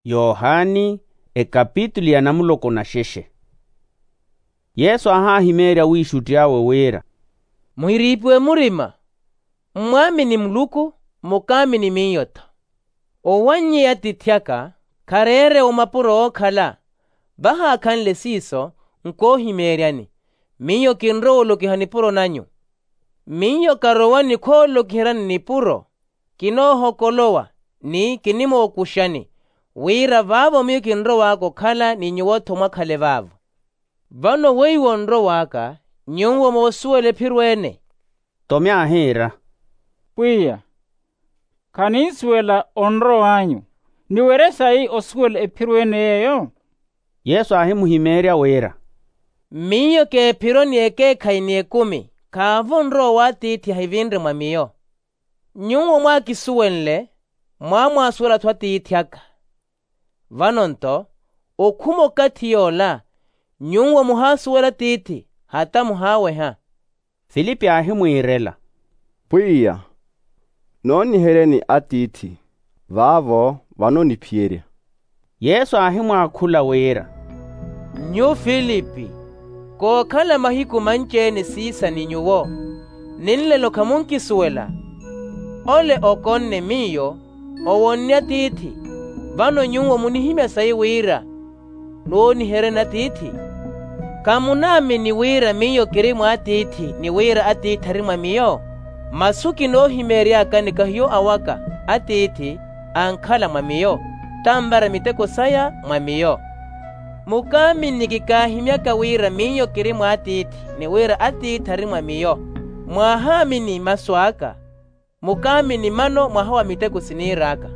Yohani, ekapitulu ya namuloko na xexe. Yesu aahaahimeerya awiixutti awe wira, muhiriipiwe murima, mmwaamini muluku, mukaamini miyo-tho. Owannyeya atiithi aka khareere omapuro ookhala, vahaakhanle siiso nkoohimeeryani. Miyo kinrowa olokiha nipuro nanyu. Miyo karowa ni khoolokiheryani nipuro, kinoohokolowa ni kinimookuxani, wira vaavo miyo kinrow'aka okhala ni nyuwo-tho mwakhale vaavo. Vano weiwo onrow'aka, nyuwo moosuwela ephiro ene. Tome aahiira, pwiya, khaninsuwela onrow'anyu. Niwerye sayi osuwela ephiro ene yeeyo? Yesu aahimuhimeerya wira, miyo k'ephiro ni ekeekhayi ni ekumi. Khaavo onrowa w'atiithi ahivinre mwa miyo. Nyuwo mwaakisuwenle, mwaamwaasuwela-tho atiithi aka. Vano-nto, okhuma okathi yoola, nyuwo muhaasuwela atiithi, hata muhaaweha. Filipi aahimwiirela, pwiya, nooniheryeni atiithi, vaavo vano niphiyerya. Yesu aahimwaakhula wira, nyu filipi, kookhala mahiku manci-ene siisa ni nyuwo, ni nlelo khamunkisuwela? Ole okonne miyo, owonne atiithi. Vano nyuwo munihimya sayi wira nooniheryani atiithi? Khamunaamini wira miyo kiri mw'atiithi ni wira atiithi ari mwa miyo? Masu kinoohimeeryakani kahiyo awaka, atiithi ankhala mwa miyo, tanvara miteko saya mwa miyo. Mukaamini kikaahimyaka wira miyo kiri mw'atiithi ni wira atiithi ari mwa miyo. Mwaahaamini masu aka, mukaamini mano mwaha wa miteko siniir'aka.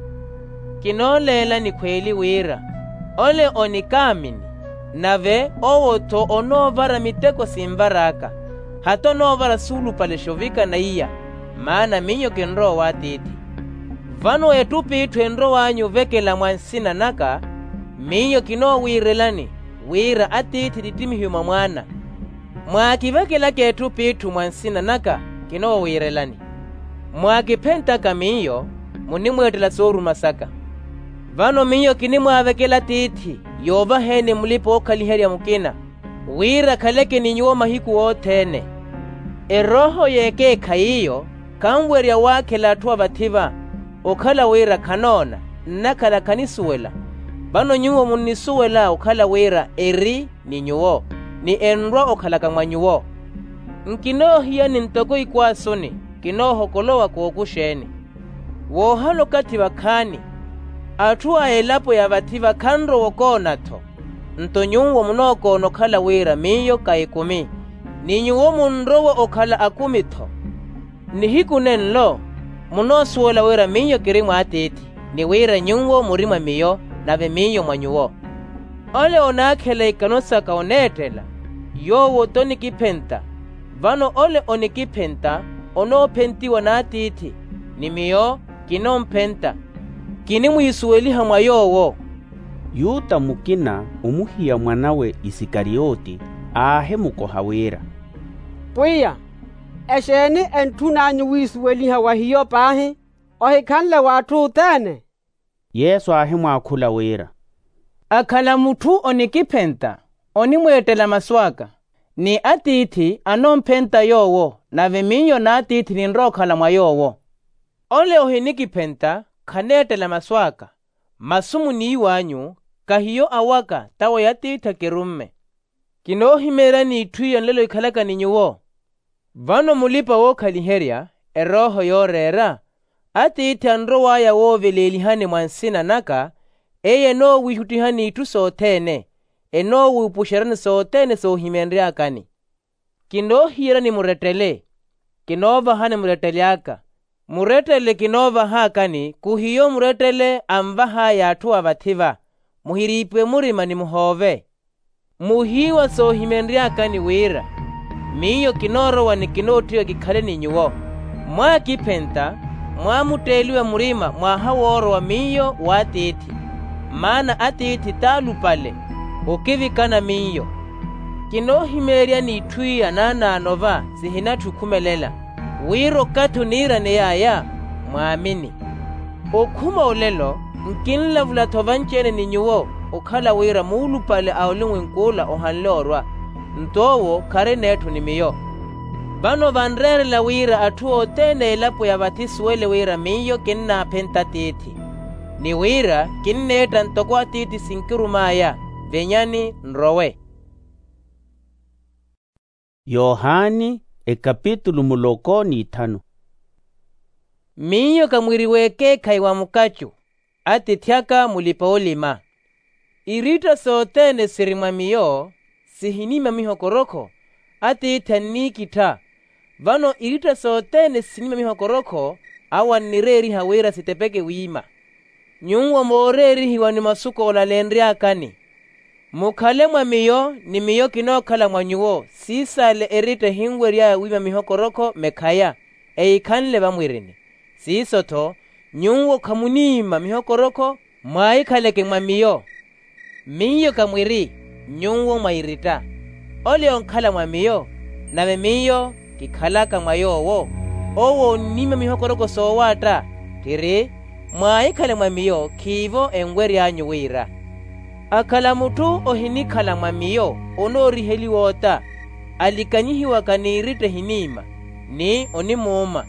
Kinooleelani khweeli wira ole onikaamini, nave owo-tho onoovara miteko sinvar'aka, hata onoovara suulupale xovika na iya, maana miyo kinrowa w'atiithi. Vano ettup'itthu enrow'anyu ovekela mwa nsina naka, miyo kinoowiirelani wira atiithi tittimihiwe mwa mwaana. Mwaakivekelaka ettup'itthu mwa nsina naka, kinoowiirelani. Mwaakiphentaka miyo, munimweettela sooruma saka. Vano miyo kinimwaavekela atiithi yoovaheeni mulipa-ookhaliherya mukina, wira akhaleke ni nyuwo mahiku othene. Erooho y'ekeekhayi iyo khanwerya waakhela atthu a vathi-va, okhala wira khanoona, nnakhala khanisuwela. Vano nyuwo munnisuwela okhala wira eri ni nyuwo, ni enrwa okhalaka mwa nyuwo. Nkinoohiyani ntoko ikwaasuni, kinoohokolowa kookuxeeni. Woohala okathi vakhaani, atthu a elapo ya vathi-va khanrowa okoona-tho. Nto nyuwo munookoona okhala wira miyo ka ekumi, ni nyuwo munrowa okhala akumi-tho. Nihiku nenlo munoosuwela wira miyo kiri mw'atiithi, ni wira nyuwo muri mwa miyo, nave miyo mwa nyuwo. Ole onaakhela ikano saka oneettela, yowo t'onikiphenta. Vano ole onikiphenta onoophentiwa n'atiithi, ni miyo kinomphenta, kinimwiisuweliha mwa yoowo. Yuta mukina omuhiya mwan'awe isikariyoti aahimukoha wira, pwiya, exeeni entthun'anyu wiisuweliha wa hiyo paahi, ohikhanle w'atthu othene? Yesu aahimwaakhula wira, akhala mutthu onikiphenta, onimweettela masu aka, ni atiithi anomphenta yoowo, nave miyo n'atiithi ninrowa okhala mwa yoowo. Ole ohinikiphenta khaneettela masu aka. Masu muniiw'anyu kahiyo awaka, tawo y'atiithi akirumme. Kinoohimeeryani itthu iyo nlelo ikhalaka ni nyuwo. Vano mulipa-wookhaliherya erooho yooreera, atiithi anrow'aya wooveleelihani mwa nsina naka, eye enoowiixuttihani itthu sothene, enoowiipuxeryani sothene soohimenry'akani. Kinoohiyerani murettele, kinoovahani murettele aka. Murettele kinoovahaakani khuhiyo murettele anvah'aya atthu a vathi-va. Muhiriipiwe murima ni muhoove. Muhiiwa soohimenry'akani wira miyo kinoorowa ni kinoottiwa kikhale ni nyuwo. Mwaakiphenta, mwaamutteeliwa murima mwaha woorowa miyo w'atiithi, maana atiithi t'alupale okivikana miyo. Kinoohimeeryani itthu iya naanaano-va sihinatthu okhumelela, wira okathi oniiraney'aya mwaamini. Okhuma olelo nkinlavula-tho vanci-ene ni nyuwo, okhala wira muulupale a olumwenk'ula ohanle orwa, nto owo khari neetho ni miyo. Vano vanreerela wira atthu othene a elapo ya vathi isuwele wira miyo kinnaaphenta atiithi, ni wira kinneetta ntoko atiithi sinkirum'aya. Venyani nrowe. Yohani, ekapitulu muloko n'ithanu. Miyo ka mwiri w'ekeekhayi wa mukacu, atiithi aka mulipa-olima. Iritta sothene siri mwa miyo sihiniima mihokorokho, atiithi anniikittha. Vano iritta sothene siniima mihokorokho, awo annireeriha wira sitepeke wiima. Nyuwo mooreerihiwa ni masu koolaleenry'akani, mukhale mwa miyo ni miyo kinookhala mwa nyuwo. Siisale eritta ehinwery'aya wiima mihokorokho mekhaya, ehikhanle vamwirini. Siiso-tho, nyuwo khamuniima mihokorokho, mwaahikhaleke mwa miyo. Miyo ka mwiri, nyuwo mwa iritta. Ole onkhala mwa miyo, nave miyo kikhalaka mwa yoowo, owo onniima mihokoroko soowaatta. Tthiri, mwaahikhale mwa miyo, khiivo enwery'anyu wira. Akhala mutthu ohinikhala mwa miyo, onooriheliwa ota, alikanyihiwaka n'iritta ehiniima, ni onimuuma.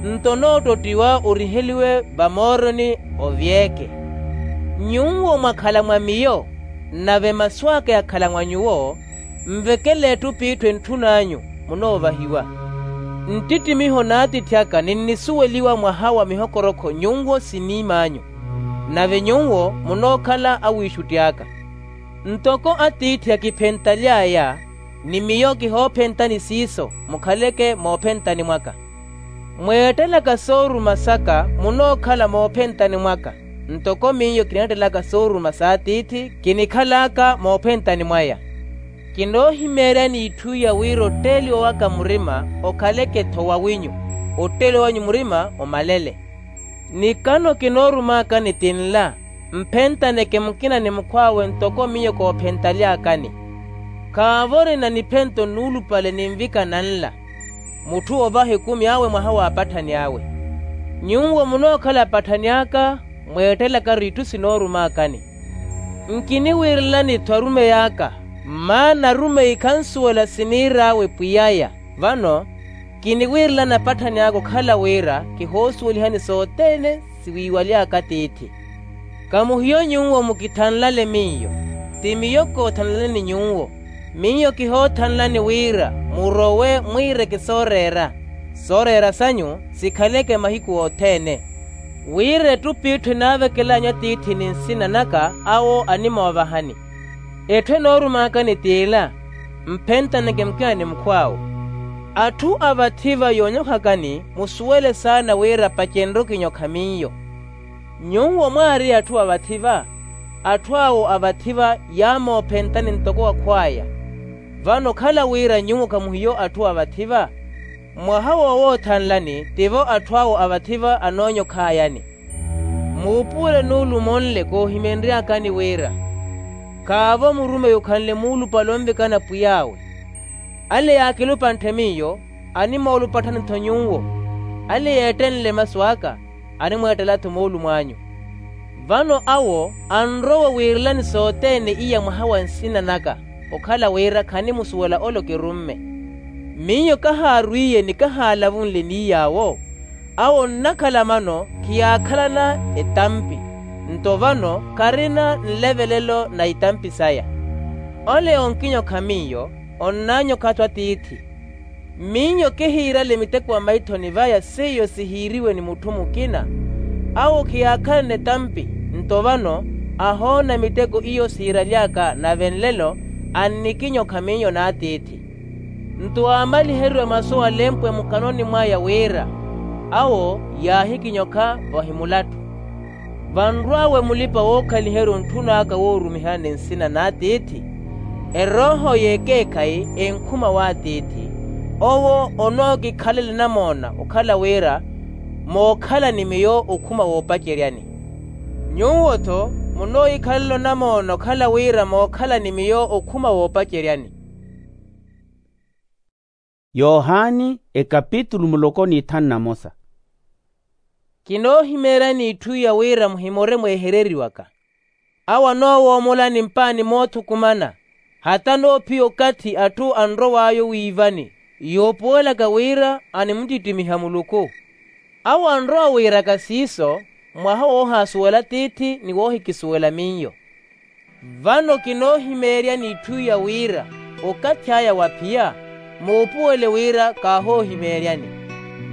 nto noottottiwa oriheliwe vamooroni ovyeke. Nyuwo mwakhala mwa miyo, nave masu aka yakhala mwa nyuwo, nvekele ettupitthi entthun'anyu, munoovahiwa. Nttittimiho n'atiithi aka ninnisuweliwa mwaha wa mihokorokho nyuwo siniim'anyu, nave nyuwo munookhala awiixutti aka. Ntoko atiithi akiphentaly'aya, ni miyo kihoophentani siiso mukhaleke moophentani mwaka. Mweettelaka sooruma saka munookhala moophentani mwaka, ntoko miyo kineettelaka sooruma s'atiithi kinikhal'aka moophentani mwaya. Kinoohimeeryani itthu iya wira otteeliwa waka murima okhaleke-tho wawinyu, otteeliwa wanyu murima omalele. Nikano kinoorumaakani ti nla, mphentaneke mukina ni mukhw'awe ntoko miyo koophentaly'akani. Khaavo orina niphento nuulupale ninvikana nla, mutthu ovaha ekumi awe mwaha w'apatthani awe. Nyuwo munookhala apatthani aka, mweettelaka-ru itthu sinoorumaakani. Nkiniwiirelani-tho arumeyi aka, maana arumeyi khansuwela siniir'awe pwiy'aya. Vano kiniwiirelani apatthani aka okhala wira kihoosuwelihani sothene siwiiwaly'aka tiithi. Kamuhiyo nyuwo mukithanlale miyo, ti miyo koothanlaleni nyuwo. Miyo kihoothanlani wira murowe mwiireke sooreera, sooreera sanyu sikhaleke mahiku othene, wira ettupitthi enaavekel'anyu atiithi ni nsina naka awo animoovahani. Etthu enoorumaakani t'ila, mphentaneke mukina ni mukhw'awe. Atthu a vathi-va yoonyokhakani musuwele saana wira pacenrye okinyokha miyo. Nyuwo mwaari atthu a vathi-va, atthu awo a vathi-va yaamoophentani ntoko wakhw'aya. Vano okhala wira nyuwo khamuhiyo atthu a vathi-va, mwaha woowoothanlani tivo atthu awo a vathi-va anoonyokh'ayani. Muupuwele nuulumo nle koohimenry'akani wira, khaavo murumeyi okhanle muulupale onvikana pwiy'awe. Ale yaakilupanthe miyo, animoolupatthani-tho nyuwo. Ale yeettenle masu aka, animweettela-tho moolumw'anyu. Vano awo anrowa wiirelani sothene iya mwaha wa nsina naka, okhala wira khanimusuwela ole okirumme. Miyo kahaarwiye ni kahaalavunle n'iy'awo, awo onnakhala mano khiyaakhalana etampi, nto vano kharina nlevelelo na itampi saya. Ole onkinyokha miyo, onnaanyokha-tho atiithi. Miyo kihiirale miteko a maithoni vaya seiyo sihiiriwe ni mutthu mukina. Awo khiyaakhalana etampi, nto vano ahoona miteko iyo siiraly'aka, nave nlelo annikinyokha miyo n'atiithi. Nto aamaliheriwe masu alempwe mukanoni mwaya wira, awo yaahikinyokha vahimulattu. Vanrw'awe mulipa-wookhaliherya ontthun'aka woorumiha ni nsina n'atiithi, erooho y'ekeekhayi enkhuma w'atiithi. Owo onookikhalela enamoona okhala wira mookhala ni miyo okhuma woopaceryani. Nyuwo-tho munoohikhalela onamoona okhala wira mookhala ni miyo okhuma woopaceryani. Yohani ekapitulu muloko n'ithanu na mosa. Kinoohimeeryani itthu iya wira muhimore mweehereriwaka. Awo anoowoomola ni mpaani moothukumana, hata noophiya okathi atthu anrow'aya owiivani, yoopuwelaka wira animuttittimiha muluku. Awo anrowa wiiraka siiso, mwaha woohaasuwela tiithi ni woohikisuwela miyo. Vano kinoohimeeryani itthu iya wira okathi aya waphiya, muupuwele wira kaahoohimeeryani.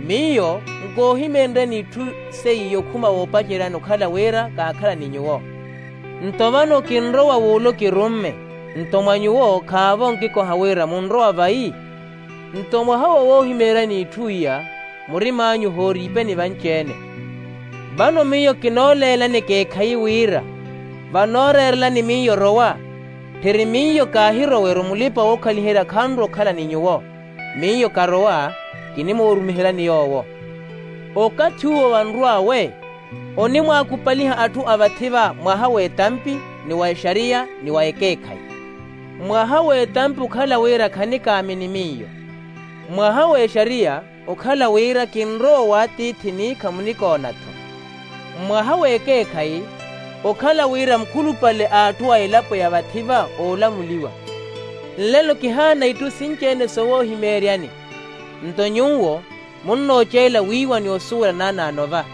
Miyo nkoohimeenryani itthu seiyo okhuma woopaceryani okhala wira kaakhala ni nyuwo. Nto vano kinrowa w'ule okirumme, nto mwa nyuwo khaavo nkikoha wira munrowa vayi. Nto mwaha wowoohimeeryani itthu iya, murim'anyu hooriipeni vanci-ene. Vano miyo kinooleelani ekeekhayi wira, vanooreerelani miyo rowa, tthiri miyo kaahiroweru mulipa-wookhaliherya khanrowa okhala ni nyuwo. Miyo karowa, kinimoorumihelani yoowo. Okathi uwo vanrw'awe, onimwaakupaliha atthu a vathi-va mwaha w'etampi, ni wa exariya, ni wa ekeekhayi. Mwaha w'etampi okhala wira khanikaamini miyo. Mwaha w'exariya okhala wira kinrowa w'atiithi ni khamunikoona-tho. Mwaha w'ekeekhayi okhala wira mukhulupale a atthu a elapo ya vathi-va oolamuliwa. Nlelo kihaana itthu sinci-ene sowoohimeeryani. Nto nyuwo munnooceela wiiwa ni osuwela naanaano va.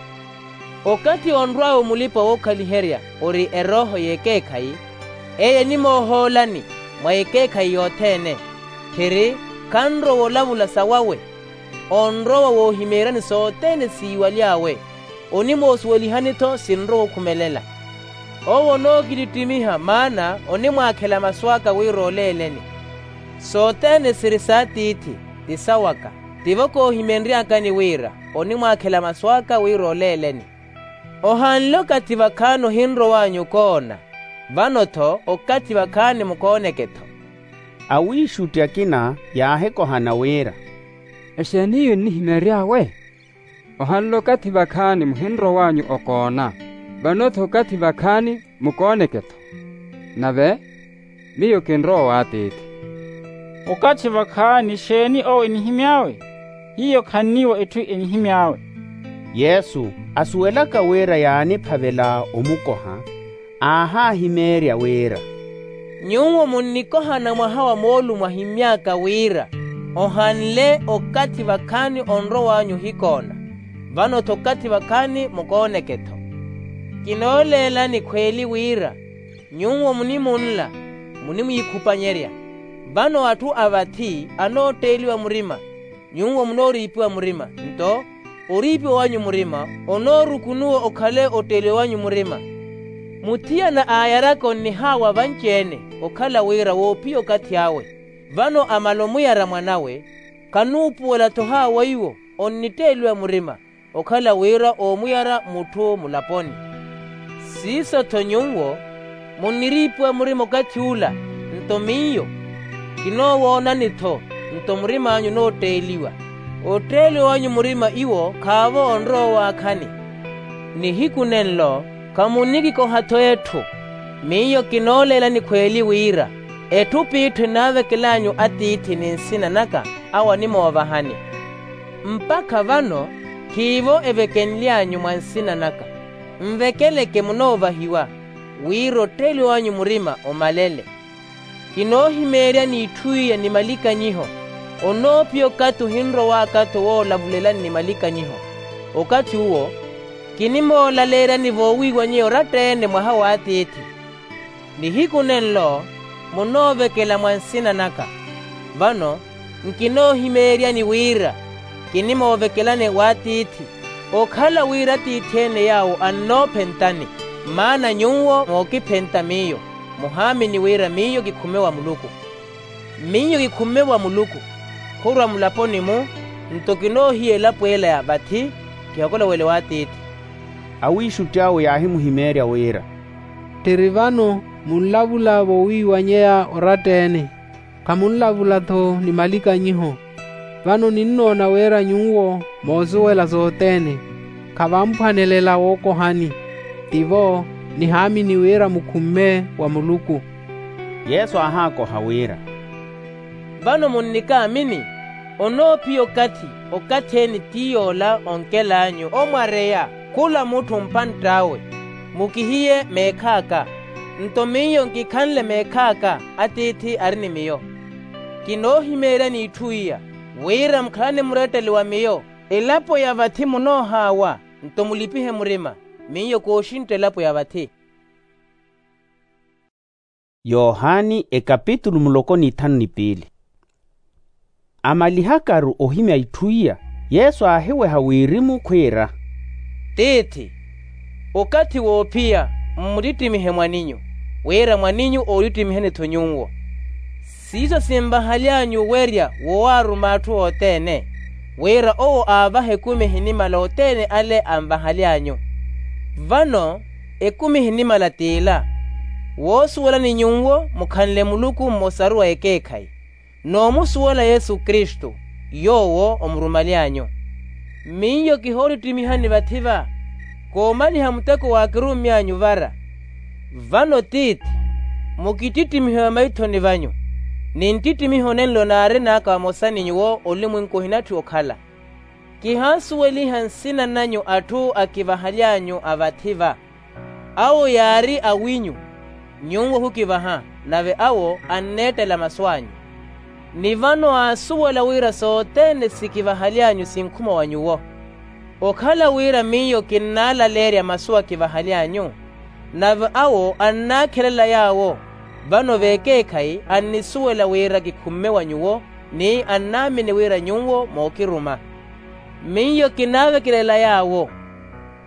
Okathi onrw'awe mulipa-wookhaliherya ori erooho y'ekeekhayi, eye enimoohoolani mwa ekeekhayi yothene, khiri khanrowa olavula sawawe. Onrowa woohimeeryani sothene siiwaly'awe, onimoosuwelihani-tho sinrowa okhumelela. Owo onookittittimiha maana onimwaakhela masu aka wira oleeleni. Sothene siri s'atiithi ti sawaka. Tivo koohimenry'akani wira onimwaakhela masu aka wira oleeleni. Ohanle okathi vakhaani ohinrow'anyu okoona, vano-tho okathi vakhaani mukooneke-tho. Awiixutti akina yaahikohana wira, exeeni iyo ennihimeery'awe? Ohanle okathi vakhaani muhinrow'anyu okoona, vano-tho okathi vakhaani mukooneke-tho. Nave miyo kinrowa w'atiithi. Okathi vakhaani exeeni owo enihimy'awe? Hiyo khanniiwa etthu enihimy'awe. Yesu asuwelaka wira yaaniphavela omukoha, aahaahimeerya wira, nyuwo munnikohana mwaha wa moolumo ahimy'aka wira ohanle okathi vakhaani onrow'anyu ohikoona, vano-tho okathi vakhaani mukooneke-tho. Kinooleelani khweeli wira nyuwo munimunla munimwiikhupanyerya. Vano atthu a vathi anootteeliwa murima, nyuwo munooriipiwa murima. Nto oriipiwa wanyu murima onoorukunuwa okhale otteeliwa wanyu murima. Muthiyana aayaraka onnihaawa vanci-ene, okhala wira woophiya okathi awe. Vano amala omuyara mwan'awe, khanuupuwela-tho haawa iwo onnitteeliwa murima, okhala wira oomuyara mutthu mulaponi. Siiso-tho nyuwo munniriipiwa murima okathi ula, nto miyo kinoowoonani-tho, nto murim'anyu onootteeliwa. Otteeliwa wanyu murima iwo khaavo onrowa owaakhani. Nihiku nenlo khamunnikikoha-tho etthu. Miyo kinooleelani khweeli wira etthu piitthu enaavekel'anyu atiithi ni nsina naka, awo animoovahani. Mpakha vano khiivo evekenly'anyu mwa nsina naka. Nvekeleke munoovahiwa, wira otteeliwa wanyu murima omalele. Kinoohimeeryani itthu iya ni malikanyiho. Onoophiya okathi ohinrow'aka-tho woolavulelani ni malikanyiho. Okathi uwo kinimoolaleeryani voowiiwanyeya oratta-ene mwaha w'atiithi. Nihiku nenlo munoovekela mwa nsina naka. Vano nkinoohimeeryani wira kinimoovekelani w'atiithi, okhala wira atiithi-ene yaawo annoophentani. Maana nyuwo mookiphenta miyo, muhaamini wira miyo kikhumme wa muluku. Miyo kikhumme wa muluku, khurwa mulaponi-mu, nto kinoohiya elapo ela ya vathi, kihokolowele w'atiithi. Awiixutti awe yaahimuhimeerya wira, tthiri vano munlavula voowiiwanyeya oratta-ene, khamunlavula-tho ni malikanyiho. Vano ninnoona wira nyuwo moosuwela sothene, khavamphwanelela wookohani. Tivo nihaamini wira mukhumme wa muluku. Yesu aahaakoha wira, vano munnikaamini? Onoophiya okathi okathi-ene ti yoola onkel'anyu omwareya khula mutthu mpantt'awe, mukihiye meekh'aka. Nto miyo nkikhanle meekh'aka atiithi ari ni miyo. Kinoohimeeryani itthu iya, wira mukhalane muretteli wa miyo. Elapo ya vathi munoohaawa, nto mulipihe murima, miyo kooxintta elapo ya vathi. Yohani ekapitulu muloko n'ithanu ni piili. Amalihakaru ohimya itthu iya, yesu aahiweha wirimu khwiira, tiithi, okathi woophiya mmuttittimihe mwaninyu, wira mwaninyu oottittimihe-ni-tho nyuwo. Siiso sinvahaly'anyu owerya wowaaruma atthu othene, wira owo aavahe ekumi ehinimala othene ale anvahaly'anyu. Vano ekumi ehinimala t'ila, woosuwelani nyuwo mukhanle muluku mmosaru wa ekeekhayi, n'omusuwela yesu kristu, yoowo omurumaly'anyu. Miyo kihoottittimiha ni vathi-va, koomaliha muteko waakirummy'anyu vara. Vano tiithi, mukittittimihe vamaithoni vanyu, ni nttittimiho nenlo naarin'aka vamosa ni nyuwo olumwenku ohinatthi okhala. Kihaasuweliha nsina nanyu atthu akivahaly'anyu a vathi-va. Awo yaari awinyu, nyuwo ohukivaha, nave awo anneettela masu anyu. Ni vano aasuwela wira sothene sikivahaly'anyu sinkhuma wa nyuwo. Okhala wira miyo kinnaalaleerya masu akivahaly'anyu, nave awo annaakhelela yaawo, vano vekeekhayi annisuwela wira kikhumme wa nyuwo, ni annaamini wira nyuwo mookiruma. Miyo kinaavekelela yaawo,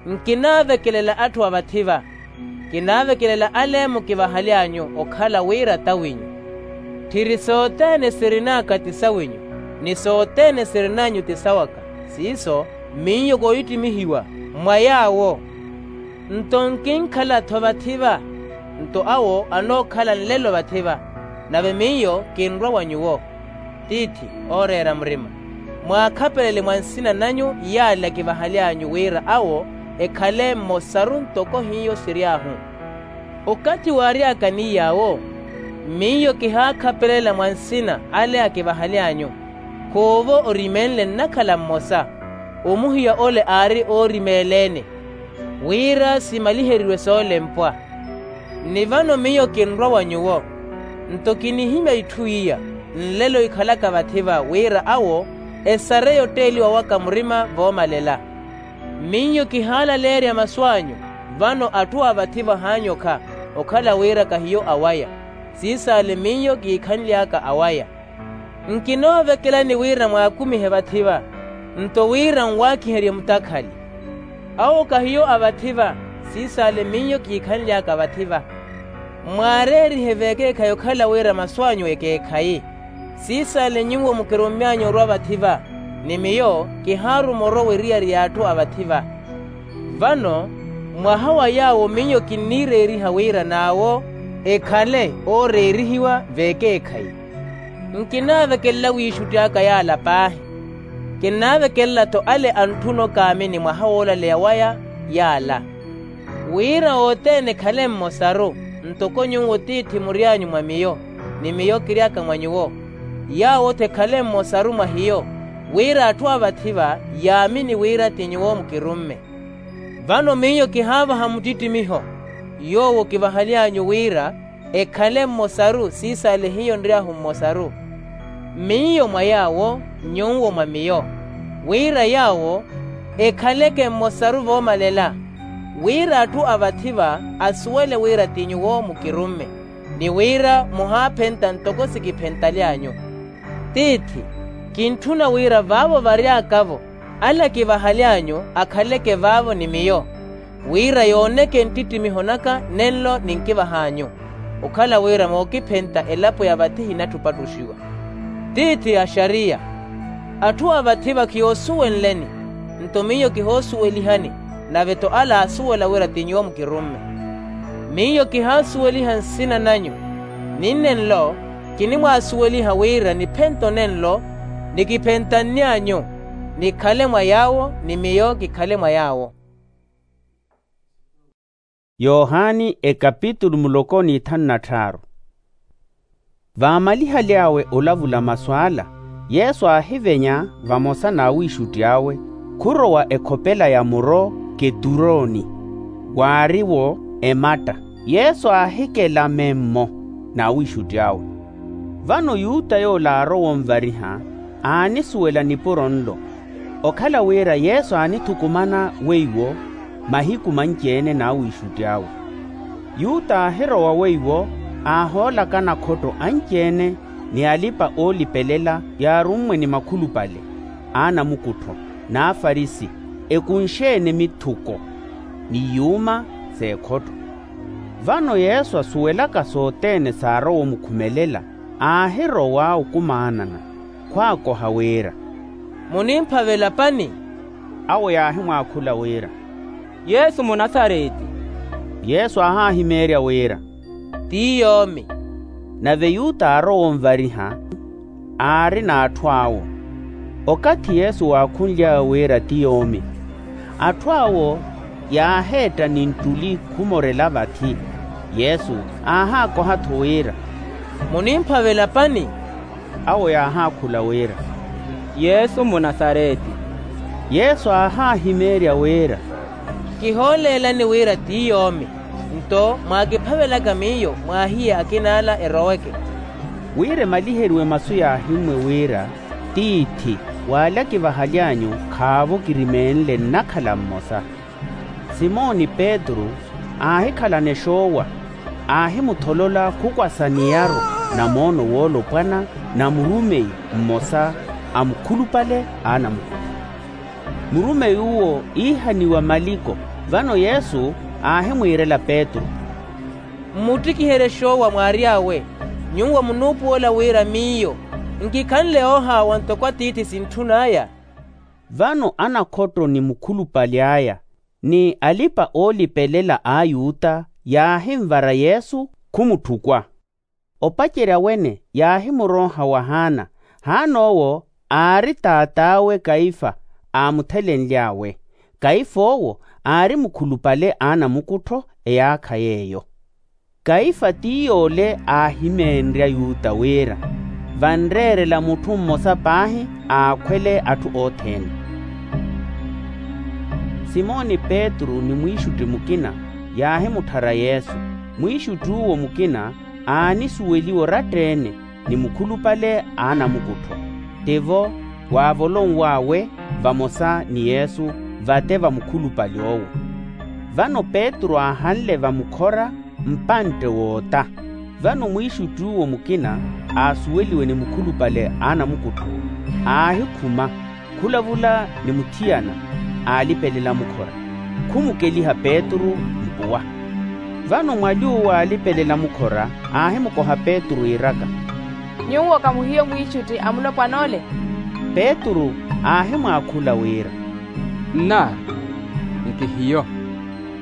nkinaavekelela atthu a vathi-va. Kinaavekelela ale mukivahaly'anyu okhala wira t'awinyu. Tthiri sothene sirin'aka ti sawinyu, ni sothene sirin'anyu ti sawaka. Siiso miyo koohittimihiwa mwa yaawo. Nto nkinkhala-tho vathi-va, nto awo anookhala nlelo vathi-va. Nave miyo kinrwa wa nyuwo, tiithi ooreera murima, mwaakhapelele mwa nsina nanyu yaale akivahaly'anyu wira awo ekhale mmosaru ntoko hiyo siry'ahu. Okathi waary'aka ni yaawo, miyo kihaakhapelela mwa nsina ale akivahaly'anyu. Khuuvo orimenle nnakhala mmosa, omuhiya ole aari oorimeeleene, wira simaliheriwe soolempwa. Ni vano miyo kinrwa wa nyuwo, nto kinihimya itthu iya nlelo ikhalaka vathi-va wira awo esare yotteeliwa waka murima voomalela. Miyo kihaalaleerya masu anyu, vano atthu a vathi-va haanyokha, okhala wira kahiyo awaya, siisaale miyo kiikhanly'aka awaya. Nkinoovekelani wira mwaakumihe vathi-va, nto wira nwaakiherye mutakhali. Awo kahiyo a vathi-va, siisaale miyo kiikhanly'aka vathi-va. Mwaareerihe vekeekhayi okhala wira masu anyu ekeekhayi, siisaale nyuwo mukirummy'anyu orwa vathi-va, ni miyo kihaaruma orwa weriyari y'atthu a vathi-va. Vano mwaha wa yaawo miyo kinniireeriha wira n'awo ekhale ooreerihiwa vekeekhayi. Nkinaavekelela wiixutti aka yaala paahi, kinnaavekelela-tho ale antthuna okaamini mwaha woolaleya waya yaala, wira othene ekhale mmosaru, ntoko nyuwo tiithi mury'anyu mwa miyo, ni miyo kiry'aka mwa nyuwo, yaawo-tho ekhale mmosaru mwa hiyo, wira atthu a vathi-va yaamini wira ti nyuwo mukirumme. Vano miyo kihaavaha muttittimiho yoowo kivahaly'anyu wira ekhale mmosaru siisaale hiyo nry'ahu mmosaru, miyo mwa yaawo, nyuwo mwa miyo, wira yaawo ekhaleke mmosaru voomalela, wira atthu a vathi-va asuwele wira ti nyuwo mukirumme, ni wira muhaaphenta ntoko sikiphentaly'anyu. Tiithi, kintthuna wira vaavo vary'akavo ale akivahaly'anyu akhaleke vaavo ni miyo, wira yooneke nttittimiho naka nenlo ninkivah'anyu, okhala wira mookiphenta elapo ya vathi hinatthu opattuxiwa. Tiithi axariya, atthu a vathi-va khiyoosuwenleni, nto miyo kihoosuwelihani, nave-tho ale aasuwela wira ti nyuwo mukirumme. Miyo kihaasuweliha nsina nanyu, ni nnenlo kinimwaasuweliha wira niphente onenlo nikiphentanny'anyu, nikhale mwa yaawo ni miyo kikhale mwa yaawo. Yohani ekapitulu muloko n'ithanu na tthaaru. Vaamalihaly'awe olavula masu ala, yesu aahivenya vamosa n'awiixutti awe, khurowa ekhopela ya muro keturoni, waari-wo ematta. Yesu aahikela memmo n'awiixutti awe. Vano yuta yoole aarowa onvariha, aanisuwela nipuro nlo, okhala wira yesu aanithukumana weiwo mahiku manci-ene n'awiixutti awe. Yuta aahirowa weiwo, aahoolakana khotto anci-ene ni alipa-oolipelela yaarummwe ni makhulupale, aanamukuttho, n'afarisi, ekunxe-ene mithuko ni yuuma s'ekhotto. Vano yesu asuwelaka sothene saarowa omukhumelela, aahirowa okumaanana, khwaakoha wira, munimphavela pani? Awo yaahimwaakhula wira, yesu munasareti. Yesu aahaahimeerya wira, ti yoomi. Nave yuta aarowa onvariha, aari n'atthu awo. Okathi yesu waakhunly'awe wira ti yoomi, atthu awo yaaheetta ni nttuli khumorela vathi. Yesu aahaakoha-tho wira, munimphavela pani? Awo yaahaakhula wira, yesu munasareti. Yesu aahaahimeerya wira, kihooleelani wira ti yoomi, nto mwaakiphavelaka miyo mwaahiye akina ala eroweke. Wira emaliheriwe masu yaahimmwe wira, tiithi, w'ale akivahaly'anyu khaavo kirimeenle nnakhala mmosa. Simoni petru aahikhalana exoowa, aahimutholola khukwasa niyaru na moono woolopwana na murumeyi mmosa a mukhulupale a anamukutho. Murumeyi uwo iihaniwa maliko. Vano yesu aahimwiirela petru, mmuttikiherye exoowa mwaary'awe. Nyuwo munuupuwela wira miyo nkikhanle oohaawa ntoko atiithi sintthun'aya. Vano anakhotto ni mukhulupale aya ni alipa-oolipelela a ayuta yaahinvara yesu khumutthukw'a. Opacerya wene yaahimuroonha wa haana. Haana owo aari taat'awe kaifa aamuthelenly'awe. Kaifa owo aari mukhulupale a anamukuttho eyaakha yeeyo. Kaifa ti yoole aahimeenrye ayuta wira vanreerela mutthu mmosa paahi aakhwele atthu othene. Simoni petru ni mwiixutti mukina yaahimutthara yesu. Mwiixutti uwo mukina aanisuweliwa oratta-ene ni mukhulupale a anamukuttho, tivo waavolonw'awe vamosa ni yesu vate va mukhulupale owo. Vano petru aahanle vamukhora mpantte woota. Vano mwiixutti uwo mukina aasuweliwe ni mukhulupale a anamukuttho aahikhuma khulavula ni muthiyana aalipelela mukhora, khumukeliha petru mpuwa. Vano mwali uwo aalipelela mukhora aahimukoha petru iiraka, nyuwo khamuhiyo mwiixutti a mulopwan'ole? Petru aahimwaakhula wira, nnaari, nkihiyo.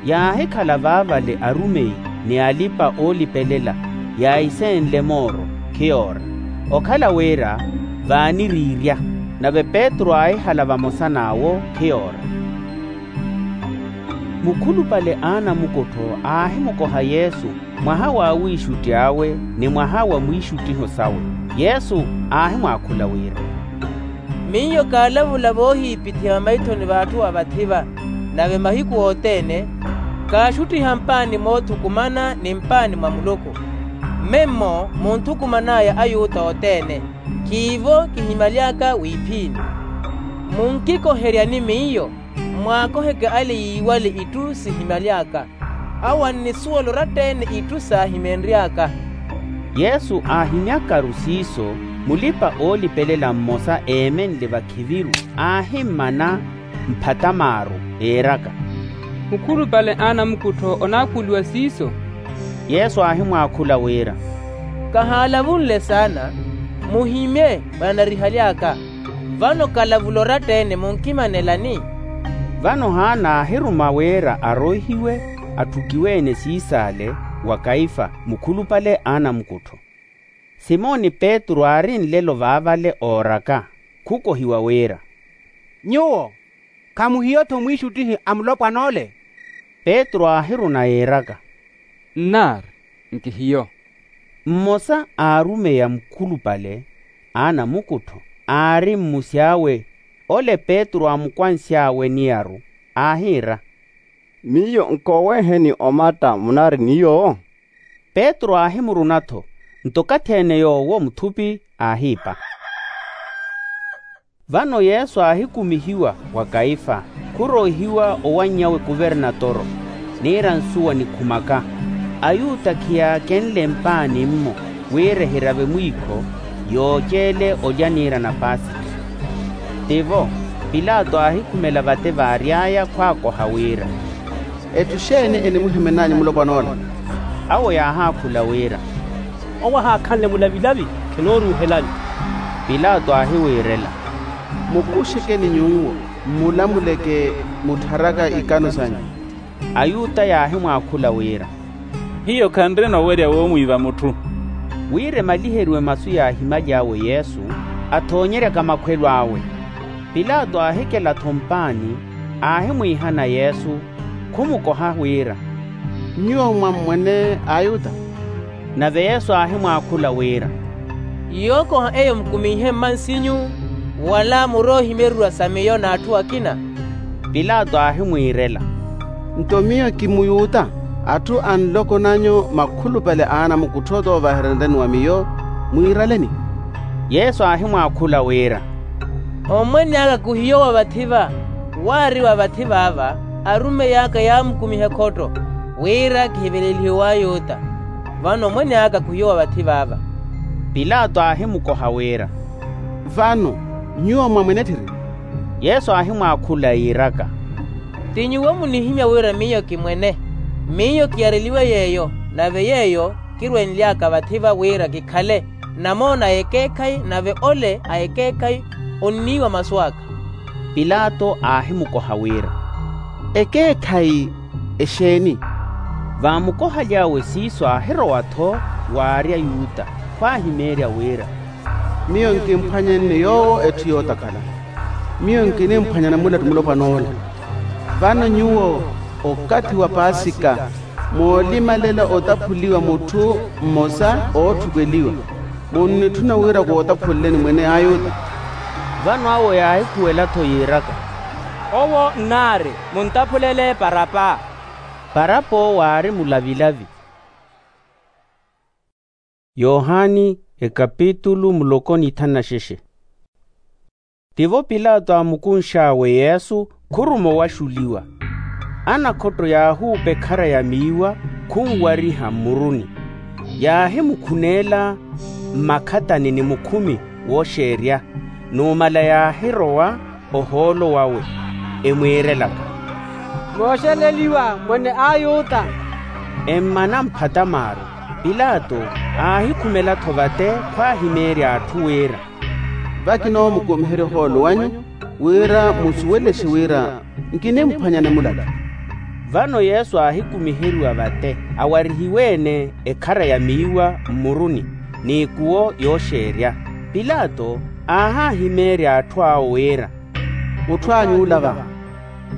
Yaahikhala vaavale arumeyi ni alipa-oolipelela yaaiseenle mooro khiyoora, okhala wira vaaniriirya. Nave petru aahihala vamosa n'awo khiyoora. Mukhulupale a anamukuttho aahimukoha yesu mwaha wa awiixutti awe ni mwaha wa mwiixuttiho sawe. Yesu aahimwaakhula wira, miyo kaalavula voohiipithiha vamaithoni v'atthu a vathi-va. Nave mahiku othene kaaxuttiha mpaani moothukumana ni mpaani mwa muluku. Mme mmo munthukuman'aya ayuta othene. Khiivo kihimaly'aka wiiphiini. Munkikoheryani miyo mwaakoheke ale yiiwale itthu sihimaly'aka. Awo annisuwela oratta-ene itthu saahimeenry'aka. Yesu aahimyakaru siiso, mulipa-oolipelela mmosa eemenle vakhiviru aahimmana mphatamaaru, eeraka, mukhulupale a anamukuttho onaakhuliwa siiso? Yesu aahimwaakhula wira, khahaalavunle saana. Muhimye mwananarihaly'aka. Vano kalavula oratta-ene munkimanelani? Vano haana aahiruma wira aroihiwe atthukiwe-ene siis'ale wa kaifa mukhulupale a anamukuttho. Simoni petru aari nlelo vaavale ooraka, khukohiwa wira, nyuwo khamuhiyo-tho mwiixuttihi a mulopwan'ole? Petru aahiruna yiiraka, nnaari, nkihiyo. Mmosa a arumeyi a mukhulupale a anamukuttho aari mmusi awe, ole petru aamukwansy'awe niyaru, aahiira, miyo nkooweeheni omatta munaari ni yoowo? Petru aahimuruna-tho, nto okathi-ene yoowo muthupi aahiipa. Vano yesu aahikumihiwa wa kaifa, khuroihiwa owanny'awe kuvernatoro, niira nsuwa nikhumaka. Ayuta khiyaakenle mpaani-mmo wira ehirave mwiikho yooceele olya niira na pasikha. Tivo pilato aahikhumela vate vaary'aya khwaakoha wira, etthu xeeni enimuhimen'anyu mulopwan'ola? Awo yaahaakhula wira, owo ahaakhanle mulavilavi, khinooruuhelani. Pilato aahiwiirela, mukuxekeni nyuwo, mmulamuleke muttharaka ikano sanyu. Ayuta yaahimwaakhula wira, hiyo khanrina owerya woomwiiva mutthu. Wira emaliheriwe masu yaahimaly'awe yesu, athoonyeryaka makhwelo awe. Pilato aahikela-tho mpaani, aahimwiihana yesu, khumukoha wira, nyuwo mwammwene ayuta? Nave yesu aahimwaakhula wira, yookoha eyo mukumiihe mmansinyu, wala muroohimeryerya sa miyo n'atthu akina? Pilato aahimwiirela, nto miyo ki muyuta? Atthu a nloko nanyu makhulupale a anamukuttho t'ovahereryanani wa miyo. mwiiraleni. Yesu aahimwaakhula wira, ommwene aka khuhiyo wa vathi-va. Waari wa vathi-vaava, arumeyi aka yaamukumiha ekhotto, wira kihivelelihiwe w'ayuta. Vano ommwene aka khuhiyo wa vathi-vaava. Pilato aahimukoha wira, vano nyuwo mwamwene etthiiri? Yesu aahimwaakhula yiiraka, ti nyuwo munihimya wira miyo ki mwene. Miyo kiyareliwe yeeyo, nave yeeyo kirwenly'aka vathi-va wira kikhale namoona a ekeekhayi, nave ole a ekeekhayi onniiwa masu aka. Pilato aahimukoha wira, ekeekhayi exeeni? Vaamukohaly'awe siiso aahirowa-tho waari ayuta, khwaahimeerya wira, miyo nkimphwanyanne yoowo etthu yootakhala. Miyo nkinimphwanyana mulatu mulopwana ola. Vano nyuwo, okathi wa paasika, moolimalela otaphuliwa mutthu mmosa ootthukweliwa, munnitthuna wira kootaphuleleni mwene ayuta? Vano awo yaahikhuwela-tho yiiraka, owo nnaari, muntaphulele parapa. Parapa owo aari mulavilavi. Yohani ekapitulu muloko n'ithanu na xexe. Tivo pilato aamukunx'awe yesu, khuruma owaxuliwa. Anakhotto yaahuupa ekhara ya miiwa, khunwariha mmuruni. Yaahimukhuneela mmakhatani ni mukhumi wooxeerya. Numala yaahirowa ohoolo wawe, emwiirelaka, mooxeleliwa mwene ayuta. Emmana mphatamaaru. Pilato aahikhumela-tho vate khwaahimeerya atthu wira, vakinoomukumiherya ohoolo wanyu, wira musuwelexe wira nkinimphwanyana mulatu. Vano yesu aahikumiheriwa vate awarihiwe-ene ekhara ya miiwa mmuruni, n'ikuwo yooxeerya. Pilato aahaahimeerya atthu awo wira, mutthu anyu ola va.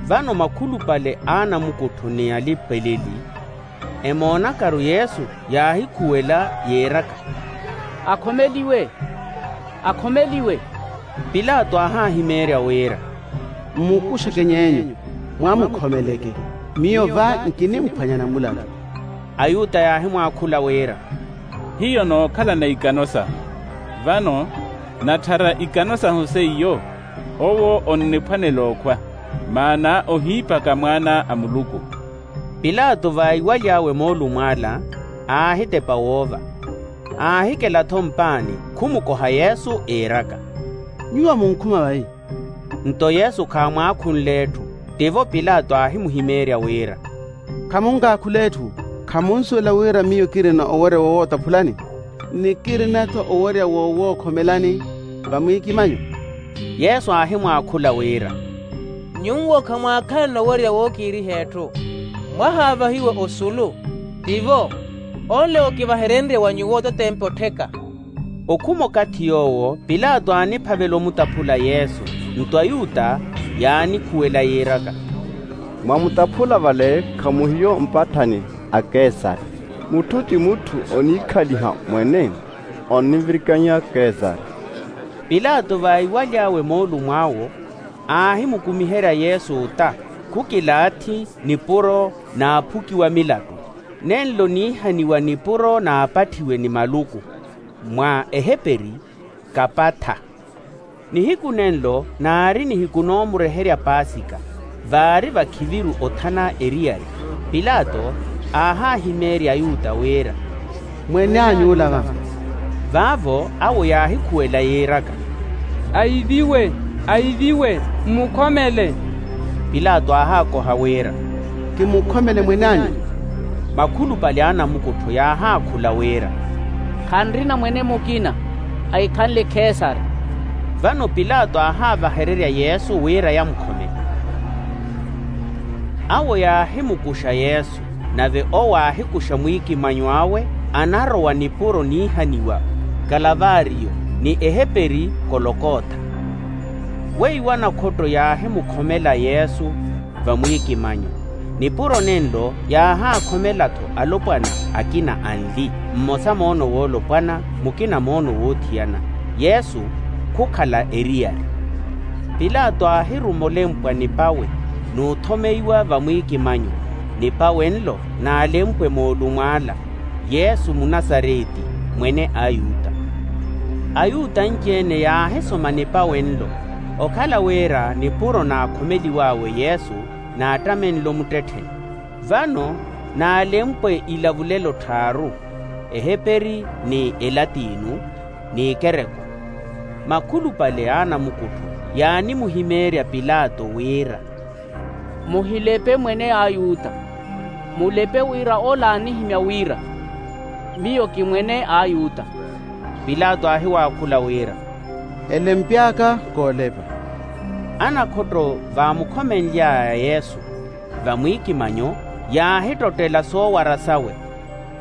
Vano makhulupale a anamukuttho ni alipa-eleli, emoonakaru yesu, yaahikhuwela yiiraka, akhomeliwe, akhomeliwe. Pilato aahaahimeerya wira, mmukuxeke ny'enyu, mwamukhomeleke. Miyo va nkinimphwanyana mulatu. Ayuta yaahimwaakhula wira, hiyo nookhalana ikano sahu. Vano natthara ikano sahu seiyo, owo onniphwanela okhwa, maana ohiipaka mwaana a muluku. Pilato vaiwaly'awe moolumo ala, aahitepa woova. Aahikela-tho mpaani, khumukoha yesu iiraka, nyuwo munkhuma vai? Nto yesu khaamwaakhunle etthu. Tivo pilato aahimuhimeerya wira, khamunkaakhula etthu? Khamunsuwela wira miyo kirina owerya woowotaphulani, ni kirina-tho owerya wowookhomelani vamwiikimanyo? Yesu aahimwaakhula wira, nyuwo khamwaakhalana owerya wookiiriha etthu. Mwahaavahiwa osulu. Tivo, onle okivaherenrye wa nyuwo totempe ottheka. Okhuma okathi yoowo pilato aaniphavela omutaphula yesu. Nto ayuta yaanikhuwela yiiraka, mwamutaphula vale khamuhiyo mpatthani a kesari. Mutthu ti mutthu oniikhaliha mwene, onnivirikanya kesari. Pilato vaiwaly'awe moolumo awo, aahimukumiherya yesu ota, khukilaathi nipuro n'aphuki wa milatu. Nenlo niihaniwa nipuro n'apatthiwe ni maluku, mwa eheperi, kapatha. Nihiku nenlo naari nihiku noomureherya paasika, vaari vakhiviru othana eriyari. Pilato aahaahimeerya ayuta wira, mwene anyu ola va? Vaavo awo yaahikhuwela yiiraka, aiviwe, aiviwe, mmukhomele. Pilato aahaakoha wira, kimukhomele mwene anyu? Makhulupale a anamukuttho yaahaakhula wira, khanrina mwene mukina, ahikhanle kesari. Vano pilato aahaavahererya yesu wira yamukhomele. Awo yaahimukuxa yesu, nave owo aahikuxa mwiikimanyo awe, anarowa nipuro niihaniwa, kalavario, ni eheperi, kolokotha. Weiwo anakhotto yaahimukhomela yesu vamwiikimanyo. Nipuro nenlo yaahaakhomela-tho alopwana akina anli, mmosa moono woolopwana, mukina moono woothiyana. Yesu khukhala eriyari. Pilato aahiruma olempwa nipawe, n'uthomeiwa vamwiikimanyo. Nipawe nlo n'alempwe moolumo ala, yesu munasareti, mwene a ayuta. Ayuta anci-ene yaahisoma nipawe nlo, okhala wira nipuro naakhomeliw'awe yesu naattame nlo muttettheni. Vano naalempwe ilavulelo tthaaru, eheperi ni elatinu, n'ikereko. Makhulupale a anamukuttho yaanimuhimeerya pilato wira, muhilepe mwene ayuta. Mulepe wira ola aanihimya wira, miyo ki mwene ayuta. Pilato aahiwaakhula wira, elempy'aka koolepa. Anakhotto vaamukhomenly'aya yesu vamwiikimanyo, yaahittottela soowara sawe,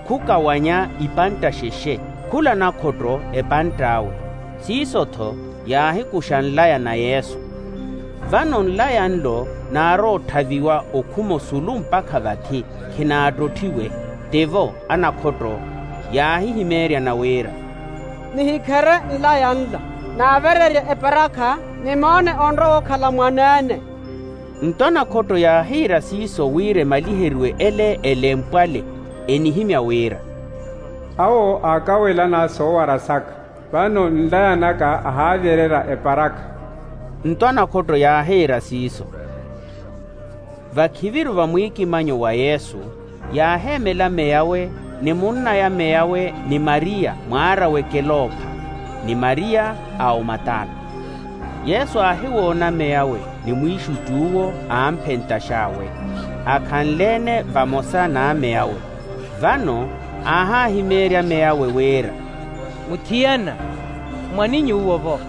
khukawanya ipantta xexe, khula nakhotto epantt'awe. Siiso-tho yaahikuxa nlaya na yesu. Vano nlaya nlo naarootthaviwa okhuma osulu mpakha vathi, khinaattottiwe. Tivo anakhotto yaahihimeeryana wira, nihikhere nlaya nla, naavererye eparakha, nimoone onrowa okhala mwaneene. Nto anakhotto yaahiira siiso wira emaliheriwe ele elempwe ale, enihimya wira, awo aakawelan'aya soowara saka, vano nlaya naka ahaavyererya eparakha. Nto anakhotto yaahiira siiso. Vakhiviru vamwiikimanyo wa yesu, yaaheemela meyawe ni munn'aya meyawe, ni mariya mwaar'awe keloopha, ni mariya a omatana. Yesu aahiwoona meyawe ni mwiixutti uwo, aamphentax'awe, akhanle-ene vamosa n'ameyawe. Vano aahaahimeerya meyawe wira, muthiyana, mwaninyu uwo-vo?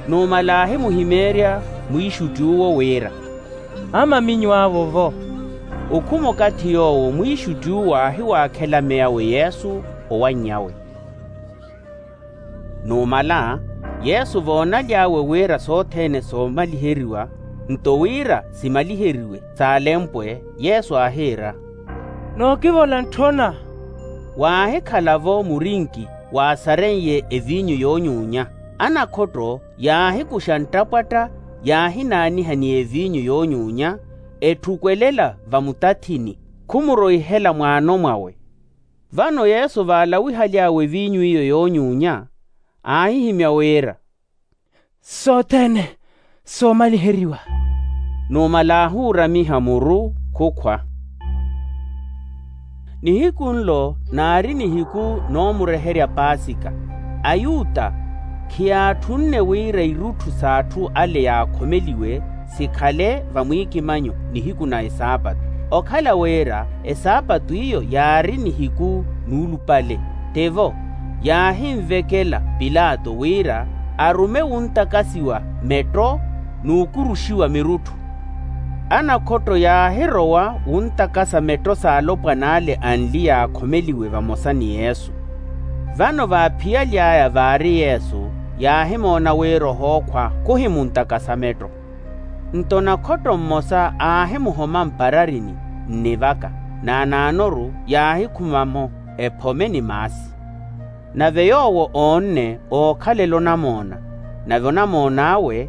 Numala aahimuhimeerya mwiixutti uwo wira, amaminyu awo-vo. Okhuma okathi yoowo mwiixutti uwo aahiwaakhela meyawe yesu owanny'awe. Numala yesu voonaly'awe wira sothene soomaliheriwa, nto wira simaliheriwe saalempwe, yesu aahiira, nookivola ntthona. Waahikhala-vo murinki waasareiye eviinyu yoonyuunya. Anakhotto yaahikuxa nttapwatta, yaahinaaniha ni eviinyu yoonyuunya, etthukwelela vamutathini, khumuroihela mwaano mwawe. Vano yesu vaalawihaly'awe eviinyu iyo yoonyuunya, aahihimya wira, sothene soomaliheriwa. Numala aahuuramiha muru khukhwa. Nihiku nlo naari nihiku noomureherya paasika. Ayuta khiyaatthunne wira irutthu s'atthu ale yaakhomeliwe sikhale vamwiikimanyo nihiku na esaapatu. Okhala wira esaapatu iyo yaari nihiku nuulupale, tivo yaahinvekela pilato wira arume wuntakasiwa metto n'ukuruxiwa mirutthu. Anakhotto yaahirowa wuntakasa metto s'alopwan'ale anli yaakhomeliwe vamosa ni yesu. Vano vaaphiyaly'aya vaari yesu, yaahimoona wira ohookhwa khuhimuntakasa metto. Nto nakhotto mmosa aahimuhoma mpararini nnivaka, n'anaanoru yaahikhuma-mo ephome ni maasi. Nave yoowo oonne ookhalela onamoona, nave onamoon'awe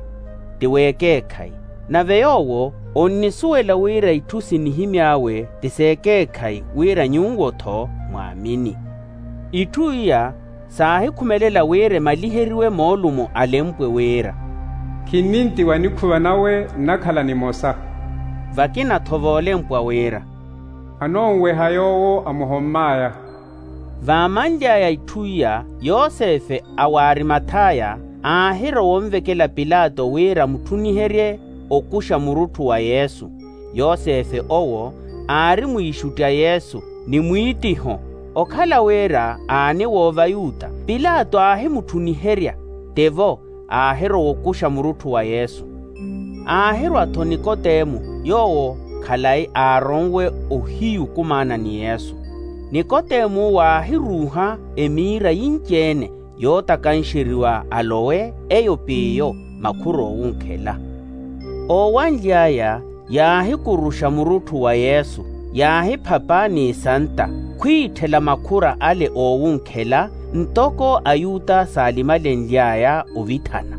ti w'ekeekhayi. Nave yoowo onnisuwela wira itthu sinihimy'awe ti s'ekeekhayi, wira nyuwo-tho mwaamini. Itthu iya saahikhumelela wira emaliheriwe moolumo alempwe wira, khinnintiwa nikhuva nawe nnakhala nimosa. Vakina-tho voolempwa wira, anoonweha yoowo amuhomm'aya. Vaamanly'aya itthu iya, yosefe a w'arimathaya aahirowa onvekela pilato wira amutthuniherye okuxa murutthu wa yesu. Yosefe owo aari mwiixutti a yesu ni mwiittiho. Okhala wira aaniwoova ayuta, pilato aahimutthuniherya, tivo aahirowa okuxa murutthu wa yesu. Aahirwa-tho nikotemu yoowo khalayi aaronwe ohiyu khumaana ni yesu. Nikotemu owo aahiruuha emiira yinci-ene yootakanxeriwa alowe eyo p'iyo makhur'owunkhela. Oowanly'aya yaahikuruxa murutthu wa yesu, yaahiphapa n'isanta khwiitthela makhura ale oowunkhela, ntoko ayuta saalimalenly'aya ovithana.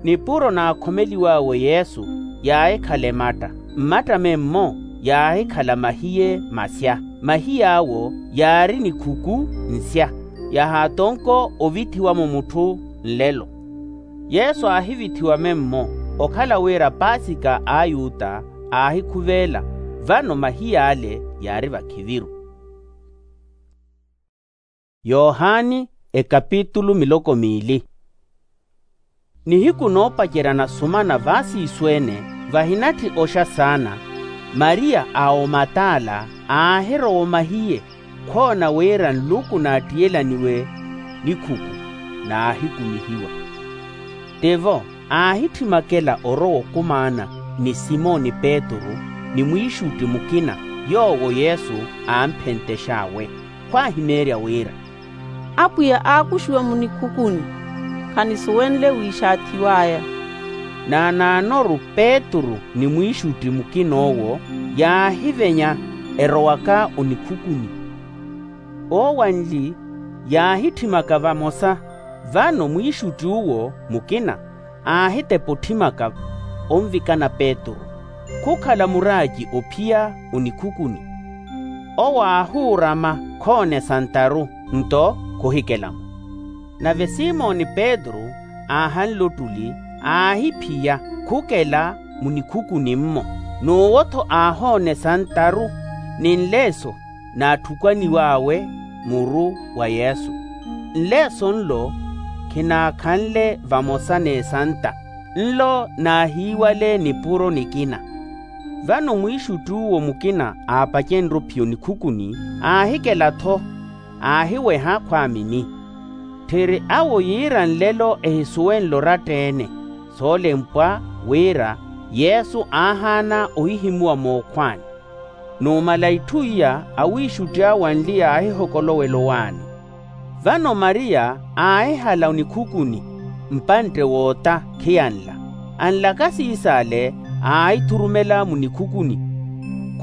Nipuro naakhomeliw'awe yesu yaahikhala ematta, mmatta memmo yaahikhala mahiye masya, mahiy'awo yaari nikhuku nsya. Yahaatonko ovithiwa-mo mutthu nlelo. Yesu aahivithiwa memmo, okhala wira paasika a ayuta aahikhuveela. Vano mahiyaale yaari vakhiviru. Yohani ekapitulu miloko miili. Nihiku noopacerya nasumana vaasiisu-ene vahinatthi oxa saana, mariya a omatala aahirowa omahiye, khoona wira nluku naattiyelaniwe nikhuku naahikumihiwa. Tivo aahitthi makela orowa okumaana ni simoni petru ni mwiixutti mukina yoowo yesu aamphenttex'awe. Khwaahimeerya wira, apwiya aakuxiwa munikhukuni, khanisuwenle wiixaathiw'aya. Naanaanoru petru ni mwiixutti mukin'owo yaahivenya erowaka onikhukuni. Oowanli yaahitthimaka vamosa. Vano mwiixutti uwo mukina aahitepa otthimaka onvikana petru, khukhala muraaci ophiya onikhukuni. Owo aahuurama khoona esantaru nto khuhikela-mo. Nave simoni petru aahanle ottuli aahiphiya khukela munikhukuni-mmo. N'uwo-tho aahoona esantaru ni nleeso naatthukaniw'awe muru wa yesu. Nleeso nlo khinaakhanle vamosa n'esanta, nlo naahiiwale nipuro nikina. Vano mwiixutti uwo mukina aapacenre ophiya onikhukuni aahikela-tho aahiweha khwaamini. Tthiri awo yiira nlelo ehisuwenle oratta-ene. Soolempwa wira yesu aahaana ohihimuwa mookhwaani. Numala itthu iya awiixutti awo anli yaahihokolowela owaani. Vano mariya aahihala onikhukuni mpantte woota khiyanla. Anlaka siis'ale aahithurumela munikhukuni.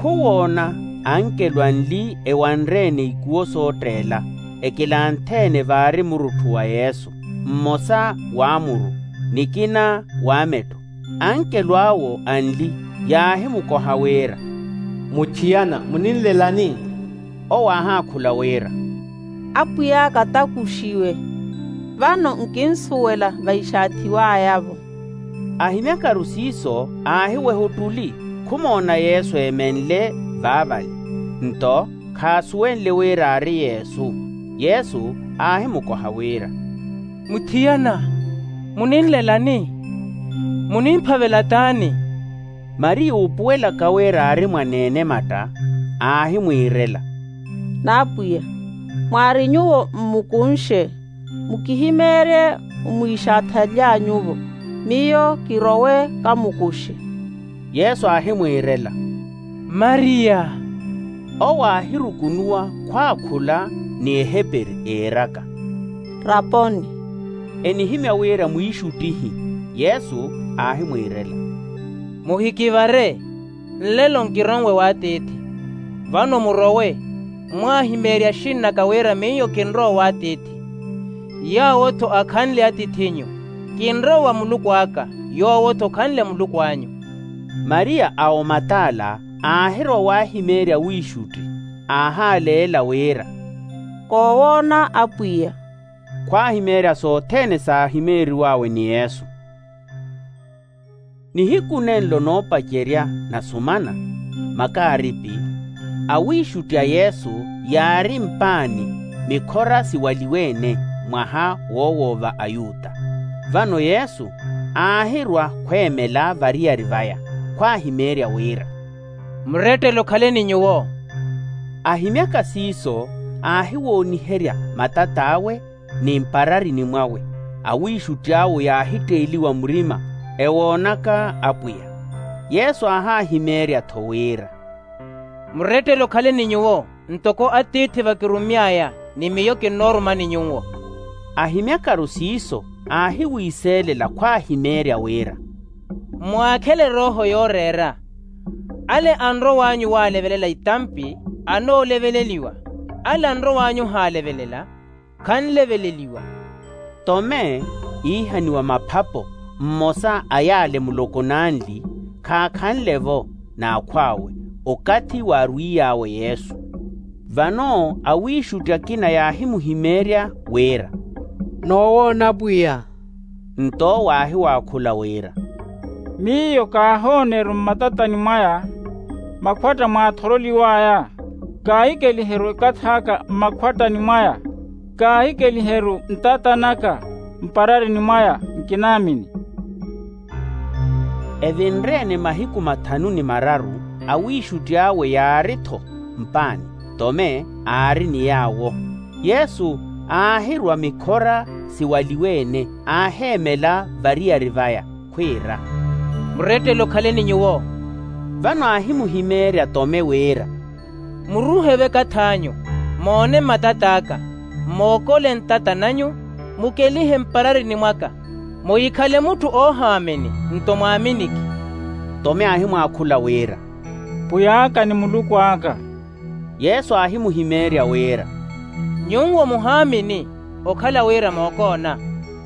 Khuwoona ankelo anli ewanre-ene ikuwo sootteela, ekilanthe-ene vaari murutthu wa yesu, mmosa w'amuru nikina w'amettho. Ankelo awo anli yaahimukoha wira, muthiyana muninlelani? Owo aahaakhula wira, apwiy'aka takuxiwe, vano nkinsuwela vaixaathiw'aya-vo. Ahimyakaru siiso aahiweha ottuli, khumoona yesu eemenle vaavale. Nto khaasuwenle wira aari yesu. Yesu aahimukoha wira, muthiyana muninlelani? Munimphavela t'ani? Mariya oopuwelaka wira aari mwaneene matta aahimwiirela, n'apwiya, mwaari nyuwo mmukunxe, mukihimeerye omwiixaathaly'anyuvo, miyo kirowe kamukuxe. Yesu aahimwiirela, mariya. Owo aahirukunuwa khwaakhula ni eheperi eeraka, raponi. Enihimya wira mwiixuttihi. Yesu aahimwiirela, muhikivare, nlelo nkirow'e w'atiithi. Vano murowe, mwaahimeerye axinn'aka wira miyo kinrowa w'atiithi. Yaawo-tho akhanle atiith'inyu, kinrowa wa muluku aka, yoowo-tho khanle muluku anyu. Mariya a omatala aahirowa waahimeerya wiixutti, aahaaleela wira, koowoona apwiya. Khwaahimeerya sothene saahimeeriw'awe ni yesu. Nihiku nenlo noopacerya nasumana, makaaripi, awiixutti a yesu yaari mpaani mikhora siwaliwe-ene mwaha woowoova ayuta. Vano yesu aahirwa khweemela variyari vaya, khwaahimeerya wira, murettele okhale ni nyuwo. Ahimyaka siiso aahiwooniherya matat'awe ni mpararini mwawe. Awiixutti awo yaahitteeliwa murima ewoonaka apwiya. Yesu aahaahimeerya-tho wira, murettele okhale ni nyuwo, ntoko atiithi vakirumy'aya ni miyo kinnoorumani nyuwo. Ahimyakaru siiso aahiwiiseelela khwaahimeerya wira, mwaakhele erooho yooreera. Ale anrow'anyu waalevelela itampi, anooleveleliwa. Ale anrow'anyu ohaalevelela, khanleveleliwa. Tome iihaniwa maphapo, mmosa a yaale muloko n'anli, khaakhanle-vo n'akhw'awe okathi waarwiiy'awe yesu. Vano awiixutti akina yaahimuhimeerya wira, noowoona pwiya. Nto owo aahiwaakhula wira, miyo kaahooneru mmatatani mwaya makhwatta mwaathoroliw'aya. Kaahikeliheru ekathi aka mmakhwattani mwaya. Kaahikeliheru ntatan'aka mpararini mwaya. Nkinaamini. Evinre-ene mahiku mathanu ni mararu, awiixutti awe yaari-tho mpaani, tome aari ni yaawo. Yesu aahirwa mikhora siwaliwe-ene, aaheemela variyari vaya, khwiira, murettele okhaleni nyuwo. Vano aahimuhimeerya tome wira, muruuhe vekath'anyu, moone mmatat'aka, mookole ntata n'anyu, mukelihe mpararini mwaka, muhikhale mutthu oohaamini, nto mwaaminiki. Tome aahimwaakhula wira, pwiy'aka ni muluku aka. Yesu aahimuhimeerya wira, nyuwo muhaamini, okhala wira mookoona,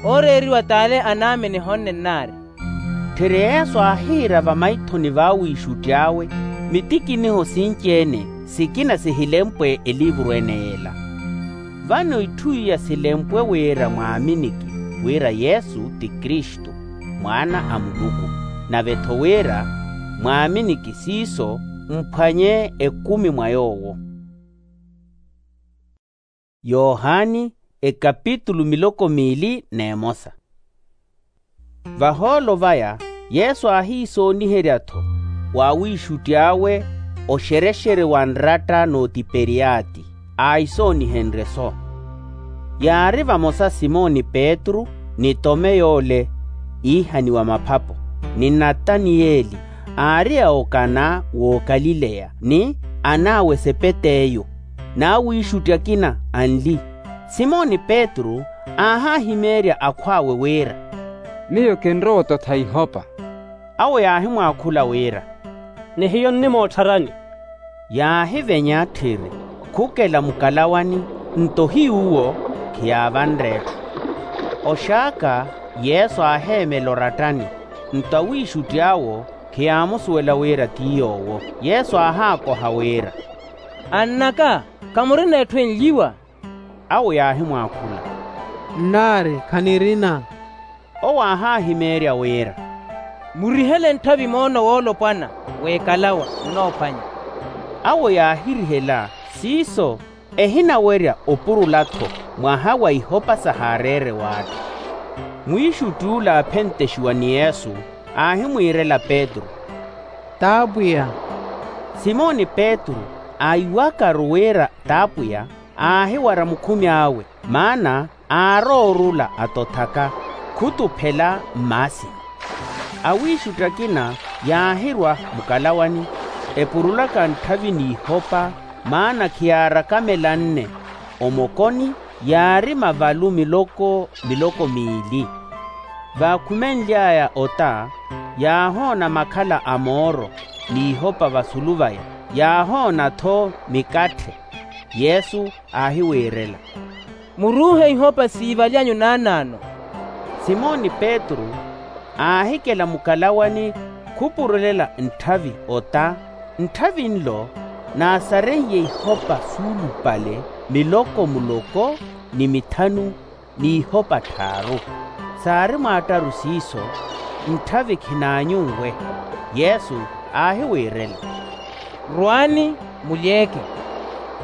ooreeriwa t'ale anaamini ehonne nnaari. Tthiri yesu aahiira vamaithoni v'awiixutti awe mitikiniho sinci-ene, sikina sihilempwe eliivuru ene y'ela. Vano itthu iya silempwe wira mwaaminiki wira yesu ti kristu, mwaana a muluku, nave-tho wira mwaaminiki siiso, mphwanye ekumi mwa yoowo. Yohani ekapitulu miloko miili n'emosa. Vahoolo vaya yesu aahiisooniherya-tho w'awiixutti awe oxerexere wa nratta n'otiperiyati, aahisoonihenrye-so. Yaari vamosa simoni petru, ni tome yoole iihaniwa maphapo, ni nataniyeli, aari a okana w'okalileya, ni an'awe sepeteyu, n'awiixutti akina anli. Simoni petru aahahimeerya akhw'awe wira, miyo kinrowa ototha ihopa. Awo yaahimwaakhula wira, ni hiyo nnimoottharani. Yaahivenya tthiri, khukela mukalawani, nto hiy'uwo khiyaavanre etthu. Oxaaka yesu aaheemela orattani, nto awiixutti awo khiyaamusuwela wira ti yoowo. Yesu aahaakoha wira, ann'aka, khamurina etthu enlyiwa? Awo yaahimwaakhula, nnaari khanirina. Owo aahahimeerya wira, murihele ntthavi moono woolopwana w'ekalawa nnoophwanya. Awo yaahirihela siiso, ehinawerya opurula-tho mwaha wa ihopa sahaareere w'atthu. Mwiixutti ule aaphentexiwa ni yesu, aahimwiirela petru, t'apwiya. Simoni petru aahiwakaru wira t'apwiya, aahiwara mukhumi awe, maana aarowa orula atothaka, khutuphela mmaasini. Awiixutti akina yaahirwa mukalawani, epurulaka ntthavi n'ihopa, maana khiyaarakamelanne. Omokoni yaari mavalu miloko miloko miili. Vaakhumenly'aya ota, yaahoona makhala a mooro n'ihopa vasulu vaya, yaahoona-tho mikatthe. Yesu aahiwiirela, muruuhe ihopa siivaly'anyu naanaano. Simoni petru aahikela mukalawani, khupurulela ntthavi ota. Ntthavi nlo naasareiye ihopa suulupale miloko muloko ni mithanu, n'ihopa tthaaru. Saari mwaattaru siiso, ntthavi khinaanyunwe. Yesu aahiwiirela, rwaani, mulyeeke.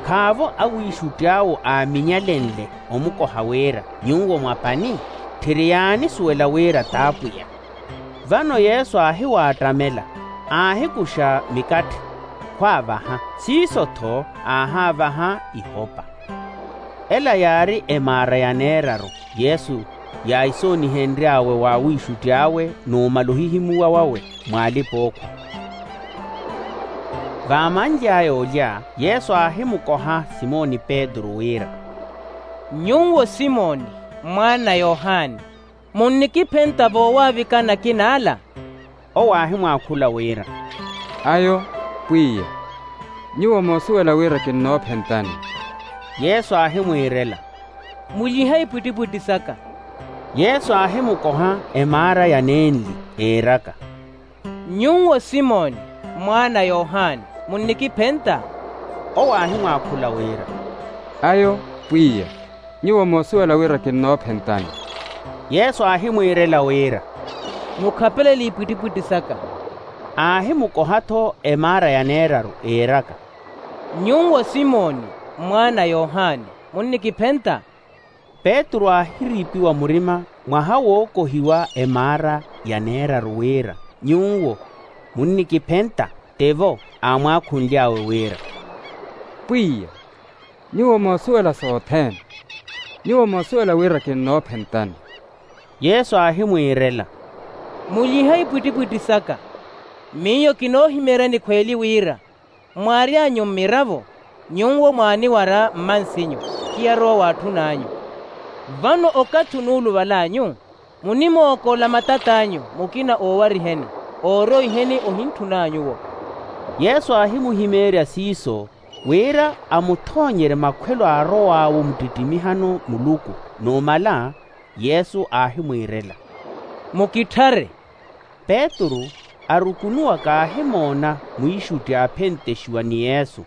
Khaavo awiixutti awo aaminyalenle omukoha wira, nyuwo mwa pani? Tthiri yaanisuwela wira t'apwiya. Vano yesu aahiwaattamela, aahikuxa mikatthe, khwaavaha, siiso-tho aahaavaha ihopa. Ela yaari emaara ya neeraru yesu yaahisoonihenry'awe w'awiixutti awe numala ohihimuwa wawe, mw'alipa-ookhwa. Vaamanly'aya olya yesu aahimukoha simoni petru wira, nyuwo simoni mwaana a yohani, munnikiphenta voowaavikana akina ala? Owo aahimwaakhula wira, ayo pwiya, nyuwo moosuwela wira kinnoophentani. Yesu aahimwiirela, mulyihe ipwittipwitti saka. Yesu aahimukoha emaara ya nenli, eeraka, nyuwo simoni mwaana a yohani, munnikiphenta? Owo aahimwaakhula wira, ayo pwiya, nyuwo moosuwela wira kinnoophentani. Yesu aahimwiirela wira, mukhapelele ipwittipwitti saka. Aahimukoha-tho emaara yaneeraru iiraka, nyuwo simoni, mwaana a yohani, munnikiphenta? Petru aahiriipiwa murima mwaha wookohiwa emaara yaneeraru wira, nyuwo munnikiphenta? Tivo aamwaakhunly'awe wira, pwiya, nyuwo moosuwela sothene. Nyuwo moosuwela wira kinnoophentani. Yesu aahimwiirela, mulyihe ipwittipwitti saka. Miyo kinoohimeeryani khweeli wira, mwaaryanyu mmiravo, nyuwo mwaaniwara mmansinyu, khiyarowa waatthun'anyu. Vano okathi onuuluval'anyu, munimookola matat'anyu, mukina oowariheni, ooroiheni ohintthuna nyuwo. Yesu aahimuhimeerya siiso, wira amuthoonyerye makhwelo aarow'awe omuttittimiha-no muluku. Numala yesu aahimwiirela, mukitthare. Petru arukunuwaka aahimoona mwiixutti aaphentexiwa ni yesu,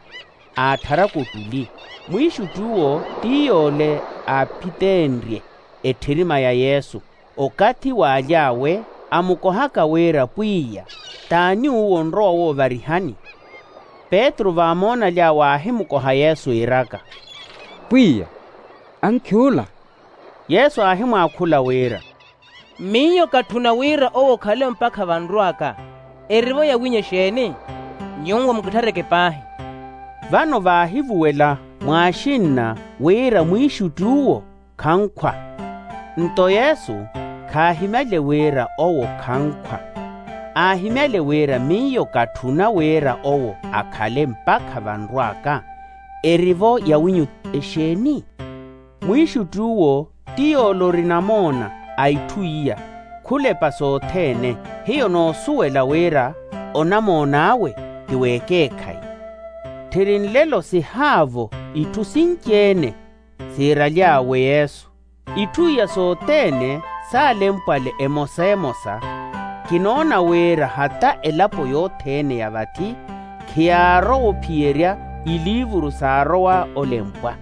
aatthara kotuli. Mwiixutti uwo ti yoole aaphiteenrye etthirima ya yesu. Okathi waaly'awe amukohaka wira pwiya, t'ani uwo onrowa woovarihani? Petru vaamoonaly'awe aahimukoha yesu iiraka, pwiya, ankhi ula. Yesu aahimwaakhula wira, miyo katthuna wira owo okhale mpakha vanrw'aka. Erivo yawinyu exeeni? Nyuwo mukitthare-ke paahi. Vano vaahivuwela mwaaxinna wira mwiixutti uwo khankhwa. Nto yesu khaahimyale wira owo khankhwa. Aahimyale wira miyo katthuna wira owo akhale mpakha vanrw'aka. Erivo yawinyu exeeni? Mwiixutti uwo ti yoole ori namoona a itthu iya. Khulepa sothene hiyo noosuwela wira onamoon'awe ti w'ekeekhayi. Tthiri nlelo sihaavo itthu sinci-ene siiraly'awe yesu. Itthu iya sothene saalempwale emosa emosa. Kinoona wira hata elapo yothene ya vathi khiyaarowa ophiyerya iliivuru saarowa olempwa.